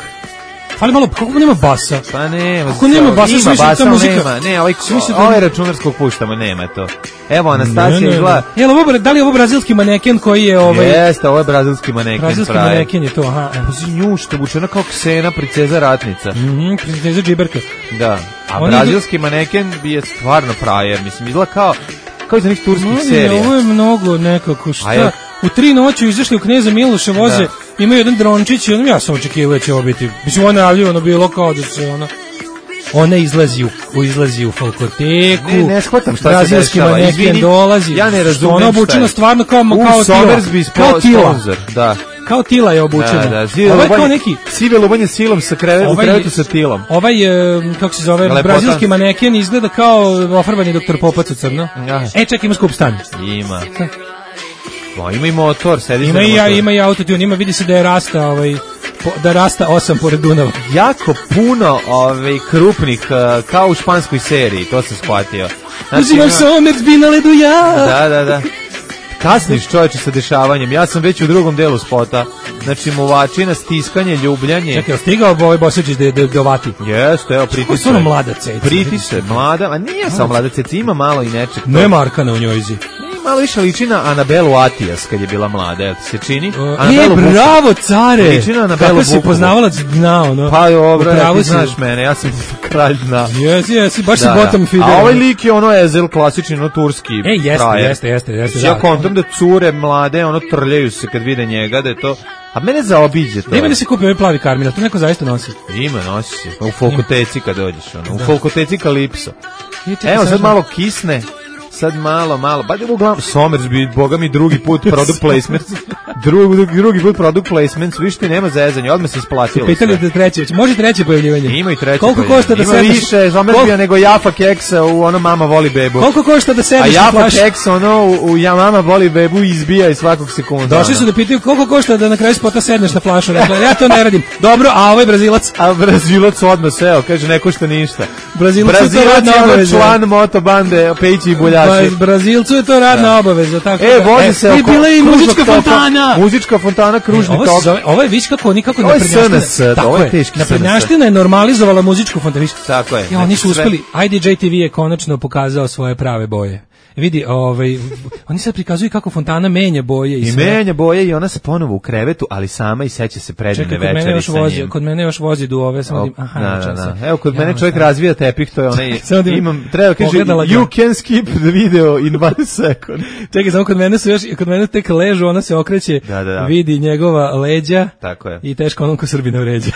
Ali malo, kako nema basa? Pa nema. Kako nema basa, ima smisli basa, ta muzika. nema. Ne, ovaj, da... ovaj računarskog puštamo, nema to. Evo, Anastasija izgleda... Jel, ovo, da li je ovo brazilski maneken koji je ovaj... Jeste, ovo je brazilski maneken. Brazilski praje. Maneken je to, aha. Pa njušta, bučena kao Ksena, princeza ratnica. Mhm, princeza džiberka. Da, a Oni brazilski idu... maneken je stvarno prajer, mislim, izgleda kao, kao iz onih turskih no, serija. Ovo je mnogo nekako, šta? Ja... U tri noću izašli u Kneza Miloša voze, da. Imaju jedan drončić i ono, ja sam očekivao da će ovo biti, mislim, ono najavljivano bilo kao da se ono... Ona izlazi u, izlazi u Falkoteku. Ne, ne shvatam šta brazilski se dešava. maneken dolazi. Ja ne razumem ona obučena stvarno kao, kao tila. Kao tila. Da. Kao tila je obučena. Da, da. Sive ovaj lubanje, kao neki sive lubanje silom sa kreve, ovaj, u krevetu sa tilom. Ovaj, kako se zove, Lepotan. Brazilski maneken izgleda kao ofarbani doktor Popac u crno. Ja. E, ček, ima skup stan. Ima. Bo, ima i motor, sediš ima na i motor. Ima i autotune, ima, vidi se da je rasta, ovaj, da rasta osam pored Dunava. Jako puno ovaj, krupnih, kao u španskoj seriji, to sam shvatio. Znači, Uzimaš ima... Somersby na ledu ja. Da, da, da. Kasniš čovječe sa dešavanjem, ja sam već u drugom delu spota. Znači, muvačina, stiskanje, ljubljanje. Čekaj, stigao ovaj Bosačić da je dovati? Jeste, evo, pritiče. Kako je ono mlada ceca? Pritiče, mlada, a nije samo mlada ceca, ima malo i nečeg. Ne Markana u njojzi. Malo više liči na Anabelu Atijas kad je bila mlada, jel ti se čini? Uh, e, bravo, care! Liči na Anabelu Kako si poznavalac dna, ono? Pa dobro, ja ti si... znaš mene, ja sam kralj dna. Jesi, jesi, baš da, si bottom feeder. A ovaj lik je ono ezel, klasični, ono turski. E, jeste, frajer. jeste, jeste, jeste. Ja kontam da cure mlade, ono trljaju se kad vide njega, da je to... A mene zaobiđe to. Nema da se kupi ovaj plavi karmina, to neko zaista nosi. Ima, nosi se. U Folkoteci kad dođeš, ono. U Folkoteci Kalipso. Evo, sad malo kisne. Sad malo, malo, ba uglavnom Somersby, boga mi drugi put product placement, drugi, drugi put product placement, viš ti nema zezanja, odmah se isplatilo. Pitali da treće, može treće pojavljivanje? Ima i treće koliko košta da ima sedneš? Više Somersbya Kol... nego Jaffa Keksa u ono Mama voli bebu. Koliko košta da sedneš? A Jaffa Keksa ono u, u ja Mama voli bebu izbija iz svakog sekunda. Došli su da pitaju koliko košta da na kraju spota sedneš na flašu, dakle, ja to ne radim. Dobro, a ovaj Brazilac? A Brazilac odmah seo, kaže ne košta ništa. Brazilac, Brazilac je ono član motobande Pejići i Buljači. Brazil je to radna da. obaveza, tako. E, vozi e, se oko bila i muzička fontana. Muzička fontana, kružni e, tok. Zove, ovo je viš kako nikako naprednjaština. Ovo je teški naprednjaština je normalizovala muzičku fontanu. Tako je. Ja, oni su uspeli. I D J T V je konačno pokazao svoje prave boje. Vidi, ovaj, oni sad prikazuju kako fontana menja boje. I, I menja boje i ona se ponovo u krevetu, ali sama i seća se predivne večeri sa njim. Kod mene još vozi duove, samo dim, aha, da, da, da. Evo, kod ja, mene čovjek razvija tepih, to je onaj, imam, treba kaže, Pogledala you can skip the video in one second. Čekaj, samo kod mene su još, kod mene tek ležu, ona se okreće, da, da, da. vidi njegova leđa. Tako je. I teško onom ko Srbina vređa.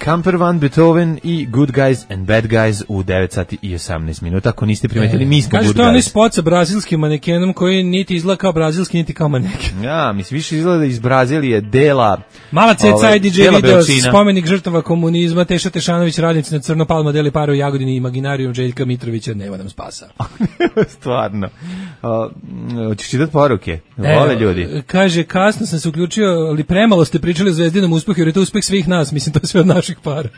Camper Van Beethoven i Good Guys and Bad Guys u devet sati i osamnaest minuta. Ako niste primetili, e, mi smo Good Guys. Kaže, to je onaj spot sa brazilskim manekenom koji niti izgleda kao brazilski, niti kao maneken. Ja, mislim, više izgleda iz Brazilije dela... Mala ceca I D J video, spomenik žrtava komunizma, Teša Tešanović, radnici na Crno, Palma deli pare u Jagodini, Imaginarijum Željka Mitrovića, nema nam spasa. Stvarno. Hoćeš čitati poruke? Vole ljudi. Kaže, kasno sam se uključio, ali premalo ste pričali o Zvezdinom uspehu, jer je to uspeh svih nas, mislim, to je sve od naših para.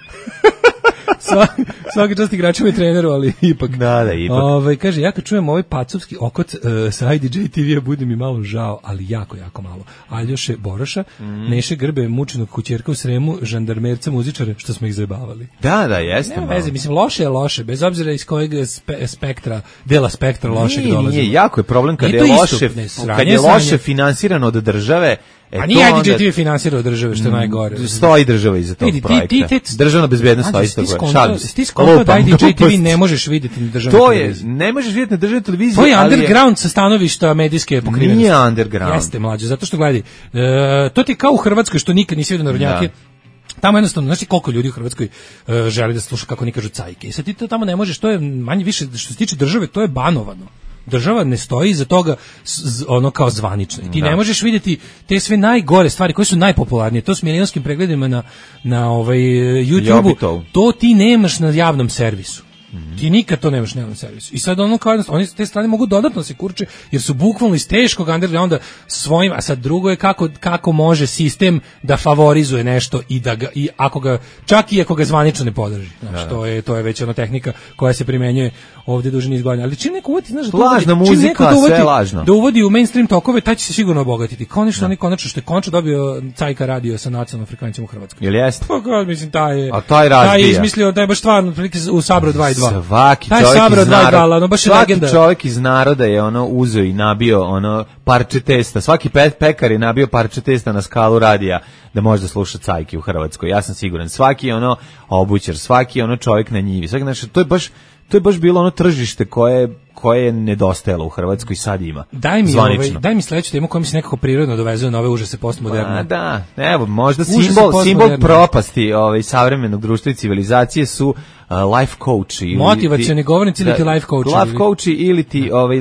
Svaki, svaki čast igračima i treneru, ali ipak. Da, da, ipak. Ove, kaže, ja kad čujem ovaj pacovski okot uh, sa I D J T V-a, bude mi malo žao, ali jako, jako malo. Aljoše Boroša, mm. Neše Grbe, mučenog kućerka u Sremu, žandarmerca, muzičare, što smo ih zajebavali. Da, da, jeste. Nema veze, mislim, loše je loše, bez obzira iz kojeg spe, spektra, dela spektra lošeg nije, dolazi. Nije, jako je problem kad nije je, loše, istup, ne, sranje, kad je sranje. loše finansirano od države. E, a nije I D J T V finansirao države, što je najgore. Stoji država iza tog projekta. Ti, ti, ti, Državna bezbednost stoji iza tog projekta. Ti skonto da I D J T V ne možeš vidjeti na državnoj to televiziji. Je, ne možeš vidjeti na državnoj televiziji. To je underground sa stanovišta medijske pokrivenosti. Nije underground. Jeste, mlađe, zato što gledaj, e, to ti kao u Hrvatskoj što nikad nisi vidio narodnjake. Tamo jednostavno, znaš ti koliko ljudi u Hrvatskoj uh, želi da sluša kako oni kažu cajke. I sad ti to tamo ne možeš, to je manje više, što se tiče države, to je banovano. Država ne stoji iza toga z, ono kao zvanično. I ti da. ne možeš vidjeti te sve najgore stvari koje su najpopularnije. To s milionskim pregledima na, na ovaj, YouTube-u. To ti nemaš na javnom servisu. Mm-hmm. Ti nikad to nemaš na javnom servisu. I sad ono kao jednostavno, oni s te strane mogu dodatno se kurče, jer su bukvalno iz teškog undergrounda svojim, a sad drugo je kako, kako može sistem da favorizuje nešto i da ga, i ako ga, čak i ako ga zvanično ne podrži. Znači, da. to je, to je već ona tehnika koja se primenjuje ovdje duže niz godina. Ali čim neko uvodi, znaš, da lažna uvodi, muzika, da uvodi, sve lažno. Da uvodi u mainstream tokove, taj će se sigurno obogatiti. Konačno, oni konačno što je konačno dobio Cajka radio sa nacionalnom frekvencijom u Hrvatskoj. Jel jeste? Pa god, mislim, taj je, a taj razbija. Taj je izmislio, taj je baš stvarno, u Sabro dva i dva. Svaki taj čovjek Sabro iz naroda, ono baš svaki legenda. čovjek iz naroda je ono uzeo i nabio ono parče testa. Svaki pe, pekar je nabio parče testa na skalu radija da može da sluša cajke u Hrvatskoj. Ja sam siguran. Svaki ono obućar, svaki ono čovjek na njivi. Svaki, znači, to je baš to je baš bilo ono tržište koje koje je nedostajalo u Hrvatskoj i sad ima. Daj mi ovaj, daj mi sledeću temu koja mi se nekako prirodno dovezuje na ove užase postmoderne. Pa da, evo, možda simbol simbol propasti ovaj savremenog društva i civilizacije su uh, life coach ili motivacioni govornici ili ti life coach. Life coach ili ti ovaj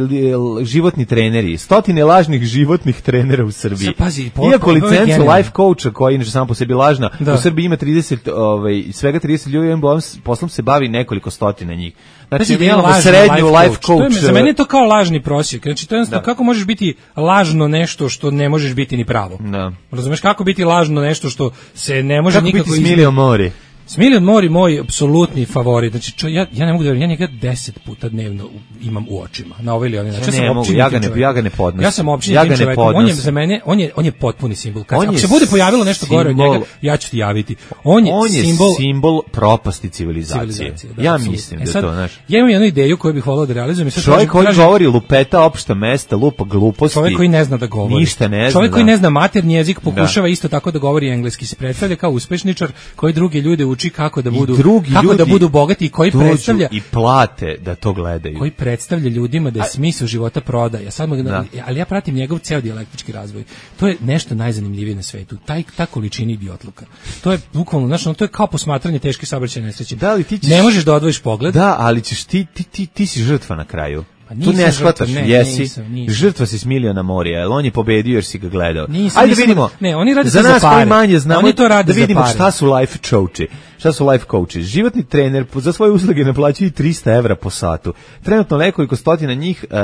životni treneri. Stotine lažnih životnih trenera u Srbiji. Pazi, iako licencu life coacha koja inače samo po sebi lažna, da. U Srbiji ima trideset ovaj svega trideset ljudi, jedan poslom se bavi nekoliko stotina njih. Znači, mi imamo srednju life, life coach. Je, za mene je to kao lažni prosjek. Znači, to je jednostavno, kako možeš biti lažno nešto što ne možeš biti ni pravo? Da. Razumeš, kako biti lažno nešto što se ne može kako nikako... Kako biti Smilio Mori? Smiljan Mori moj apsolutni favorit. Znači čo, ja ja ne mogu da verujem, ja njega deset puta dnevno imam u očima. Na ovaj ili onaj način. Ja, ja, mogu, ja ga ne ja ga ne podnosim. Ja sam općini ja čovjek. On je za mene, on je on je potpuni simbol. Kad on se bude pojavilo nešto simbol, gore od njega, ja ću ti javiti. On je, on je simbol simbol propasti civilizacije. civilizacije da, ja mislim e sad, da to, znaš. Ja imam jednu ideju koju bih voleo da realizujem. Čovjek koji govori lupeta opšta mesta, lupa gluposti. Čovjek koji ne zna da govori. Ništa ne zna. Čovjek koji ne zna maternji jezik, pokušava isto tako da govori engleski, se predstavlja kao uspešničar koji druge ljude uči kako da budu drugi kako ljudi da budu bogati i koji predstavlja i plate da to gledaju. Koji predstavlja ljudima da je smisao života prodaja. Sad mogu, ali ja pratim njegov ceo dijalektički razvoj. To je nešto najzanimljivije na svetu. Taj ta količina idiotluka. To je bukvalno, znači, to je kao posmatranje teške saobraćajne nesreće. Da li ti ćeš, ne možeš da odvojiš pogled. Da, ali ćeš ti ti ti, ti si žrtva na kraju. Pa tu ne shvataš, ne, jesi, nisam, nisam. Žrtva si Smiljana Morija, jer on je pobedio jer si ga gledao. Nisam, ajde nisam, vidimo, ne, oni rade za nas za koji manje znamo, oni to rade da vidimo za pare. Šta su life coachi. Šta su life coachi? Životni trener za svoje usluge naplaćuje trista evra po satu. Trenutno nekoliko stotina njih uh,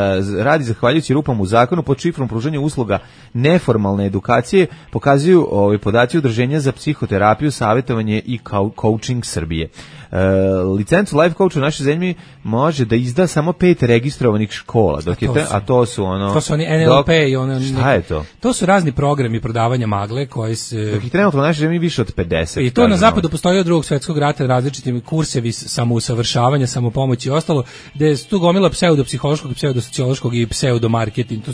radi zahvaljujući rupama u zakonu pod šifrom pružanja usluga neformalne edukacije, pokazuju ovaj podaci udruženja za psihoterapiju, savjetovanje i coaching Srbije. Uh, licencu life coacha u našoj zemlji može da izda samo pet registrovanih škola, dok a, je to te, su, a to su ono to su oni N L P dok, i ono šta je to? To su razni programi prodavanja magle koji se dok ih trenutno u našoj zemlji više od pedeset. I to na zapadu postoji od drugog svjetskog rata različitim kursevi samousavršavanja, samopomoći i ostalo, gde su tu gomila pseudopsihološkog, pseudosociološkog i pseudomarketing. To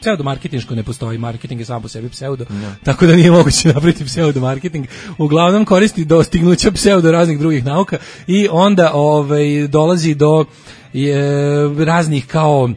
pseudomarketinško ne postoji, marketing je sam po sebi pseudo, no. Tako da nije moguće napraviti pseudomarketing. Uglavnom koristi dostignuća pseudo raznih drugih nauka i onda ovaj, dolazi do je, raznih kao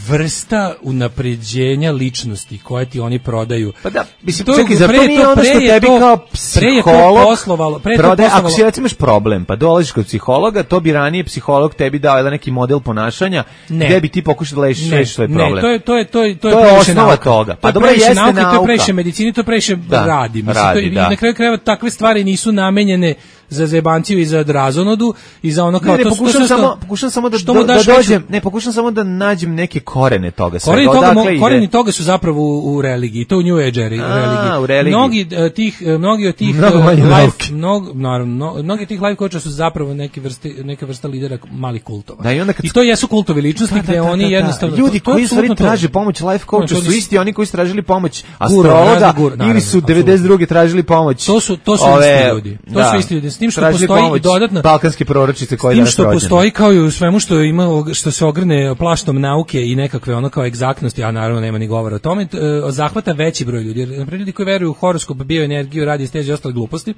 vrsta unapređenja ličnosti koje ti oni prodaju. Pa da, mislim, to, čekaj, zar to nije ono što tebi to, kao psiholog poslovalo, pre prodaje, to ako si recimo imaš problem, pa dolaziš kod psihologa, to bi ranije psiholog tebi dao jedan neki model ponašanja, ne. Gde bi ti pokušao da lešiš svoj problem. Ne, to je, to je, to je, to je, to je osnova nauka. Toga. Pa dobro, jeste nauka. nauka. To je previše medicini, to je previše da, radi. Mislim, radi to, da. I na kraju krajeva takve stvari nisu namenjene za zebanciju i za razonodu i za ono kao ne, ne, to pokušam to samo pokušam samo da, što do, mu daš da veću- dođem, ne pokušam samo da nađem neke korene toga svega. Koreni toga, mo- Odakle ide? koreni toga su zapravo u, u religiji, to u New Age eri- A, religiji. u religiji. Mnogi e, tih e, mnogi od tih Mnogo e, manje life, nauke. mnogo naravno, mno- mnogi od tih life coacha su zapravo neke vrste neke vrsta lidera malih kultova. Da, i onda kad- I to jesu kultovi ličnosti gde oni jednostavno ljudi to- to je koji u stvari apsolutno to. traže pomoć life coacha No, to su nisu- isti oni koji su tražili pomoć Guru, astrologa razni guru, naravno, ili su apsolutno. devedeset druge tražili pomoć. To su to su ove, isti ljudi. To da, su isti ljudi. S tim što tražili postoji pomoć i dodatno balkanske proročice koje S tim danas što rođene. postoji kao i u svemu što ima što se ogrne plaštom nauke i nekakve ono kao egzaktnosti, a naravno nema ni govora o tome, t- e, zahvata veći broj ljudi. Jer, na primjer, ljudi koji veruju u horoskop, bioenergiju, radiesteziju i ostale gluposti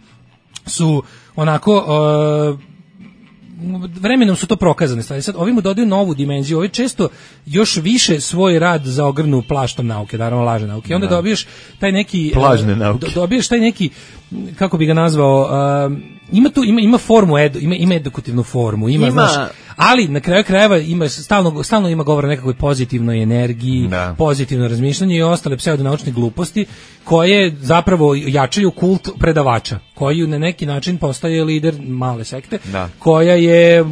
su onako e, vremenom su to prokazane stvari. Sad ovim mu dodaju novu dimenziju. Ovi često još više svoj rad zaogrnu plaštom nauke, naravno lažne nauke. I onda Da. dobiješ taj neki Plažne e, nauke. do- dobiješ taj neki, kako bi ga nazvao, um, ima tu ima ima formu edu, ima ima edukativnu formu, ima, Ima- znaš, ali na kraju krajeva ima stalno stalno ima govora o nekakvoj pozitivnoj energiji, Da. pozitivno razmišljanje i ostale pseudonaučne gluposti koje zapravo jačaju kult predavača, koji na neki način postaje lider male sekte, Da. koja je mm,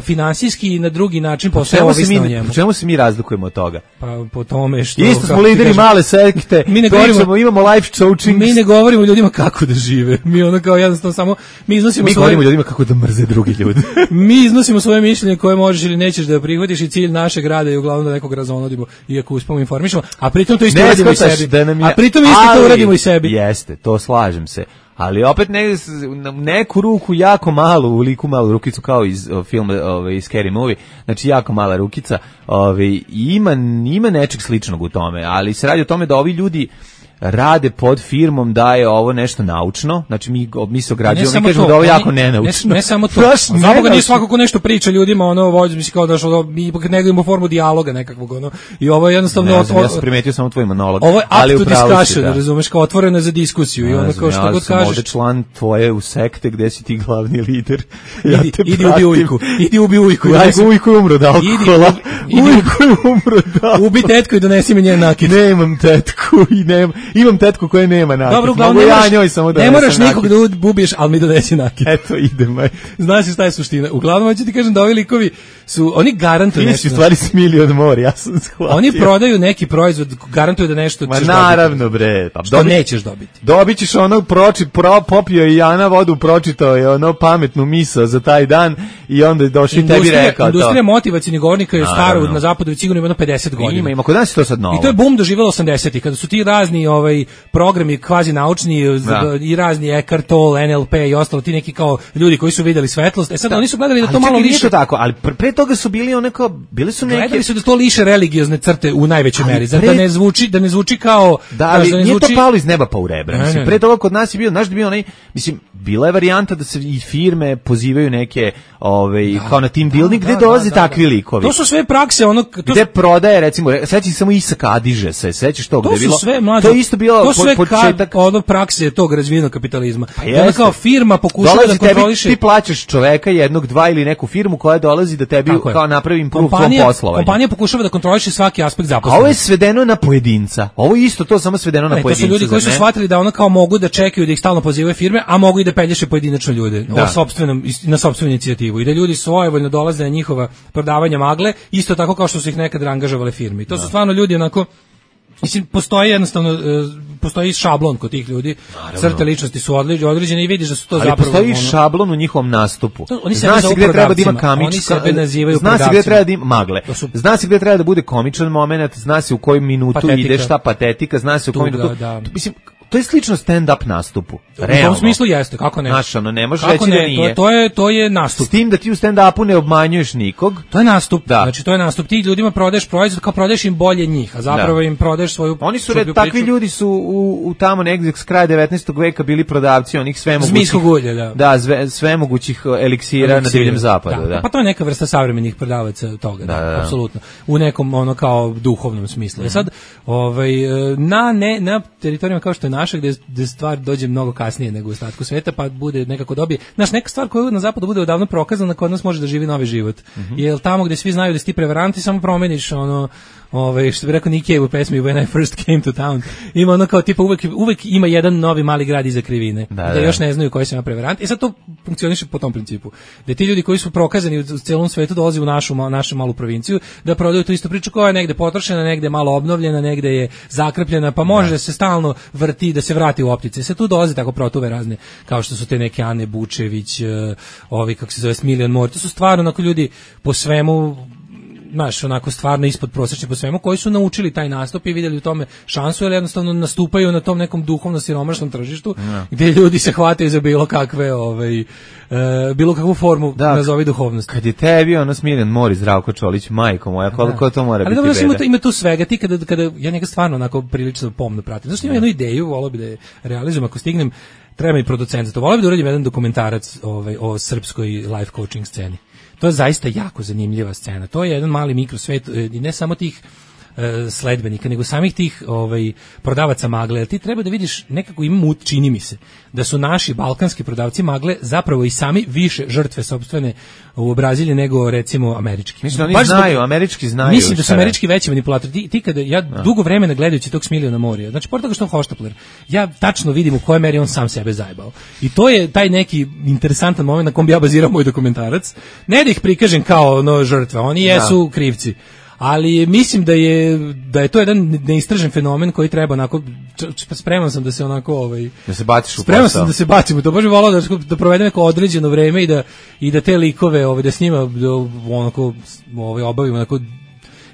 finansijski i na drugi način Po postaje čemu se ovisna o mi, njemu. po čemu se mi razlikujemo od toga? Pa po tome što Isto smo kako ti lideri kažem, male sekte, Mi ne pričamo, govorimo- imamo life coaching. mi ne govorimo ljudima kako da žive. Mi ono kao jednostavno samo mi iznosimo Mi svoje govorimo ljudima kako da mrze drugi ljudi. mi iznosimo svoje mišljenje koje možeš ili nećeš da prihvatiš i cilj našeg rada je uglavnom da nekog razonodimo iako uspemo informišemo, a pritom to isto Ne uradimo i shvataš sebi. da nam je- A pritom isto to ali- uradimo i sebi. Jeste, to slažem se. Ali opet ne, na neku ruku jako malu, u liku malu rukicu kao iz o, filma ovaj, Scary Movie, znači jako mala rukica, ovaj, ima, ima nečeg sličnog u tome, ali se radi o tome da ovi ljudi rade pod firmom da je ovo nešto naučno, znači mi, mi se ograđujemo, mi kažemo da je ovo oni- jako nenaučno. Ne, ne samo to. Baš Znamo ga nije nenaučno. svako ko nešto priča ljudima, ono vođe mi se kao da što mi ipak negujemo formu dijaloga nekakvog, ono. I ovo je jednostavno Ne znam, o- ja sam primetio samo tvoj monolog. ovo je ali up to upravo si, discussion, da. razumeš, kao otvoreno je za diskusiju i Ne ono znam, kao što ja god sam kažeš. ovde član tvoje u sekte gde si ti glavni lider. Ja Idi, te idi pratim. ubi ujku, idi ubi ujku. Ja ujku je umro od alkohola. Idi, idi, Ujku je umro od alkohola. Ubi tetku i donesi mi njen nakit. Nemam tetku i nemam, imam tetku koja nema nakit. Dobro, uglavnom Mogu ne ja moraš, njoj samo da ne donesem moraš nakit. nikog da ubiješ, ali mi donesi nakit. Eto, idem. aj. Znaš šta je suština? Uglavnom, hoću ti kažem da ovi likovi su, oni garantuju Ti nešto. si u stvari smili od mora, ja sam shvatio. Oni prodaju neki proizvod, garantuju da nešto Ma ćeš naravno, bre. Pa dobiti. Što dobi- nećeš dobiti. Dobit ćeš ono proči, pro, popio je Jana vodu, pročitao je ono pametnu misao za taj dan i onda je došao i tebi Industrija, rekao industrija to. motivacionih govornika je stara Naravno. na zapadu već sigurno ima jedno pedeset godina. Ima, ima, kod nas je to sad novo. I to je bum doživelo osamdesetih kada su ti razni ovaj programi kvazi naučni Da. i razni Eckhart Tolle, N L P i ostalo ti neki kao ljudi koji su videli svetlost. E sad oni su gledali da Ali to malo čekaj, nije liše. to tako, ali pre, pre toga su bili onako, bili su neke... Gledali su da to liše religiozne crte u najvećoj Ali meri, za- pre- da ne zvuči da ne zvuči kao Da, znaš, ali da ne nije to zvuči- palo iz neba pa u rebra. Ne, Mislim, ne, pre ne. toga kod nas je bio, znaš da je bio onaj, mislim, bila je varijanta da se i firme pozivaju neke, ovaj, kao na team building, gde da, dolaze da, da, takvi da. likovi. To su sve prakse, ono to Gde prodaje, recimo, re- sećaš se samo Isak Adiže se, sećaš to, To gde je su bilo... sve mlađe. To je isto bilo to su po- sve početak... ka, ono prakse tog razvijenog kapitalizma. Pa I onda jeste. kao firma pokušava Dolazi da tebi, kontroliše. ti plaćaš čoveka jednog, dva ili neku firmu koja dolazi da tebi Tako je. kao napravi improve tvom kompanija, poslovanju. kompanija pokušava da kontroliše svaki aspekt A zaposlenosti. ovo je svedeno na pojedinca. Ovo je isto to, samo svedeno na Ne, to pojedinca. su ljudi koji su zar ne? shvatili da ono kao mogu da čekaju da ih stalno pozivaju firme, a mogu i da pelješe pojedinačno ljude Da. o sopstvenom, na sopstvenu inicijativu i da ljudi svojevoljno dolaze na njihova prodavanja magle, isto tako kao što su ih nekad angažovale firme. I to su stvarno ljudi onako, mislim, postoji jednostavno, e, postoji šablon kod tih ljudi, crte ličnosti su određ- određene i vidiš da su to Ali zapravo... postoji ono- šablon u njihovom nastupu. To- oni sebe Zna se zovu gde treba da ima prodavcima. kamič, Oni sebe nazivaju zna se gde prodavcima. treba da ima magle. To su- Zna se gde treba da bude komičan moment, zna se u koju minutu Patetika. ide šta patetika, zna se u koju Tuga, minutu. da. Mislim, to je slično stand-up nastupu. U Realno. tom smislu jeste, kako ne? Znaš, ono, ne možeš Kako reći da ne? nije. To, to je to je nastup. S tim da ti u stand-upu ne obmanjuješ nikog. To je nastup. Da. Znači to je nastup. Ti ljudima prodaješ proizvod, kao prodaješ im bolje njih, a zapravo Da. im prodaješ svoju Oni su, šuplju red, takvi priču. ljudi su u, u tamo negdje s kraja devetnaestog veka bili prodavci onih sve mogućih... Zmijskog ulja, da. Da, sve, sve mogućih eliksira, na Eliksira. divljem zapadu, da. Pa to je neka vrsta savremenih prodavaca toga, da, Da, da, da. apsolutno. U nekom ono kao duhovnom smislu. E sad, ovaj na ne na teritorijama kao što je naša gde gde stvar dođe mnogo kasnije nego u ostatku sveta, pa bude nekako dobije. Znaš, neka stvar koja na zapadu bude odavno prokazana, kod nas može da živi novi život. Jer tamo gde svi znaju da si ti prevarant, ti samo promeniš ono ovaj što bi rekao Nick Cave u pesmi When I First Came to Town, ima ono kao tipa uvek, uvek ima jedan novi mali grad iza krivine, da, da, da još ne znaju koji su prevaranti. I sad to funkcioniše po tom principu. Da ti ljudi koji su prokazani u celom svetu dolaze u našu, našu malu provinciju da prodaju tu istu priču koja je negde potrošena, negde malo obnovljena, negde je zakrpljena, pa može da, da se stalno vrti, da se vrati u optice. Se tu dolaze tako protuve razne, kao što su te neke Ane Bučević, ovi kako se zove Smiljan Mor. To su stvarno onako ljudi po svemu, znaš, onako stvarno ispod prosječni po svemu, koji su naučili taj nastup i vidjeli u tome šansu, jer jednostavno nastupaju na tom nekom duhovno siromašnom tržištu, ja. Gdje ljudi se hvataju za bilo kakve, ovaj, e, bilo kakvu formu, da, nazovi duhovnosti. Kad je tebi ono Smiljan Mor i Zdravko Čolić, majko moja, koliko da. To mora ali biti dobro, beda. Ali dobro, ima tu svega, ti kada, kada ja njega stvarno onako prilično pomno pratim, zašto imam jednu ideju, volio bi da je realizujem, ako stignem, treba mi producent za to, volio bi da uradim jedan dokumentarac ovaj, o srpskoj life coaching sceni. To je zaista jako zanimljiva scena. To je jedan mali mikrosvet i ne samo tih e, sledbenika, nego samih tih ovaj, prodavaca magle. Ti treba da vidiš, nekako im mut, čini mi se, da su naši balkanski prodavci magle zapravo i sami više žrtve sopstvene u Braziliji nego recimo američki. Mislim, oni znaju, zbog, američki znaju. Mislim da su američki veći manipulatori. Ti, ti kada, ja no. dugo vremena gledajući tog Smiljana Morija, znači pored toga što on hoštapler, ja tačno vidim u kojoj meri on sam sebe zajebao. I to je taj neki interesantan moment na kom bi ja bazirao moj dokumentarac. Ne da ih prikažem kao ono žrtve, oni jesu no. krivci. Ali mislim da je da je to jedan neistražen fenomen koji treba onako, spreman sam da se onako ovaj da se baciš u posao. Spreman sam da se bacim, to baš volao da da provedem neko određeno vreme i da i da te likove ovaj da s njima da, onako ovaj obavimo onako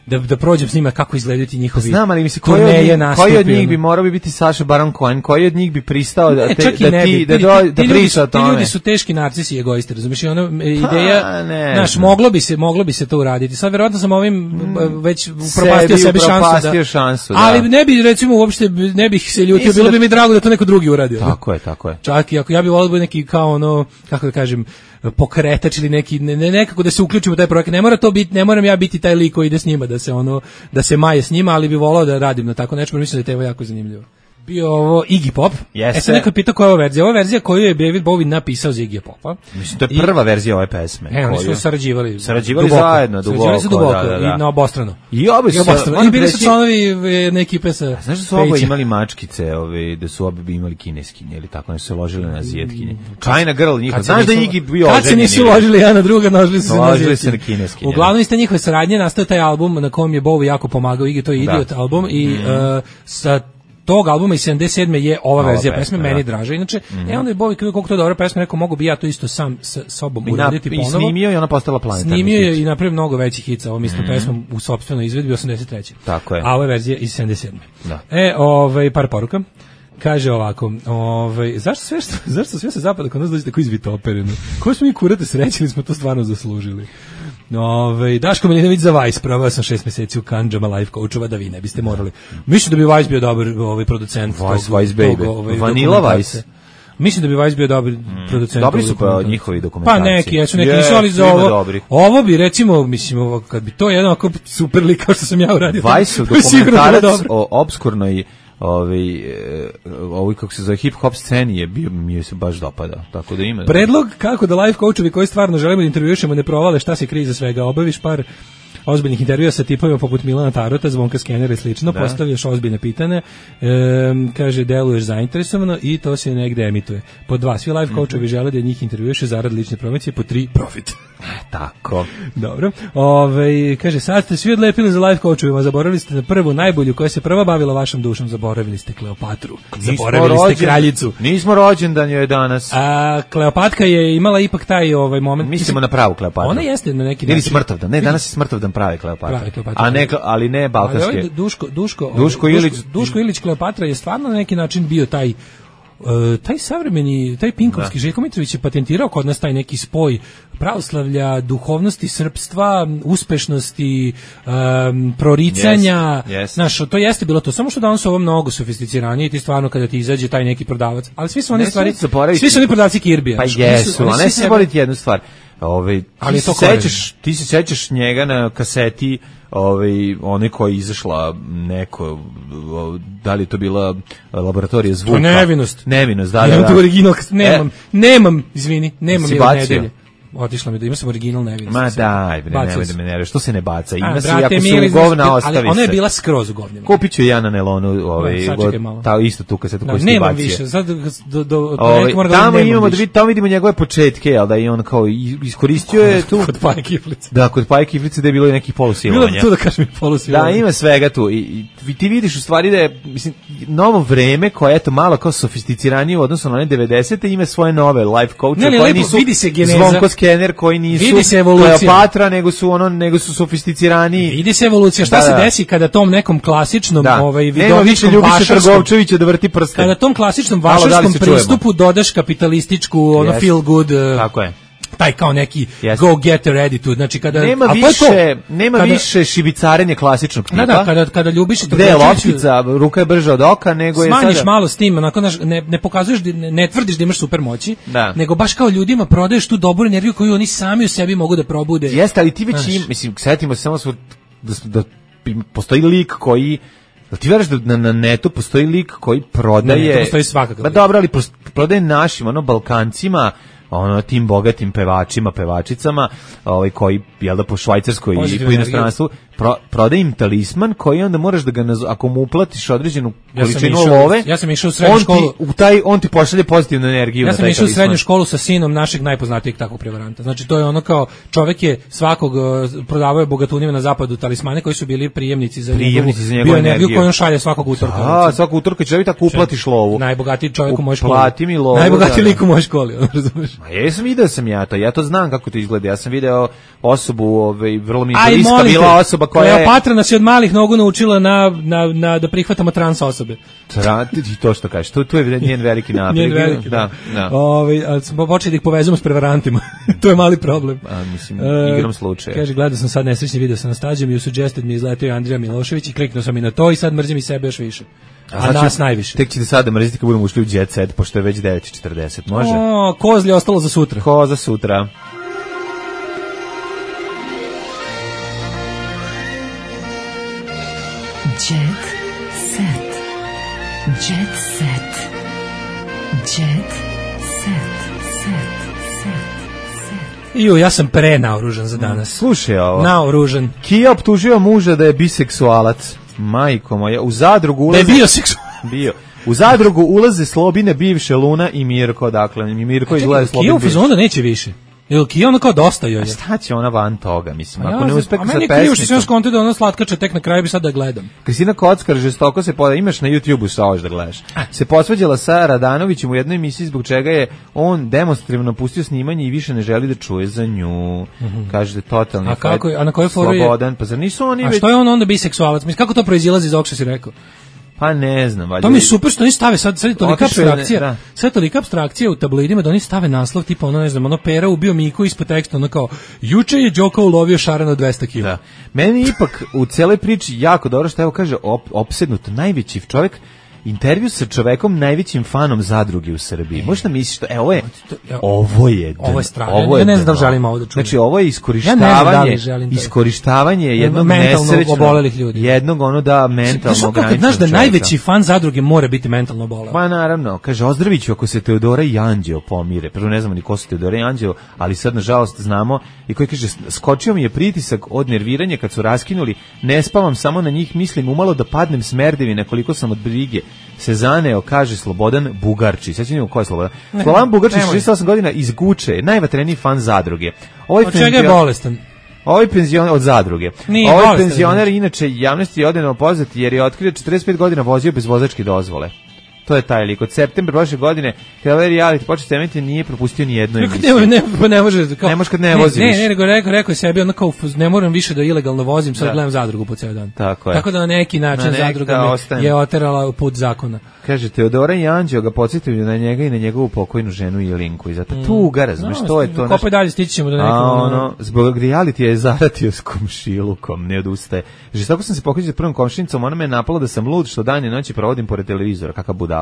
da da prođem s njima kako izgledaju ti njihovi. Znam, ali mislim koji od njih, koji od njih bi morao bi biti Saša Baron Cohen, koji od njih bi pristao da, te, da ti da do, da priča o tome. Ti ljudi su teški narcisi i egoisti, razumiješ, i ono ideja, znaš, moglo bi se moglo bi se to uraditi. Sad verovatno sam ovim mm, već upropastio sebi šansu da, šansu, da. Ali ne bi recimo uopšte ne bih se ljutio, bilo bi mi drago da to neko drugi uradio. Tako je, tako je. Čak i ako ja bih volio neki kao ono, kako da kažem, pokretač ili neki ne, ne, nekako da se uključimo u taj projekat. Ne mora to biti, ne moram ja biti taj lik koji ide s njima da se ono da se maje s njima, ali bih volao da radim na tako nešto, mislim da je to jako zanimljivo. Bio ovo Iggy Pop. Yes, e sad neko pitao koja je ova verzija. Ova verzija koju je David Bowie napisao za Iggy Popa. Mislim, to je prva I, verzija ove pesme. E, oni su sarađivali. Sarađivali duboko, zajedno, duboko. Sarađivali su duboko, da, da, da. I na obostrano. I obi su, I bili su članovi neke ekipe sa... Znaš da su oboje imali mačkice, ove, da su obi imali kineskinje, ili tako, ne su se ložili na azijetkinje. China Girl njihova. Znaš da je Iggy bio oženjen? Kad se nisu ložili jedna na druga, nožili su se na ložili se na kineskinje. Uglavnom iste njihove saradnje nastao taj album na kom je Bowie jako pomagao Iggy, to je Idiot album i sa tog albuma iz sedamdeset sedme je ova, ova verzija pesme, pesme meni da. Draže. Inače, mm-hmm. e onda je Bowie koliko to je dobra pesma, rekao mogu bi ja to isto sam sa sobom uraditi ponovo. I snimio i ona postala planetarni Snimio je i napravio mnogo većih hica ovom istom mm-hmm. pesmom u sopstvenoj izvedbi osamdeset treće Tako je. A ova verzija iz sedamdeset sedme Da. E, ovaj par poruka. Kaže ovako, ovaj zašto sve što, zašto sve se zapada kod nas dođe tako izvitopereno? Ko smo mi kurate srećili, smo to stvarno zaslužili. Ove, Daško Milinović za Vice, proveo sam šest mjeseci u Kandžama life coachova, da vi ne biste morali. Mislim da bi Vice bio dobar ovaj producent. Vice, tog, Vice baby. Tog, ovaj, Vanilla Vice. Mislim da bi Vice bio dobar producent. Dobri su pa njihovi dokumentacije. Pa neki, jesu neki, nisu ali za ovo. Ovo bi recimo, mislim, ovo, kad bi to jedan ovako super lik kao što sam ja uradio. Vice dokumentarac o obskurnoj ovaj ovaj kako se zove hip hop sceni je bio, mi je se baš dopadao, tako da ima. Predlog kako da life coachovi koji stvarno želimo da intervjušemo ne provale šta se krije iza svega, obaviš par ozbiljnih intervjua sa tipovima poput Milana Tarota, Zvonka Skenera i slično, da. Postavljaš ozbiljne pitanja, e, kaže deluješ zainteresovano i to se negde emituje. Po dva, svi life coachovi mm-hmm. žele da njih intervjuše zarad lične promocije, po tri, profit. Tako. Dobro. Ove, kaže, sad ste svi odlepili za life coachovima, zaboravili ste na prvu najbolju koja se prva bavila vašom dušom, zaboravili ste Kleopatru, zaboravili rođen, ste kraljicu. Nismo rođendan joj danas. A Kleopatka je imala ipak taj ovaj moment. Mislimo na pravu Kleopatru. Ona jeste na neki način. Ili smrtovdan, ne, danas je smrtovdan pravi Kleopatra. Pravi Kleopatra. A ne, ali ne balkanske. Ali ovaj Duško, Duško, Duško Ilić, Duško, Duško Ilić Kleopatra je stvarno na neki način bio taj Uh, taj savremeni, taj Pinkovski, Željko Mitrović je patentirao kod nas taj neki spoj pravoslavlja, duhovnosti, srpstva, uspešnosti, um, proricanja, yes, yes. Znaš, to jeste bilo to, samo što danas ovo mnogo sofisticiranije i ti stvarno kada ti izađe taj neki prodavac, ali svi su oni stvari, svi su oni prodavci Kirbija. Pa jesu, a ne se zaboraviti jednu stvar. Ovaj, ali ti, se sećaš, ti se sećaš njega na kaseti, ovaj, one koja je izašla neko, da li je to bila laboratorija zvuka? To nevinost. Nevinost, da, da, nemam da. To original, nemam, e, nemam, izvini, nemam je od nedelje. otišla mi da ima sam original, ne vidim. Ma daj, bre, nemoj da me nerviraš, što se ne baca? Ima se, ako mili, su govna, ostavi se. Ali ona je bila skroz u govnima. Kupit ću ja na nelonu, ovaj, ta isto tu kasetu koju ste bacio. Nemam više, sad do, do, ovaj, tamo imamo da vidimo, tamo vidimo njegove početke, jel da i on kao iskoristio je tu. Kod Paje Kiflice. Da, kod Paje Kiflice da je bilo i nekih polusilovanja. Bilo tu da kažem i polusilovanja. Da, ima svega tu. I, i ti vidiš u stvari da je, mislim, novo vreme koje eto malo kao sofisticiranije u odnosu na one devedesete ima svoje nove life coachove koji nisu Zvonko Skener, koji nisu Kleopatra, nego su ono nego su sofisticiraniji. Vidi se evolucija. Šta da, se da. desi kada tom nekom klasičnom da. ovaj vidovičkom Ljubiša Trgovčevića da vrti prste. Kada tom klasičnom vašarskom da pristupu dodaš kapitalističku ono yes. feel good. Tako je. Taj kao neki yes. go getter attitude, znači kada nema više nema kada, više šibicarenja klasičnog tipa. Da, da, kada kada ljubiš i gde je loptica, ruka je brža od oka, nego je sada smanjiš malo s tim, onako ne ne pokazuješ ne, ne tvrdiš da imaš super moći, da. nego baš kao ljudima prodaješ tu dobru energiju koju oni sami u sebi mogu da probude. Jeste, ali ti već im, mislim, setimo se samo svoj, da, da postoji lik koji da ti veriš da na, na netu postoji lik koji prodaje. Ne, to postoji svakako. Ma dobro, ali prodaje našim ono Balkancima, ono tim bogatim pevačima, pevačicama, ovaj koji jel da po švajcarskoj i po inostranstvu pro, prodaje im talisman koji onda moraš da ga nazo, ako mu uplatiš određenu količinu ja love, ja sam išao u srednju školu, u taj on ti pošalje pozitivnu energiju. Ja sam išao u srednju školu sa sinom našeg najpoznatijeg takvog prevaranta. Znači to je ono kao čovjek je svakog prodavao je bogatunima na zapadu talismane koji su bili prijemnici za prijemnici za njegovu energiju koju on šalje svakog utorka. A, svakog utorka će tako uplatiš lovu. Najbogatiji čovjek u mojoj školi. Plati mi lovu. Najbogatiji lik u mojoj školi, razumeš? Ma jesam video sam ja to. Ja to znam kako to izgleda. Ja sam video osobu, ovaj vrlo mi je bliska bila osoba koja je Kleopatra nas je od malih nogu naučila na, na, na da prihvatamo trans osobe. Trati to što kažeš. To, to je njen veliki napred. Njen veliki, da, da. Ovaj, ali smo počeli da ih povezujemo s prevarantima. To je mali problem. A, mislim, igram slučaja. Kaže, gledao sam sad nesrećni video sa Nastađom i u Suggested mi izletio Andrija Milošević i kliknuo sam i na to i sad mrzim i sebe još više. A, a nas najviše. Tek ćete sada mrziti kad budemo ušli u Jet Set, pošto je već devet i četrdeset. Može? O, kozlje ostalo za sutra. Ko za sutra. Jet set. Jet set. Jet set. Set. Set. Iju, ja sam pre naoružan za danas. Slušaj ovo. Naoružan. Kija optužio muža da je biseksualac. Majko moja, u zadrugu ulaze... Da je bio seksualac. Bio. U zadrugu ulaze Slobine, bivše Luna i Mirko, dakle. Mirko izgleda Slobin. Kija u fazonu neće više. Jel Kija ono kao dosta joj je? Šta će ona van toga, mislim, ako ja, ne uspe sa pesmicom. A meni krivo što se još konta da ona slatkača tek na kraju bi sad da gledam. Kristina Kockar žestoko se poda, imaš na YouTubeu sa ovo da gledaš. Se posvađala sa Radanovićem u jednoj emisiji zbog čega je on demonstrativno napustio snimanje i više ne želi da čuje za nju. Mm-hmm. Kaže da totalni a kako, a na kojoj foru je? Slobodan, pa zar nisu oni a već... što je on onda biseksualac? Mislim, kako to proizilazi iz ovog što si rekao? Pa ne znam, valjda. To mi je super što oni stave sad sad tolika apstrakcija. Da. Sad tolika apstrakcija u tabloidima da oni stave naslov tipa ono ne znam, ono Pera ubio Miku ispod teksta ono kao juče je Đoko ulovio šaran od dvesta kilograma. Da. Meni ipak u celoj priči jako dobro što evo kaže op, opsednut najveći čovjek. Intervju sa čovekom najvećim fanom zadruge u Srbiji. Možda misliš što, e, ovo je, ovo je, ovo je strašno. Ovo je, ja ne znam da želim ovo da čujem. Znači, ovo je iskorištavanje, ja da iskorištavanje jednog nesrećnog, obolelih ljudi. Jednog ono da mentalno ograničenog znaš da najveći fan zadruge mora biti mentalno oboleo. Pa naravno, kaže Ozdraviću ako se Teodora i Anđeo pomire. Prvo ne znamo ni ko su Teodora i Anđeo, ali sad nažalost znamo i koji kaže skočio mi je pritisak od nerviranja kad su raskinuli. Ne spavam samo na njih, mislim umalo da padnem smerdevi nekoliko sam od brige. Se zaneo, kaže Slobodan Bugarčić. Sad ćemo ko je Slobodan. Ne, Slobodan Bugarčić, šezdeset osam godina, iz Guče, najvatreniji fan zadruge. Ovaj od čega je bolestan? Ovaj penzioner od zadruge. Nije ovaj bolestan, penzioner inače javnosti je odeno poznat jer je otkrio četrdeset pet godina vozio bez vozačke dozvole. To je taj lik. Od septembra prošle godine, kada ovaj reality počeo snimati, nije propustio ni jednu emisiju. Ne, ne, ne može. Kao, ne može kad ne, ne vozi ne, više. Ne, nego rekao, rekao je sebi, ono kao, ne moram više da ilegalno vozim, sad da. Gledam zadrugu po ceo dan. Tako je. Tako da na neki način na zadruga me je oterala u put zakona. Kaže, Teodora i Anđeo ga podsjetili na njega i na njegovu pokojnu ženu Jelinku. I zato mm. tuga, razumiješ, no, to je to. Kopaj dalje, stići ćemo do nekog. Ono, zbog reality je zaratio s komšilukom, ne odustaje. Žestoko sam se pokrećio s prvom komšinicom, ona me je napala da sam lud, što dan i noći provodim pored televizora, kakav budala.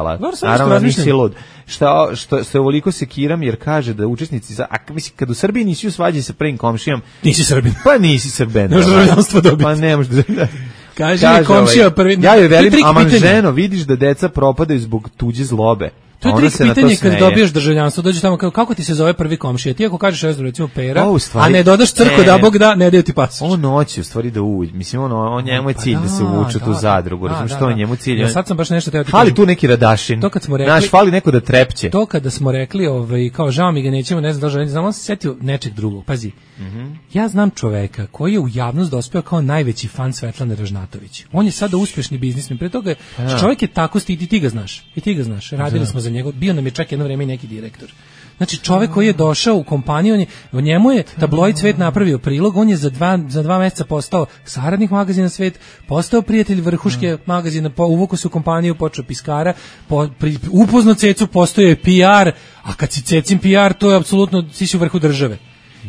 Naravno, nisi lud. Šta, što, što je ovoliko sekiram, jer kaže da učesnici, za, a mislim, kad u Srbiji nisi u svađi sa prvim komšijom, nisi Srbin. Pa nisi Srben. Ne možeš državljanstvo dobiti. Pa ne možeš da... Kaže mi komšija prvi... Ja joj velim, aman ženo, vidiš da deca propadaju zbog tuđe zlobe. To je trik pitanje kad dobiješ državljanstvo, dođeš tamo kao kako ti se zove prvi komšija. Ti ako kažeš ja recimo Pera, o, stvari, a ne dodaš crko da Bog da, ne daju ti pasoš. On hoće u stvari da uđe. Mislim ono, on njemu je cilj pa da, da se uvuče da, tu zadrugu. Da, razumiješ što je njemu cilj? Ja sad sam baš nešto teo ti. Fali tu neki Radašin. To kad smo rekli, naš fali neko da trepće. To kada smo rekli, ovaj kao žao mi ga nećemo, ne znam da želim, znam on se setio nečeg drugog. Pazi. Mm-hmm. Ja znam čoveka koji je u javnost dospeo kao najveći fan Svetlane Ražnatović. On je sada uspešni biznismen. Pre toga ja. čovjek je tako stidi, ti ga znaš. I ti ga znaš. Radili da. smo za njega. Bio nam je čak jedno vrijeme i neki direktor. Znači čovjek koji je došao u kompaniju, on je, u njemu je tabloid Svet napravio prilog, on je za dva, za dva mjeseca postao saradnik magazina Svet, postao prijatelj vrhuške magazina, po, uvukao se u kompaniju, počeo piskara, po, pri, upoznao Cecu, postao je P R, a kad si Cecin P R, to je apsolutno, si si u vrhu države.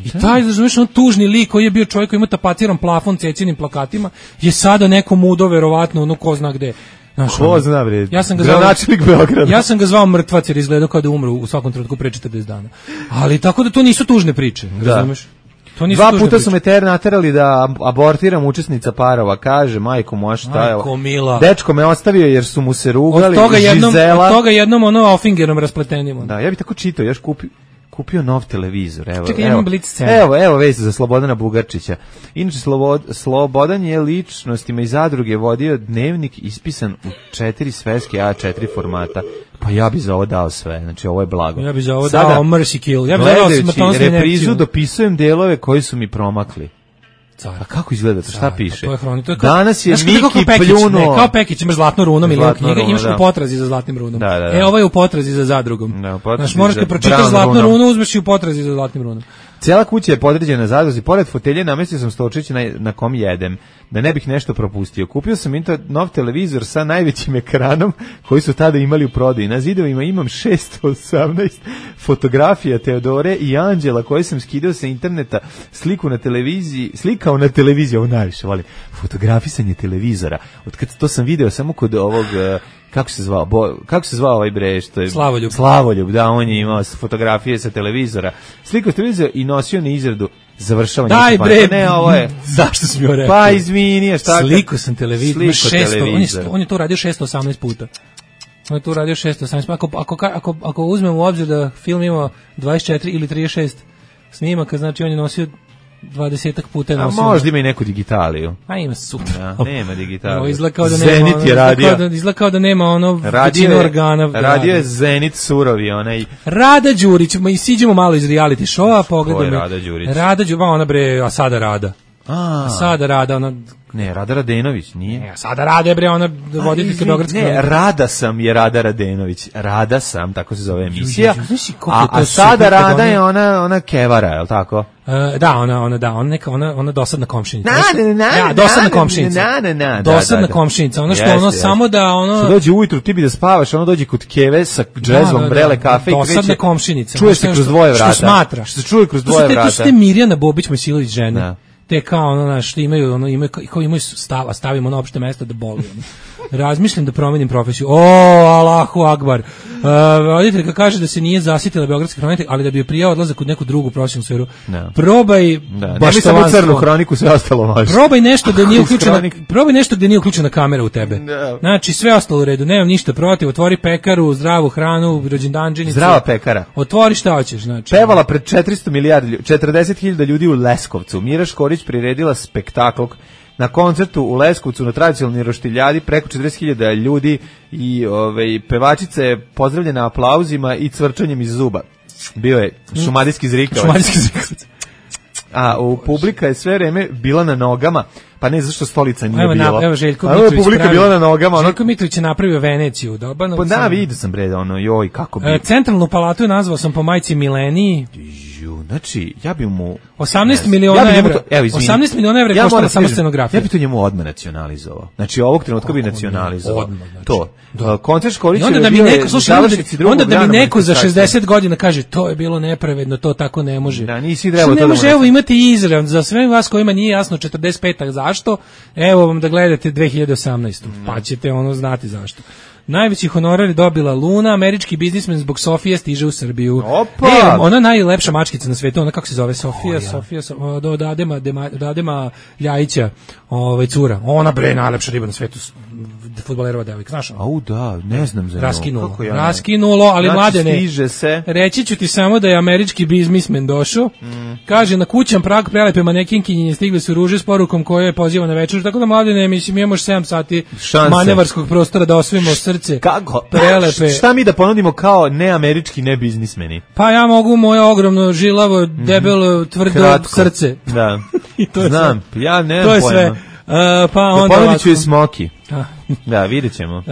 I taj, znaš, on tužni lik koji je bio čovjek koji ima tapaciran plafon Cecinim plakatima, je sada neko mudo, verovatno, ono ko zna gde. Znaš, ko zna, bre, ja sam ga zvao, Beograda. Ja sam ga zvao mrtvac jer izgledao kao da umru u svakom trenutku pre četrdeset dana. Ali tako da to nisu tužne priče, da. razumeš? To nisu Dva tužne puta priče. su me ter naterali da abortiram učesnica parova, kaže, majko moja šta je ovo. Dečko me ostavio jer su mu se rugali, od toga jednom, Žizela. Od toga jednom ono Offingerom raspletenim. Da, ja bih tako čitao, još kupio. Kupio nov televizor, evo. Čekaj, evo, evo, evo vez za Slobodana Bugarčića. Inače, Slobod, Slobodan je ličnostima iz zadruge vodio dnevnik ispisan u četiri sveske A četiri formata. Pa ja bi za ovo dao sve, znači ovo je blago. Ja bi za ovo Sada, dao Mercy Kill. Ja bi dao gledajući reprizu dopisujem delove koji su mi promakli. Car. A kako izgleda to? Šta Car, piše? To je hroni, to je kao, danas je Miki pljunuo. Ne, kao Pekić, imaš zlatnu runom ili knjiga, imaš da. u potrazi za zlatnim runom. Da, da, da. E, ovo je u potrazi za zadrugom. Da, znaš, možeš kad pročitaš zlatnu runom. runu, uzmeš i u potrazi za zlatnim runom. Cijela kuća je podređena zadruzi, pored fotelje namestio sam stolčić na, na kom jedem, da ne bih nešto propustio. Kupio sam inter, nov televizor sa najvećim ekranom koji su tada imali u prodaji. Na zidovima imam šesto osamnaest fotografija Teodore i Anđela koje sam skidao sa interneta, sliku na televiziji, slikao na televiziji, ovo najviše volim, fotografisanje televizora. Od kad to sam video samo kod ovog... Kako se zvao? Bo, kako se zvao ovaj bre što je Slavoljub. Slavoljub, da, on je imao fotografije sa televizora. Slikao s televizora i nosio na izradu završavanje. Daj bre, ne, ovo je. Zašto si mi ovo rekao? Pa izvini, šta? Slikao sam televizor, šesto, on je on je to radio šesto osamnaest puta. On je to radio šesto osamnaest. Ako ako ako ako uzmemo u obzir da film ima dvadeset četiri ili trideset šest snimaka, znači on je nosio dvadesetak puta nosio. A možda ima i neku digitaliju. A ima super. Ja, nema digitaliju. Izlakao da Zenit nema, je radio. Da, izlakao da nema ono većinu organa. Radio je Zenit surovi, onaj. Rada Đurić, ma i siđemo malo iz reality showa, pogledaj. Rada Đurić. Rada Đurić, ona bre, a sada Rada. A, a sada Rada, ona... Ne, Rada Radenović, nije. Ne, sada Rada bre, ona voditeljka Beogradske. Ne, Rada sam je Rada Radenović. Rada sam, tako se zove emisija. A, a sada Rada je ona, ona Kevara, je li tako? Uh, da, ona, ona, da, ona neka, ona, ona dosadna komšinica. Na, na, na, ja, dosadna komšinica. Na, na, na, dosadna da, da, komšinica, ono što jeste, ono jeste. Samo da ono... Što dođe ujutru, ti bi da spavaš, ono dođe kod Keve sa džezvom, da, da, brele kafe i kreće. Dosadna komšinica. Čuje se kroz dvoje vrata. Što smatra. Što se čuje kroz dvoje vrata. To su te Mirjana Bobić, Mojsilović žene. Da. Te kao ono naš što imaju ono imaju kao imaju stava stavimo na opšte mesto da boli ono. Razmišljam da promenim profesiju. O, Allahu akbar. Uh, roditeljka kaže da se nije zasitila beogradske hronike, ali da bi je prijao odlazak u neku drugu profesionalnu sferu. No. Probaj da. Ne bi samo crnu hroniku, sve ostalo može. Probaj nešto da nije uključena, probaj nešto da nije uključena kamera u tebe. No. Znači sve ostalo u redu, nemam ništa protiv, otvori pekaru, zdravu hranu, rođendanđenicu. Zdrava pekara. Otvori šta hoćeš, znači. Pevala pred četiristo milijardi, četrdeset hiljada ljudi u Leskovcu. Mira Škorić priredila spektakl na koncertu u Leskovcu na tradicionalnoj roštiljadi, preko četrdeset hiljada ljudi i ovaj pevačica je pozdravljena aplauzima i cvrčanjem iz zuba. Bio je šumadijski zrikavac. Šumadijski zrikavac. A u publika je sve vreme bila na nogama, pa ne zašto stolica nije evo, bila. Evo Željko Mitrović. A publika bila na nogama. Željko Mitrović je napravio Veneciju, doba. Pa da, vidio sam bre, ono, joj, kako bi. E, centralnu palatu je nazvao sam po majci Mileniji. Znači, ja bi mu osamnaest miliona ja evra. Evo, osamnaest miliona evra ja koštala samo scenografija. Ja bi to njemu odmah nacionalizovao. Znači, ovog trenutka bi nacionalizovao. Odmah, znači. To. Da. Koncert Škorić onda da mi neko, slušaj, onda, onda da mi neko za šezdeset godina kaže to je bilo nepravedno, to tako ne može. Da, nisi trebalo to. Ne može, evo imate Izrael za sve vas kojima nije jasno četrdeset peta zašto. Evo vam da gledate dve hiljade osamnaeste. Mm. Pa ćete ono znati zašto. Najveći honorar je dobila Luna, američki biznismen zbog Sofije stiže u Srbiju. Opa! E, ona najlepša mačkica na svetu, ona kako se zove, Sofija, Sofija, od od Adema, Dema, od Adema Ljajića, ovaj cura. Ona bre najlepša riba na svetu, fudbalerova devojka, znaš? Au da, ne znam za nju. Raskinulo, Kako ja ne- raskinulo, ali Znači, mladene. stiže se. Reći ću ti samo da je američki biznismen došao. Mm. Kaže, na kućan prag prelepe manekinkinje stigle su ruže s porukom koje je poziva na večer. Tako da, mladene, mislim, imamo još sedam sati Šanse. manevarskog prostora da osvojimo srce. Kako? Prelepe. Šta mi da ponudimo kao neamerički, ne biznismeni? Pa ja mogu moje ogromno, žilavo, debelo, tvrdo Kratko. srce. Da. I to je Znam, sve. ja ne To je znam sve. pojma. Uh, pa Da onda ponudit ću ovako. i smoki. A. Da, vidjet ćemo.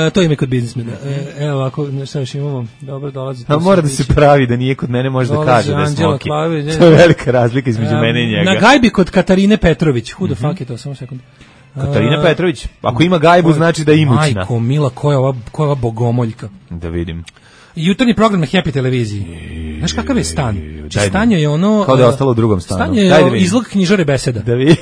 E, to ime kod biznismena. E, evo ovako, šta još imamo? Dobro, dolazi. A mora da se pravi da nije kod mene, može da Dolazi kaže da je Anđela smoki. Klavić, ne, To je ne. velika razlika između E, mene i njega. Na gajbi kod Katarine Petrović. Who the fuck je to? Samo sekund. Katarina E, Petrović. Ako ima gajbu, znači da je imućna. Majko, mila, ko je ova, ko je ova bogomoljka? Da vidim. Jutarnji program na Happy televiziji. Znaš kakav je stan? Znači, daj stan mi. je ono... Kao da je e, ostalo u drugom stanu. Stan je Daj da vidim. izlog knjižare beseda. Da vidim.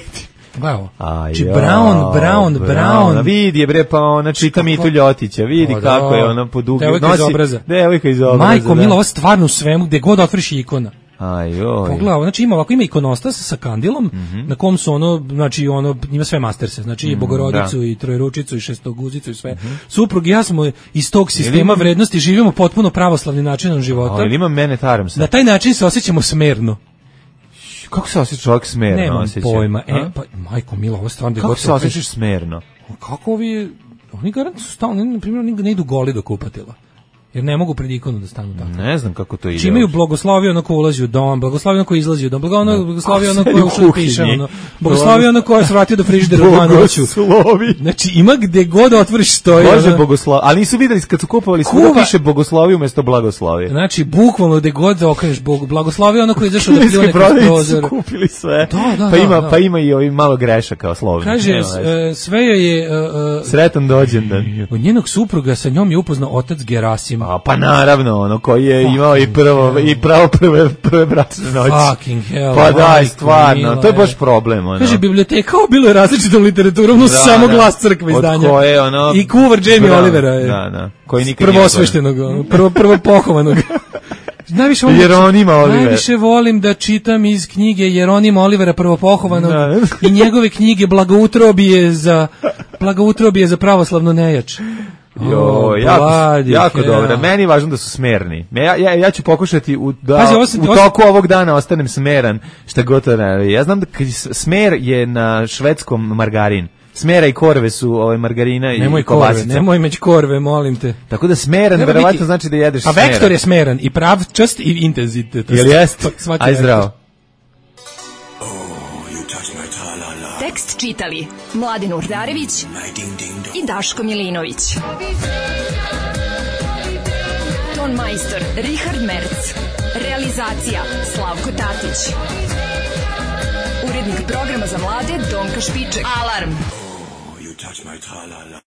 Evo. Aj, Znači, jao, Brown, Brown, Brown. A vidi je bre, pa ona čita Mitu Ljotića, vidi O, kako da. je ona podugi. Devojka iz obraza. Devojka iz obraza. Majko, da. mila, ovo stvarno u svemu, gde god otvoriš je ikona. Aj, joj. Pogledaj, znači ima ovako ima ikonostas sa kandilom, Mhm. na kom su ono, znači ono ima sve masterse, znači i Mm, Bogorodicu da. i Trojeručicu i Šestoguzicu i sve. Suprug i ja smo iz tog sistema ima- vrednosti živimo potpuno pravoslavnim načinom života. A, ili ima mene taram Na sad? taj način se osjećamo smerno. Kako se osjeća čovjek smerno? Nemam osjeća? pojma. E, A? pa majko mila, ovo je stvarno da Kako god se osjećaš smerno? Kako ovi oni garant su stalno, na primjer, oni ne idu goli do kupatila. Jer ne mogu pred ikonu da stanu tako. Ne znam kako to ide. Či imaju blagoslovio ono ko ulazi u dom, blagoslovio ono ko izlazi u dom, blago- blagoslovio ono ko Kako je se ušao da u piše, kuhinji? ono, blagoslovio ono ko je se vratio do frižidera u dva noću. Bogoslovi. Znači ima gde god otvoriš stoji. Bože ono- bogoslov. Ali nisu videli kad su kupovali Kuva. svuda piše bogoslovi umjesto blagoslovi. Znači bukvalno gde god da okreneš Bog, blagoslovio ono ko je izašao da Kineski pljune kroz prodavnici prozor. su kupili sve. Da, da, pa da, ima da. pa ima i ovi malo grešaka o slovima. Kaže Nema s- veze. e, sve joj je e, e, Sretan dođendan. od njenog supruga sa njom je upoznao otac Gerasim. A pa naravno, ono koji je imao i prvo i pravo prve prve bračne noći. Fucking hell. Pa daj, majko stvarno, mila, to je baš e. problem, ono. Kaže biblioteka bilo je različitom literaturom, no Da, samo da. glas crkve Od izdanja. koje, ono, I kuvar Jamie da, Olivera je. da, da, koji nikad nije Prvosveštenog, ono, prvo, prvo pohovanog. Najviše volim, Jeronima Olivera. najviše volim da čitam iz knjige Jeronima Olivera prvopohovanog Da. i njegove knjige Blagoutrobije za Blagoutrobije za pravoslavno nejač. Jo, O, jako, bloody jako hell. dobro. Meni je važno da su smerni. Ja, ja, ja ću pokušati u, da Pazi, ovo sam- u ovo sam- toku ovog dana ostanem smeran, šta god to ne. Ja znam da kad s- smer je na švedskom margarin. Smera i korve su ovaj margarina i Nemoj korve, kobasica. nemoj meći korve, molim te. Tako da smeran Treba verovatno biti- znači da jedeš A smera. vektor je smeran i pravčast i intenzitet. Jel jest? Svaki Aj vektor. zdravo. Tekst čitali Mladin Urdarević i Daško Milinović. Ton majstor Richard Merc. Realizacija Slavko Tatić. Urednik programa za mlade Donka Špiček. Alarm!